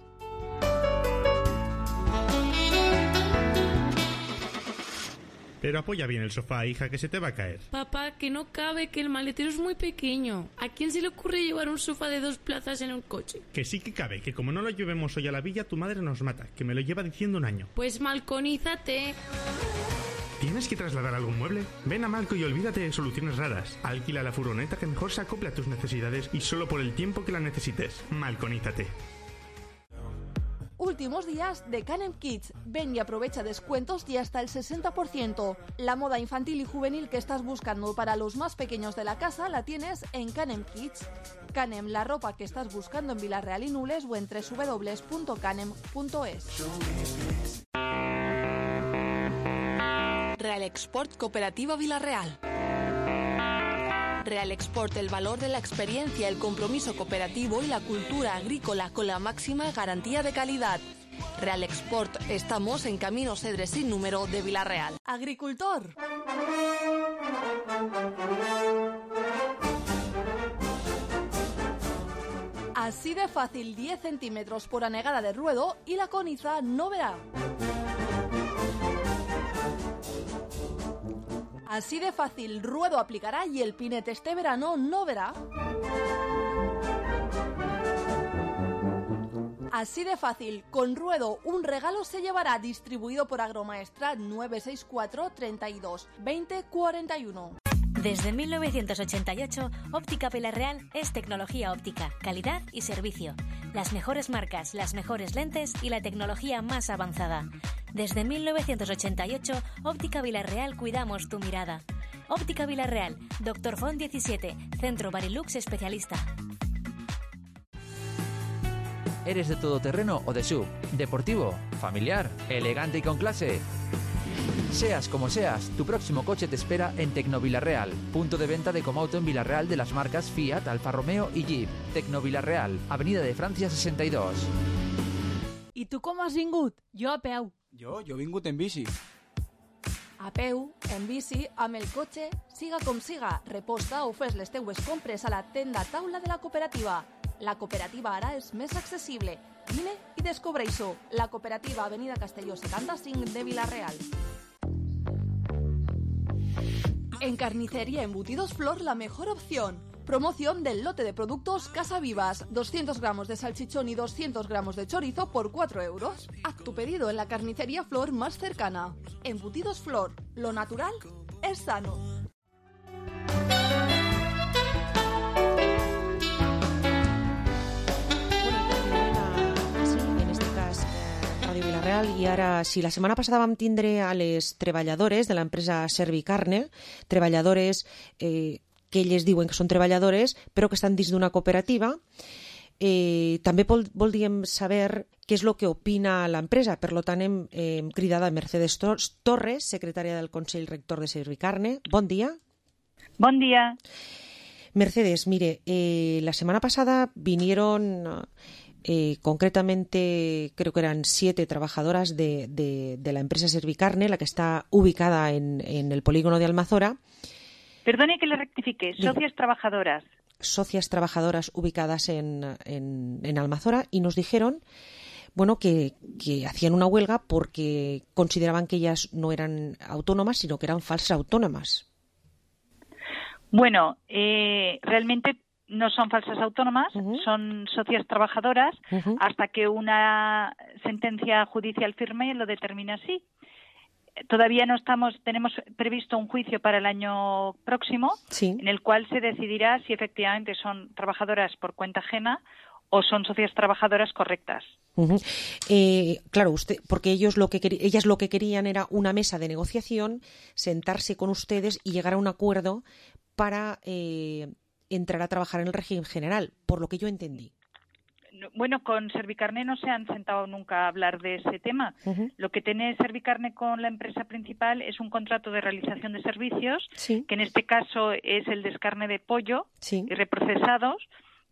[SPEAKER 10] Pero apoya bien el sofá, hija, que se te va a caer.
[SPEAKER 11] Papá, que no cabe, que el maletero es muy pequeño. ¿A quién se le ocurre llevar un sofá de dos plazas en un coche?
[SPEAKER 10] Que sí que cabe, que como no lo llevemos hoy a la villa, tu madre nos mata, que me lo lleva diciendo un año.
[SPEAKER 11] Pues malconízate.
[SPEAKER 10] ¿Tienes que trasladar algún mueble? Ven a Malco y olvídate de soluciones raras. Alquila la furgoneta que mejor se acople a tus necesidades y solo por el tiempo que la necesites. Malconízate.
[SPEAKER 19] Últimos días de Canem Kids. Ven y aprovecha descuentos y hasta el sesenta por ciento. La moda infantil y juvenil que estás buscando para los más pequeños de la casa la tienes en Canem Kids. Canem, la ropa que estás buscando en Vilarreal y Nules o en doble u doble u doble u punto canem punto es.
[SPEAKER 12] Real Export Cooperativa Vilarreal. Real Export, el valor de la experiencia, el compromiso cooperativo y la cultura agrícola con la máxima garantía de calidad. Real Export, estamos en Camino Cedre sin número de Vilarreal.
[SPEAKER 19] Agricultor. Así de fácil, diez centímetros por anegada de ruedo y la coniza no verá. Así de fácil, ruedo aplicará y el pinete este verano no verá. Así de fácil, con ruedo un regalo se llevará, distribuido por Agromaestrat nueve seis cuatro, treinta y dos, veinte, cuarenta y uno.
[SPEAKER 18] Desde mil novecientos ochenta y ocho, Óptica Vilarreal es tecnología óptica, calidad y servicio. Las mejores marcas, las mejores lentes y la tecnología más avanzada. Desde mil novecientos ochenta y ocho, Óptica Vilarreal cuidamos tu mirada. Óptica Vilarreal, Doctor Font diecisiete, Centro Barilux especialista.
[SPEAKER 16] ¿Eres de todoterreno o de sub? ¿Deportivo? ¿Familiar? ¿Elegante y con clase? Seas como seas, tu próximo coche te espera en Tecnovilarreal, punto de venta de Comauto en Vilarreal de las marcas Fiat, Alfa Romeo y Jeep. Tecnovilarreal, Avenida de Francia sesenta y dos.
[SPEAKER 6] I tu com has vingut? Jo a peu.
[SPEAKER 13] Jo, jo he vingut en bici.
[SPEAKER 19] A peu, en bici, amb el cotxe, siga com siga, reposta o fes les teues compres a la tenda taula de la cooperativa. La cooperativa ara és més accessible. Vine i descobreix-ho. La cooperativa Avenida Castelló setanta-cinc de Vilarreal. En Carnicería Embutidos Flor, la mejor opción. Promoción del lote de productos Casa Vivas. doscientos gramos de salchichón y doscientos gramos de chorizo por cuatro euros. Haz tu pedido en la Carnicería Flor más cercana. Embutidos Flor. Lo natural es sano.
[SPEAKER 5] Ràdio Vilarreal. I ara, si la setmana passada vam tindre a les treballadores de l'empresa Servicarne, treballadores eh, que elles diuen que són treballadores, però que estan dins d'una cooperativa, eh, també vol, voldríem saber què és el que opina l'empresa. Per tant, hem, eh, hem cridat a Mercedes Torres, secretària del Consell Rector de Servicarne. Bon dia.
[SPEAKER 25] Bon dia.
[SPEAKER 5] Mercedes, mire, eh, la semana pasada vinieron... Eh, concretamente creo que eran siete trabajadoras de, de, de la empresa Servicarne, la que está ubicada en, en el polígono de Almazora.
[SPEAKER 25] Perdone que le rectifique, socias trabajadoras.
[SPEAKER 5] Socias trabajadoras ubicadas en, en, en Almazora, y nos dijeron bueno, que, que hacían una huelga porque consideraban que ellas no eran autónomas, sino que eran falsas autónomas.
[SPEAKER 25] Bueno, eh, realmente no son falsas autónomas, uh-huh. son socias trabajadoras, uh-huh. hasta que una sentencia judicial firme lo determina así. Todavía no estamos, tenemos previsto un juicio para el año próximo, sí. en el cual se decidirá si efectivamente son trabajadoras por cuenta ajena o son socias trabajadoras correctas.
[SPEAKER 5] Uh-huh. Eh, claro, usted, porque ellos lo que quer- ellas lo que querían era una mesa de negociación, sentarse con ustedes y llegar a un acuerdo para eh, entrar a trabajar en el régimen general, por lo que yo entendí.
[SPEAKER 25] bueno, con Servicarne no se han sentado nunca a hablar de ese tema.
[SPEAKER 5] Uh-huh.
[SPEAKER 25] Lo que tiene Servicarne con la empresa principal es un contrato de realización de servicios,
[SPEAKER 5] sí.
[SPEAKER 25] que en este caso es el descarne de pollo
[SPEAKER 5] sí.
[SPEAKER 25] y reprocesados,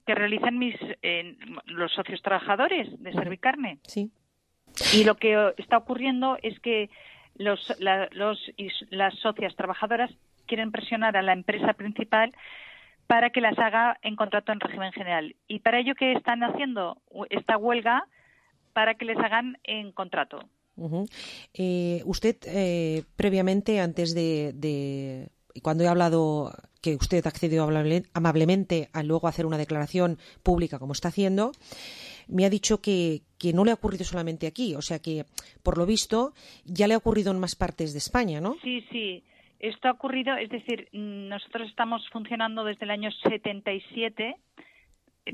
[SPEAKER 25] que realizan mis eh, los socios trabajadores de Servicarne.
[SPEAKER 5] Sí.
[SPEAKER 25] Y lo que está ocurriendo es que los, la, los y las socias trabajadoras quieren presionar a la empresa principal para que las haga en contrato en régimen general. Y para ello, ¿qué están haciendo? Esta huelga para que les hagan en contrato.
[SPEAKER 5] Uh-huh. Eh, usted, eh, previamente, antes de, de... Cuando he hablado que usted accedió amablemente a luego hacer una declaración pública, como está haciendo, me ha dicho que, que no le ha ocurrido solamente aquí. O sea que, por lo visto, ya le ha ocurrido en más partes de España, ¿no?
[SPEAKER 25] Sí, sí. Esto ha ocurrido, es decir, nosotros estamos funcionando desde el año setenta y siete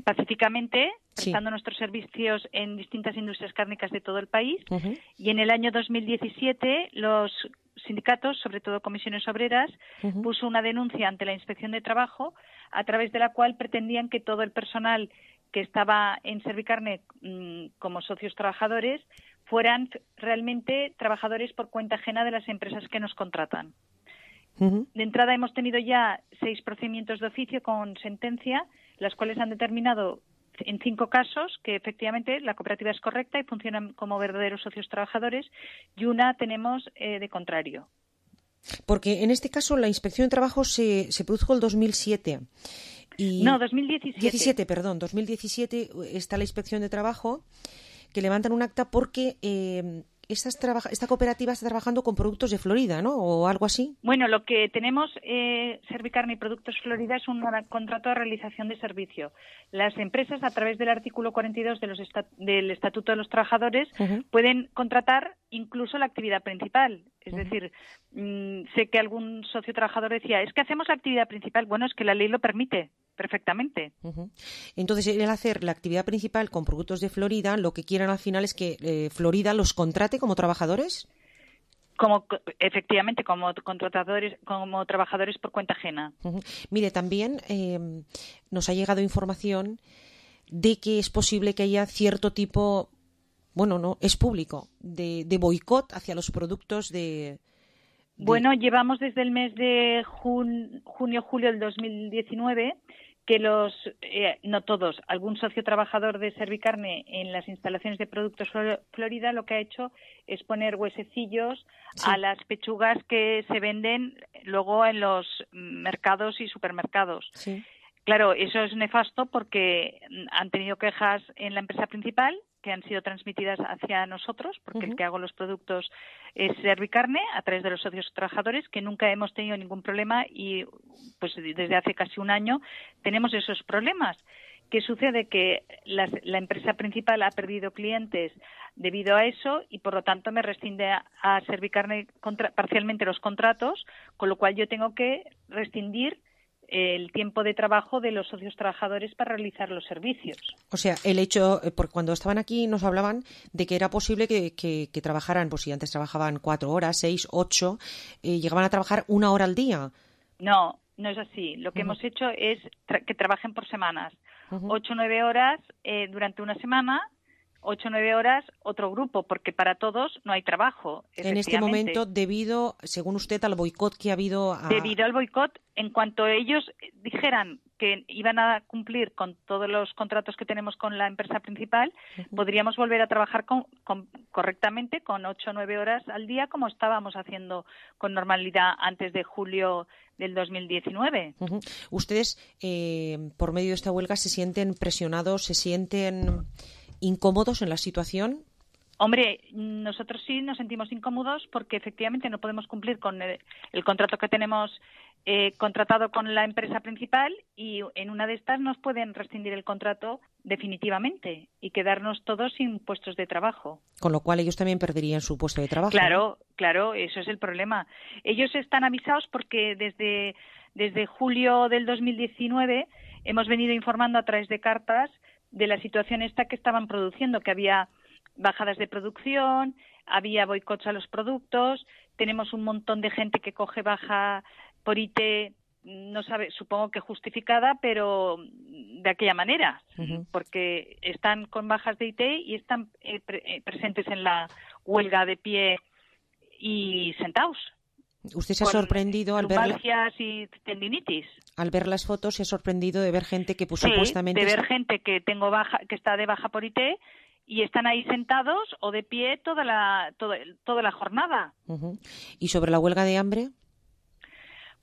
[SPEAKER 25] pacíficamente, prestando sí. nuestros servicios en distintas industrias cárnicas de todo el país.
[SPEAKER 5] Uh-huh.
[SPEAKER 25] Y en el año dos mil diecisiete los sindicatos, sobre todo comisiones obreras, uh-huh. puso una denuncia ante la Inspección de Trabajo a través de la cual pretendían que todo el personal que estaba en Servicarne mmm, como socios trabajadores fueran realmente trabajadores por cuenta ajena de las empresas que nos contratan.
[SPEAKER 5] Uh-huh.
[SPEAKER 25] De entrada hemos tenido ya seis procedimientos de oficio con sentencia, las cuales han determinado en cinco casos que efectivamente la cooperativa es correcta y funcionan como verdaderos socios trabajadores, y una tenemos eh, de contrario.
[SPEAKER 5] Porque en este caso la Inspección de Trabajo se, se produjo el dos mil siete. Y
[SPEAKER 25] no, dos mil diecisiete.
[SPEAKER 5] diecisiete, perdón, dos mil diecisiete está la Inspección de Trabajo que levantan un acta porque eh, Estas traba- esta cooperativa está trabajando con productos de Florida, ¿no? ¿O algo así?
[SPEAKER 25] Bueno, lo que tenemos, eh, Servicarne y Productos Florida, es un contrato de realización de servicio. Las empresas, a través del artículo cuarenta y dos de los estat- del Estatuto de los Trabajadores, uh-huh. pueden contratar incluso la actividad principal. Es uh-huh. decir, mmm, sé que algún socio trabajador decía, es que hacemos la actividad principal. Bueno, es que la ley lo permite perfectamente.
[SPEAKER 5] Uh-huh. Entonces, el hacer la actividad principal con productos de Florida, lo que quieren al final es que eh, Florida los contrate como trabajadores.
[SPEAKER 25] Como efectivamente, como contratadores, como trabajadores por cuenta ajena.
[SPEAKER 5] Uh-huh. Mire, también eh, nos ha llegado información de que es posible que haya cierto tipo, bueno, no, es público, de, de boicot hacia los productos de... de...
[SPEAKER 25] Bueno, llevamos desde el mes de jun, junio, julio del dos mil diecinueve que los, eh, no todos, algún socio trabajador de Servicarne en las instalaciones de Productos Florida lo que ha hecho es poner huesecillos sí. a las pechugas que se venden luego en los mercados y supermercados.
[SPEAKER 5] Sí.
[SPEAKER 25] Claro, eso es nefasto porque han tenido quejas en la empresa principal que han sido transmitidas hacia nosotros, porque uh-huh. el que hago los productos es Servicarne, a través de los socios trabajadores, que nunca hemos tenido ningún problema y pues desde hace casi un año tenemos esos problemas. ¿Qué sucede? Que la, la empresa principal ha perdido clientes debido a eso y por lo tanto me rescinde a, a Servicarne contra, parcialmente los contratos, con lo cual yo tengo que rescindir el tiempo de trabajo de los socios trabajadores para realizar los servicios.
[SPEAKER 5] O sea, el hecho, porque cuando estaban aquí nos hablaban de que era posible que, que, que trabajaran, pues si antes trabajaban cuatro horas, seis, ocho, eh, llegaban a trabajar una hora al día.
[SPEAKER 25] No, no es así. Lo que uh-huh. hemos hecho es tra- que trabajen por semanas. Uh-huh. Ocho o nueve horas eh, durante una semana, ocho o nueve horas otro grupo, porque para todos no hay trabajo.
[SPEAKER 5] En este momento, debido, según usted, al boicot que ha habido... A...
[SPEAKER 25] Debido al boicot, en cuanto ellos dijeran que iban a cumplir con todos los contratos que tenemos con la empresa principal, uh-huh. podríamos volver a trabajar con, con, correctamente con ocho o nueve horas al día, como estábamos haciendo con normalidad antes de julio del dos mil diecinueve.
[SPEAKER 5] Uh-huh. ¿Ustedes, eh, por medio de esta huelga, se sienten presionados, se sienten incómodos en la situación?
[SPEAKER 25] Hombre, nosotros sí nos sentimos incómodos porque efectivamente no podemos cumplir con el, el contrato que tenemos eh, contratado con la empresa principal y en una de estas nos pueden rescindir el contrato definitivamente y quedarnos todos sin puestos de trabajo.
[SPEAKER 5] Con lo cual ellos también perderían su puesto de trabajo.
[SPEAKER 25] Claro, ¿no? Claro, eso es el problema. Ellos están avisados porque desde, desde julio del dos mil diecinueve hemos venido informando a través de cartas de la situación esta que estaban produciendo, que había bajadas de producción, había boicots a los productos, tenemos un montón de gente que coge baja por I T no sabe, supongo que justificada, pero de aquella manera, uh-huh. porque están con bajas de I T y están eh, pre- eh, presentes en la huelga de pie y sentados.
[SPEAKER 5] ¿Usted se ha sorprendido al ver
[SPEAKER 25] lumbalgias y tendinitis?
[SPEAKER 5] Al ver las fotos, se ha sorprendido de ver gente que pues,
[SPEAKER 25] sí,
[SPEAKER 5] supuestamente...
[SPEAKER 25] de ver
[SPEAKER 5] está...
[SPEAKER 25] gente que tengo baja, que está de baja por I T y están ahí sentados o de pie toda la toda, toda la jornada.
[SPEAKER 5] Uh-huh. ¿Y sobre la huelga de hambre?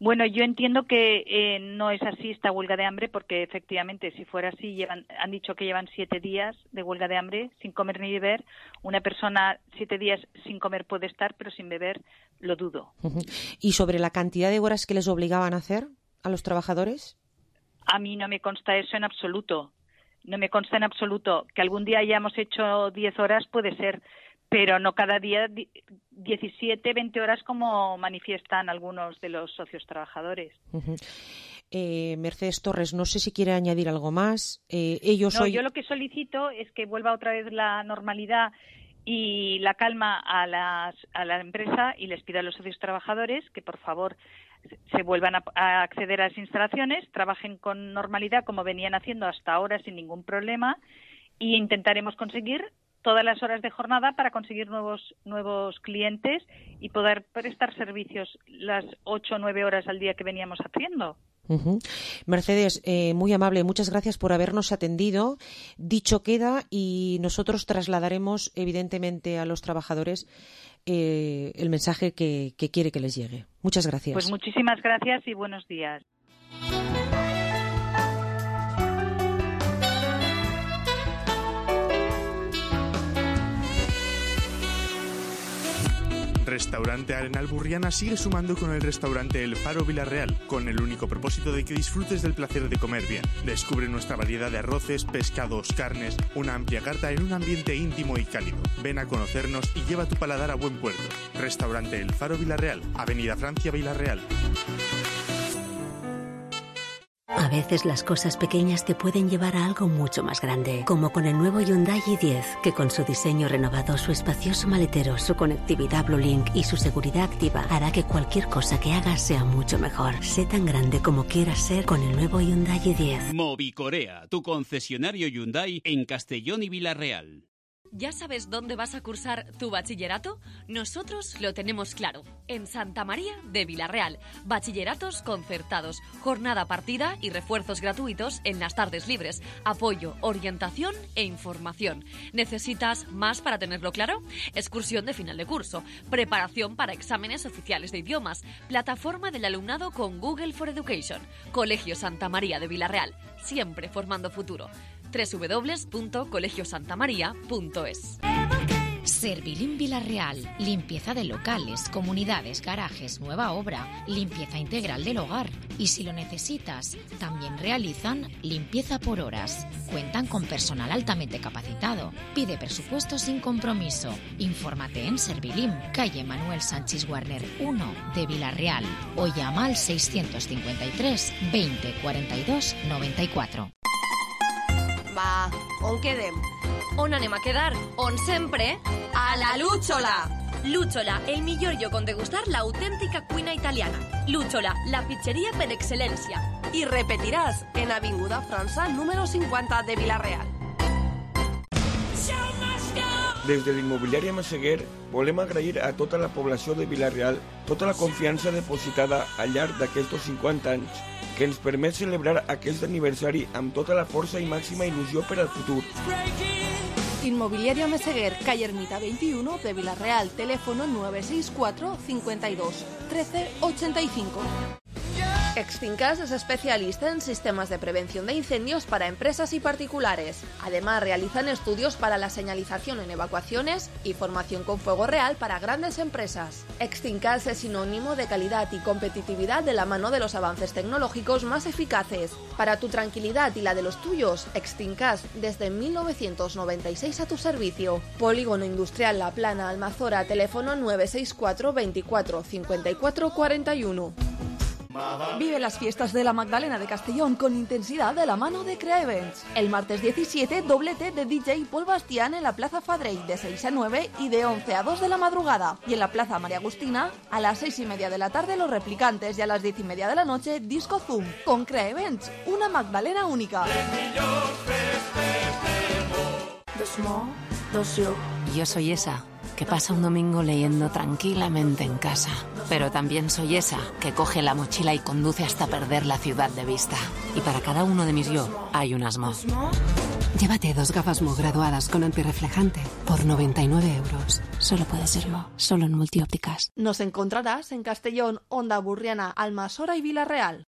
[SPEAKER 25] Bueno, yo entiendo que eh, no es así esta huelga de hambre, porque efectivamente, si fuera así, llevan, han dicho que llevan siete días de huelga de hambre sin comer ni beber. Una persona siete días sin comer puede estar, pero sin beber lo dudo.
[SPEAKER 5] Uh-huh. ¿Y sobre la cantidad de horas que les obligaban a hacer a los trabajadores?
[SPEAKER 25] A mí no me consta eso en absoluto. No me consta en absoluto. Que algún día hayamos hecho diez horas puede ser, pero no cada día diecisiete, veinte horas como manifiestan algunos de los socios trabajadores.
[SPEAKER 5] Uh-huh. Eh, Mercedes Torres, no sé si quiere añadir algo más. Eh, ellos
[SPEAKER 25] no,
[SPEAKER 5] hoy...
[SPEAKER 25] yo lo que solicito es que vuelva otra vez la normalidad y la calma a, las, a la empresa, y les pido a los socios trabajadores que por favor se vuelvan a, a acceder a las instalaciones, trabajen con normalidad como venían haciendo hasta ahora sin ningún problema, y intentaremos conseguir todas las horas de jornada para conseguir nuevos nuevos clientes y poder prestar servicios las ocho o nueve horas al día que veníamos haciendo.
[SPEAKER 5] Uh-huh. Mercedes, eh, muy amable, muchas gracias por habernos atendido. Dicho queda, y nosotros trasladaremos evidentemente a los trabajadores eh, el mensaje que, que quiere que les llegue. Muchas gracias.
[SPEAKER 25] Pues muchísimas gracias y buenos días.
[SPEAKER 10] Restaurante Arenal Burriana sigue sumando con el restaurante El Faro Villarreal, con el único propósito de que disfrutes del placer de comer bien. Descubre nuestra variedad de arroces, pescados, carnes, una amplia carta en un ambiente íntimo y cálido. Ven a conocernos y lleva tu paladar a buen puerto. Restaurante El Faro Villarreal, Avenida Francia Villarreal.
[SPEAKER 8] A veces las cosas pequeñas te pueden llevar a algo mucho más grande, como con el nuevo Hyundai i diez, que con su diseño renovado, su espacioso maletero, su conectividad BlueLink y su seguridad activa hará que cualquier cosa que hagas sea mucho mejor. Sé tan grande como quieras ser con el nuevo Hyundai i diez.
[SPEAKER 13] Movicorea, tu concesionario Hyundai en Castellón y Villarreal.
[SPEAKER 12] ¿Ya sabes dónde vas a cursar tu bachillerato? Nosotros lo tenemos claro. En Santa María de Villarreal. Bachilleratos concertados, jornada partida y refuerzos gratuitos en las tardes libres. Apoyo, orientación e información. ¿Necesitas más para tenerlo claro? Excursión de final de curso, preparación para exámenes oficiales de idiomas, plataforma del alumnado con Google for Education. Colegio Santa María de Villarreal, siempre formando futuro. doble u doble u doble u punto colegio santa maría punto es.
[SPEAKER 14] Servilim Villarreal. Limpieza de locales, comunidades, garajes, nueva obra, limpieza integral del hogar. Y si lo necesitas, también realizan limpieza por horas. Cuentan con personal altamente capacitado. Pide presupuesto sin compromiso. Infórmate en Servilim, calle Manuel Sánchez Warner uno de Villarreal, o llama al seiscientos cincuenta y tres veinte cuarenta y dos noventa y cuatro.
[SPEAKER 12] Va, on quedem? On anem a quedar? On sempre? A la Lúchola! Lúchola, el millor lloc on degustar l'autèntica cuina italiana. Lúchola, la pizzeria per excel·lència. I repetiràs en Avinguda França, número cinquanta de Villarreal.
[SPEAKER 1] Des de l'immobiliària Massaguer volem agrair a tota la població de Villarreal tota la confiança depositada al llarg d'aquests cinquanta anys, que ens permet celebrar aquest aniversari amb tota la força i màxima il·lusió per al futur.
[SPEAKER 19] Inmobiliaria Meseguer, calle Ermita veintiuno de Villarreal, teléfono nueve seis cuatro cincuenta y dos trece ochenta y cinco.
[SPEAKER 12] Extincas es especialista en sistemas de prevención de incendios para empresas y particulares. Además, realizan estudios para la señalización en evacuaciones y formación con fuego real para grandes empresas. Extincas es sinónimo de calidad y competitividad de la mano de los avances tecnológicos más eficaces. Para tu tranquilidad y la de los tuyos, Extincas desde mil novecientos noventa y seis a tu servicio. Polígono Industrial La Plana, Almazora, teléfono nueve seis cuatro veinticuatro cincuenta y cuatro cuarenta y uno.
[SPEAKER 19] Vive las fiestas de la Magdalena de Castellón con intensidad de la mano de Crea Events. El martes diecisiete, doblete de D J Paul Bastián en la Plaza Fadrey de seis a nueve y de once a dos de la madrugada. Y en la Plaza María Agustina, a las seis y media de la tarde Los Replicantes y a las diez y media de la noche Disco Zoom. Con Crea Events, una Magdalena única.
[SPEAKER 15] Yo soy esa que pasa un domingo leyendo tranquilamente en casa. Pero también soy esa que coge la mochila y conduce hasta perder la ciudad de vista. Y para cada uno de mis yo hay un Asmo. Llévate dos gafas Mo graduadas con antirreflejante por noventa y nueve euros. Solo puede ser Mo, solo en Multiópticas.
[SPEAKER 19] Nos encontrarás en Castellón, Onda Burriana, Almasora y Vilareal.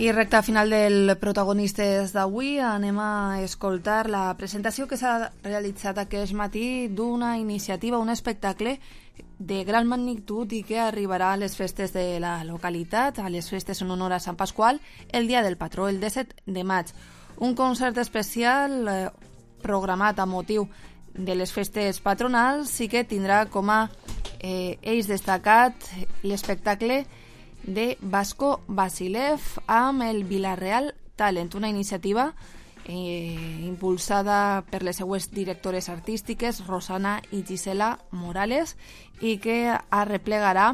[SPEAKER 19] I recte final del Protagonistes d'avui anem a escoltar la presentació que s'ha realitzat aquest matí d'una iniciativa, un espectacle de gran magnitud i que arribarà a les festes de la localitat, a les festes en honor a Sant Pasqual, el dia del patró, el disset de maig. Un concert especial eh, programat a motiu de les festes patronals i que tindrà com a eh, eix destacat l'espectacle de Vasco Vasilev amb el Vilareal Talent, una iniciativa eh, impulsada per les seues directores artístiques Rosana i Gisela Morales i que arreplegarà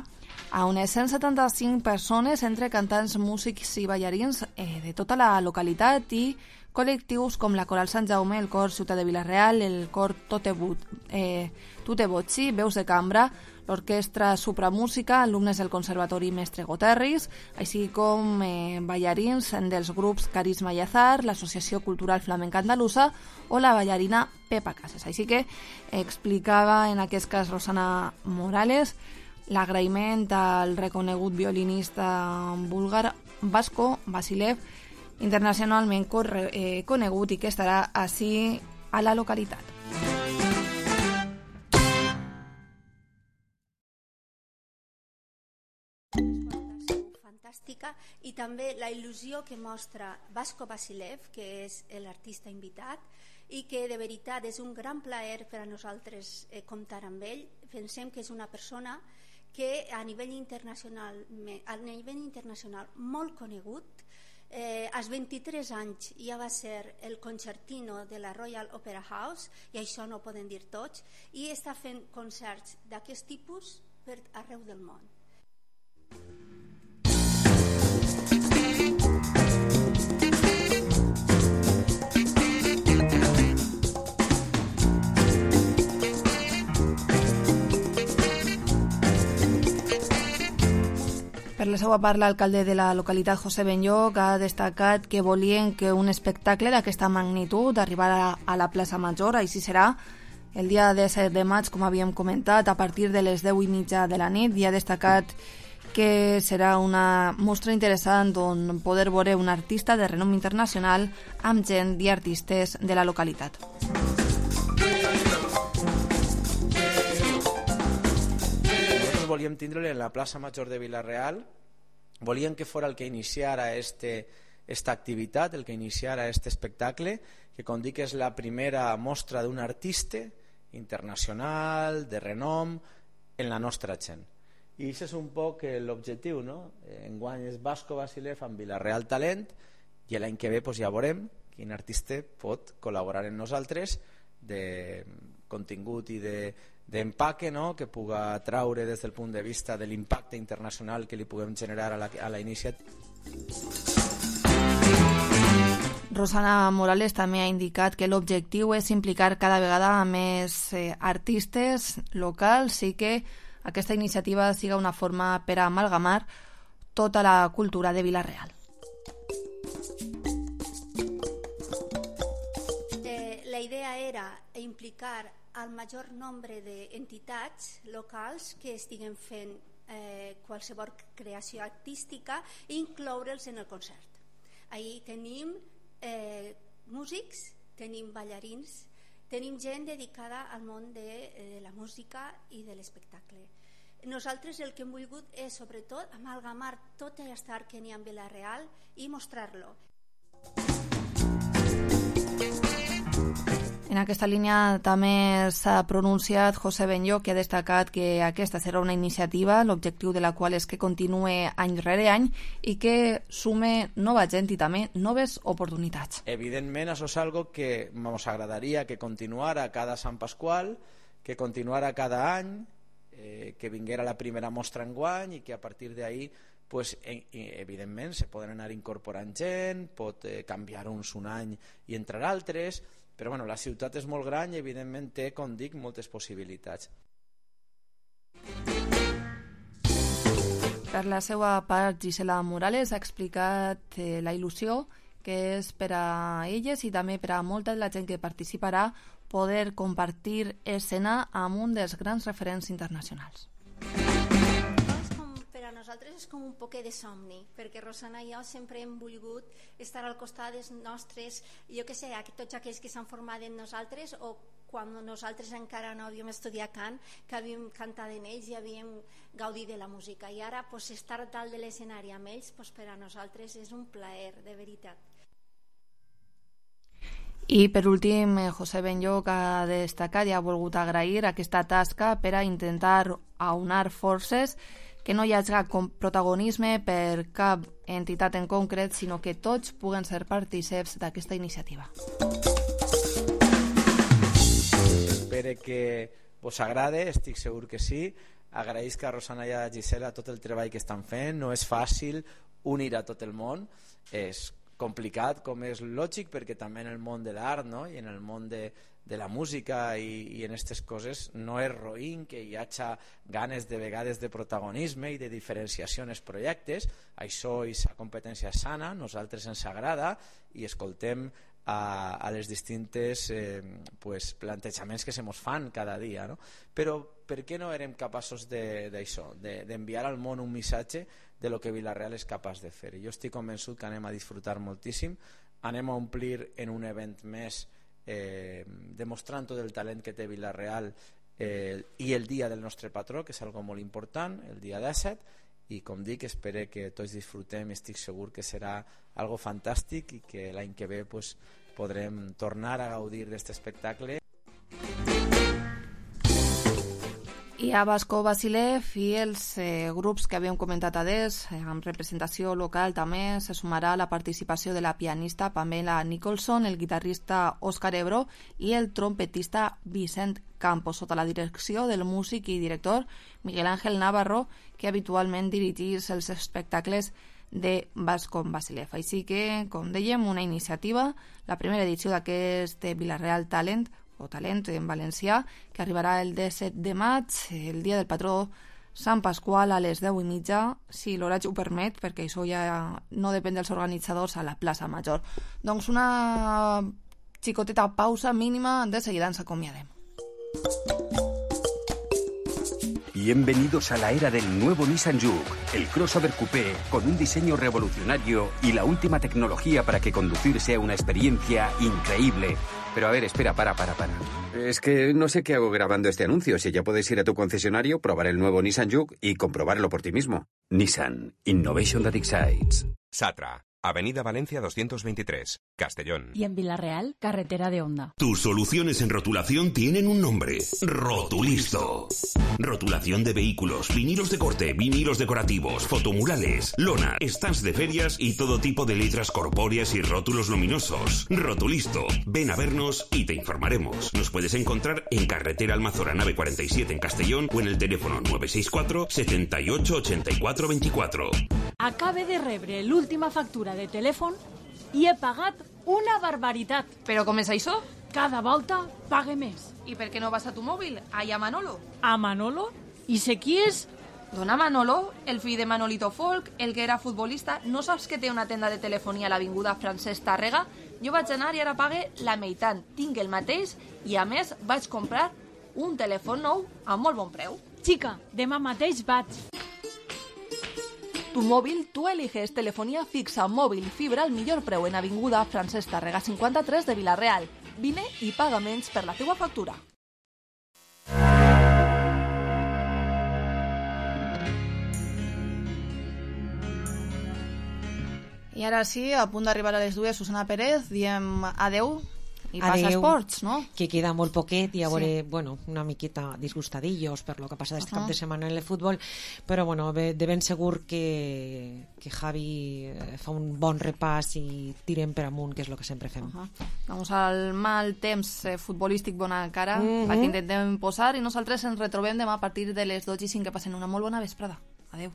[SPEAKER 19] a unes cent setanta-cinc persones entre cantants, músics i ballarins eh, de tota la localitat i col·lectius com la Coral Sant Jaume, el Cor Ciutat de Vilareal, el Cor Tutebut, eh, Tutebotxi, Veus de Cambra, l'Orquestra Supramúsica, alumnes del Conservatori Mestre Goterris, així com eh, ballarins dels grups Carisma i Azar, l'Associació Cultural Flamenca Andalusa o la ballarina Pepa Casas. Així que explicava en aquest cas Rosana Morales l'agraïment al reconegut violinista búlgar Vasco Vasilev, internacionalment eh, conegut i que estarà així a la localitat.
[SPEAKER 17] Fantàstica, i també la il·lusió que mostra Vasco Vasilev, que és l'artista invitat, i que de veritat és un gran plaer per a nosaltres eh, comptar amb ell. Pensem que és una persona que a nivell internacional, a nivell internacional molt conegut. Eh, als vint-i-tres anys ja va ser el concertino de la Royal Opera House, i això no ho poden dir tots, i està fent concerts d'aquest tipus per arreu del món.
[SPEAKER 19] Per la seva part, l'alcalde de la localitat, José Benlloc, ha destacat que volien que un espectacle d'aquesta magnitud arribara a la plaça Major. Així serà el dia disset de maig, com havíem comentat, a partir de les deu i mitja de la nit, i ha destacat que serà una mostra interessant on poder veure un artista de renom internacional amb gent i artistes de la localitat.
[SPEAKER 20] Volíem tindre en la plaça Major de Vilareal, volíem que fora el que iniciara este, esta activitat, el que iniciara este espectacle, que com dic és la primera mostra d'un artista internacional, de renom, en la nostra gent. I això és un poc l'objectiu, no? Enguany és Vasco Vasilev amb Vilareal Talent, i l'any que ve pues, ja veurem quin artista pot col·laborar amb nosaltres de contingut i de d'empaque, no? Que puga traure des del punt de vista de l'impacte internacional que li puguem generar a la, a la iniciativa.
[SPEAKER 19] Rosana Morales també ha indicat que l'objectiu és implicar cada vegada més eh, artistes locals i que aquesta iniciativa siga una forma per a amalgamar tota la cultura de Vilareal.
[SPEAKER 17] Eh, la idea era implicar al major nombre d'entitats locals que estiguen fent eh, qualsevol creació artística i incloure'ls en el concert. Ahir tenim eh, músics, tenim ballarins, tenim gent dedicada al món de, de la música i de l'espectacle. Nosaltres el que hem volgut és, sobretot, amalgamar tot aquest art que n'hi ha en Vila-real i mostrar-lo.
[SPEAKER 4] En aquesta línia també s'ha pronunciat José Benllo, que ha destacat que aquesta serà una iniciativa, l'objectiu de la qual és que continuï any rere any i que sume nova gent i també noves oportunitats.
[SPEAKER 20] Evidentment, això és algo que ens agradaria que continuara cada Sant Pasqual, que continuara cada any, eh, que vinguera la primera mostra enguany i que a partir d'ahí pues, evidentment se poden anar incorporant gent, pot eh, canviar uns un any i entrar altres, però bueno, la ciutat és molt gran i evidentment té, com dic, moltes possibilitats.
[SPEAKER 4] Per la seva part, Gisela Morales ha explicat eh, la il·lusió que és per a elles i també per a molta de la gent que participarà poder compartir escena amb un dels grans referents internacionals.
[SPEAKER 17] Per a nosaltres és com un poquet de somni, perquè Rosana i jo sempre hem volgut estar al costat dels nostres, jo que sé, tots aquells que s'han format en nosaltres o quan nosaltres encara no havíem estudiat cant, que havíem cantat en ells i havíem gaudit de la música. I ara pues, estar dalt de l'escenari amb ells pues, per a nosaltres és un plaer, de veritat.
[SPEAKER 4] I per últim, José Benllo, que ha destacat i ha volgut agrair aquesta tasca per a intentar aunar forces, que no hi hagi protagonisme per cap entitat en concret, sinó que tots puguen ser partíceps d'aquesta iniciativa.
[SPEAKER 20] Espero que vos agrade, estic segur que sí. Agraïsc a Rosana i a Gisela tot el treball que estan fent. No és fàcil unir a tot el món, és complicat, com és lògic, perquè també en el món de l'art, no? I en el món de, de la música i, i en aquestes coses no és roïn que hi hagi ganes de vegades de protagonisme i de diferenciació en els projectes. Això és la competència sana, nosaltres ens agrada i escoltem a, a les distintes eh, pues, plantejaments que se mos fan cada dia, no? Però per què no érem capaços d'això, de, d'enviar al món un missatge de lo que Vila-real és capaç de fer? Jo estic convençut que anem a disfrutar moltíssim, anem a omplir en un event més eh, demostrant tot el talent que té Vila-real eh, i el dia del nostre patró, que és algo molt important, el dia disset, i com dic, espero que tots disfrutem, estic segur que serà algo fantàstic i que l'any que ve pues, podrem tornar a gaudir d'aquest espectacle.
[SPEAKER 4] I a Vasco Vasilev i els eh, grups que havíem comentat adés, eh, amb representació local també se sumarà la participació de la pianista Pamela Nicholson, el guitarrista Òscar Ebro i el trompetista Vicent Campos, sota la direcció del músic i director Miguel Ángel Navarro, que habitualment dirigís els espectacles de Vasco Vasilev. Així que, com dèiem, una iniciativa, la primera edició d'aquest Vila-real Talent, o Talent en valencià, que arribarà el disset de maig, el dia del patró Sant Pasqual a les deu i mitja, si l'horari ho permet, perquè això ja no depèn dels organitzadors, a la plaça Major. Doncs una xicoteta pausa mínima, de seguida ens acomiadem.
[SPEAKER 2] Bienvenidos a la era del nuevo Nissan Juke, el crossover coupé con un diseño revolucionario y la última tecnología para que conducir sea una experiencia increíble. Pero a ver, espera, para, para, para. Es que no sé qué hago grabando este anuncio. Si ya puedes ir a tu concesionario, probar el nuevo Nissan Juke y comprobarlo por ti mismo. Nissan. Innovation that excites.
[SPEAKER 21] Satra. Avenida Valencia doscientos veintitrés, Castellón.
[SPEAKER 6] Y en Vila-real, carretera de Honda.
[SPEAKER 3] Tus soluciones en rotulación tienen un nombre: Rotulisto. Rotulación de vehículos, vinilos de corte, vinilos decorativos, fotomurales, lona, stands de ferias y todo tipo de letras corpóreas y rótulos luminosos. Rotulisto. Ven a vernos y te informaremos. Nos puedes encontrar en carretera Almazora nave cuarenta y siete en Castellón o en el teléfono nueve seis cuatro, setenta y ocho, ochenta y cuatro veinticuatro.
[SPEAKER 6] Acabe de rebre l'última factura de telèfon i he pagat una barbaritat.
[SPEAKER 4] Però com és això?
[SPEAKER 6] Cada volta pague més.
[SPEAKER 4] I per què no vas a tu mòbil? Allà a Manolo.
[SPEAKER 6] A Manolo? I sé qui és?
[SPEAKER 4] Dona Manolo, el fill de Manolito Folk, el que era futbolista. No saps que té una tenda de telefonia a l'avinguda Francesc Tàrrega? Jo vaig anar i ara pague la meitat. Tinc el mateix i, a més, vaig comprar un telèfon nou a molt bon preu.
[SPEAKER 6] Xica, demà mateix vaig.
[SPEAKER 19] tu móvil, tú eliges telefonía fixa, móvil i fibra al millor preu en Avinguda Francesc Tàrrega cinquanta-tres de Vila-real. Vine i paga menys per la teua factura. I ara sí, a punt d'arribar a les dues, Susana Pérez, diem adeu i passa esports, no?
[SPEAKER 5] Que queda molt poquet i a veure, sí. bueno, una miqueta disgustadillos per lo que passa aquest uh -huh. cap de setmana en el futbol, però bueno, de ben segur que, que Javi fa un bon repàs i tirem per amunt, que és el que sempre fem. Uh -huh.
[SPEAKER 19] Vamos al mal temps eh, futbolístic bona cara, uh -huh. perquè intentem posar, i nosaltres ens retrobem demà a partir de les dotze i cinc, que passen una molt bona vesprada. Adeu.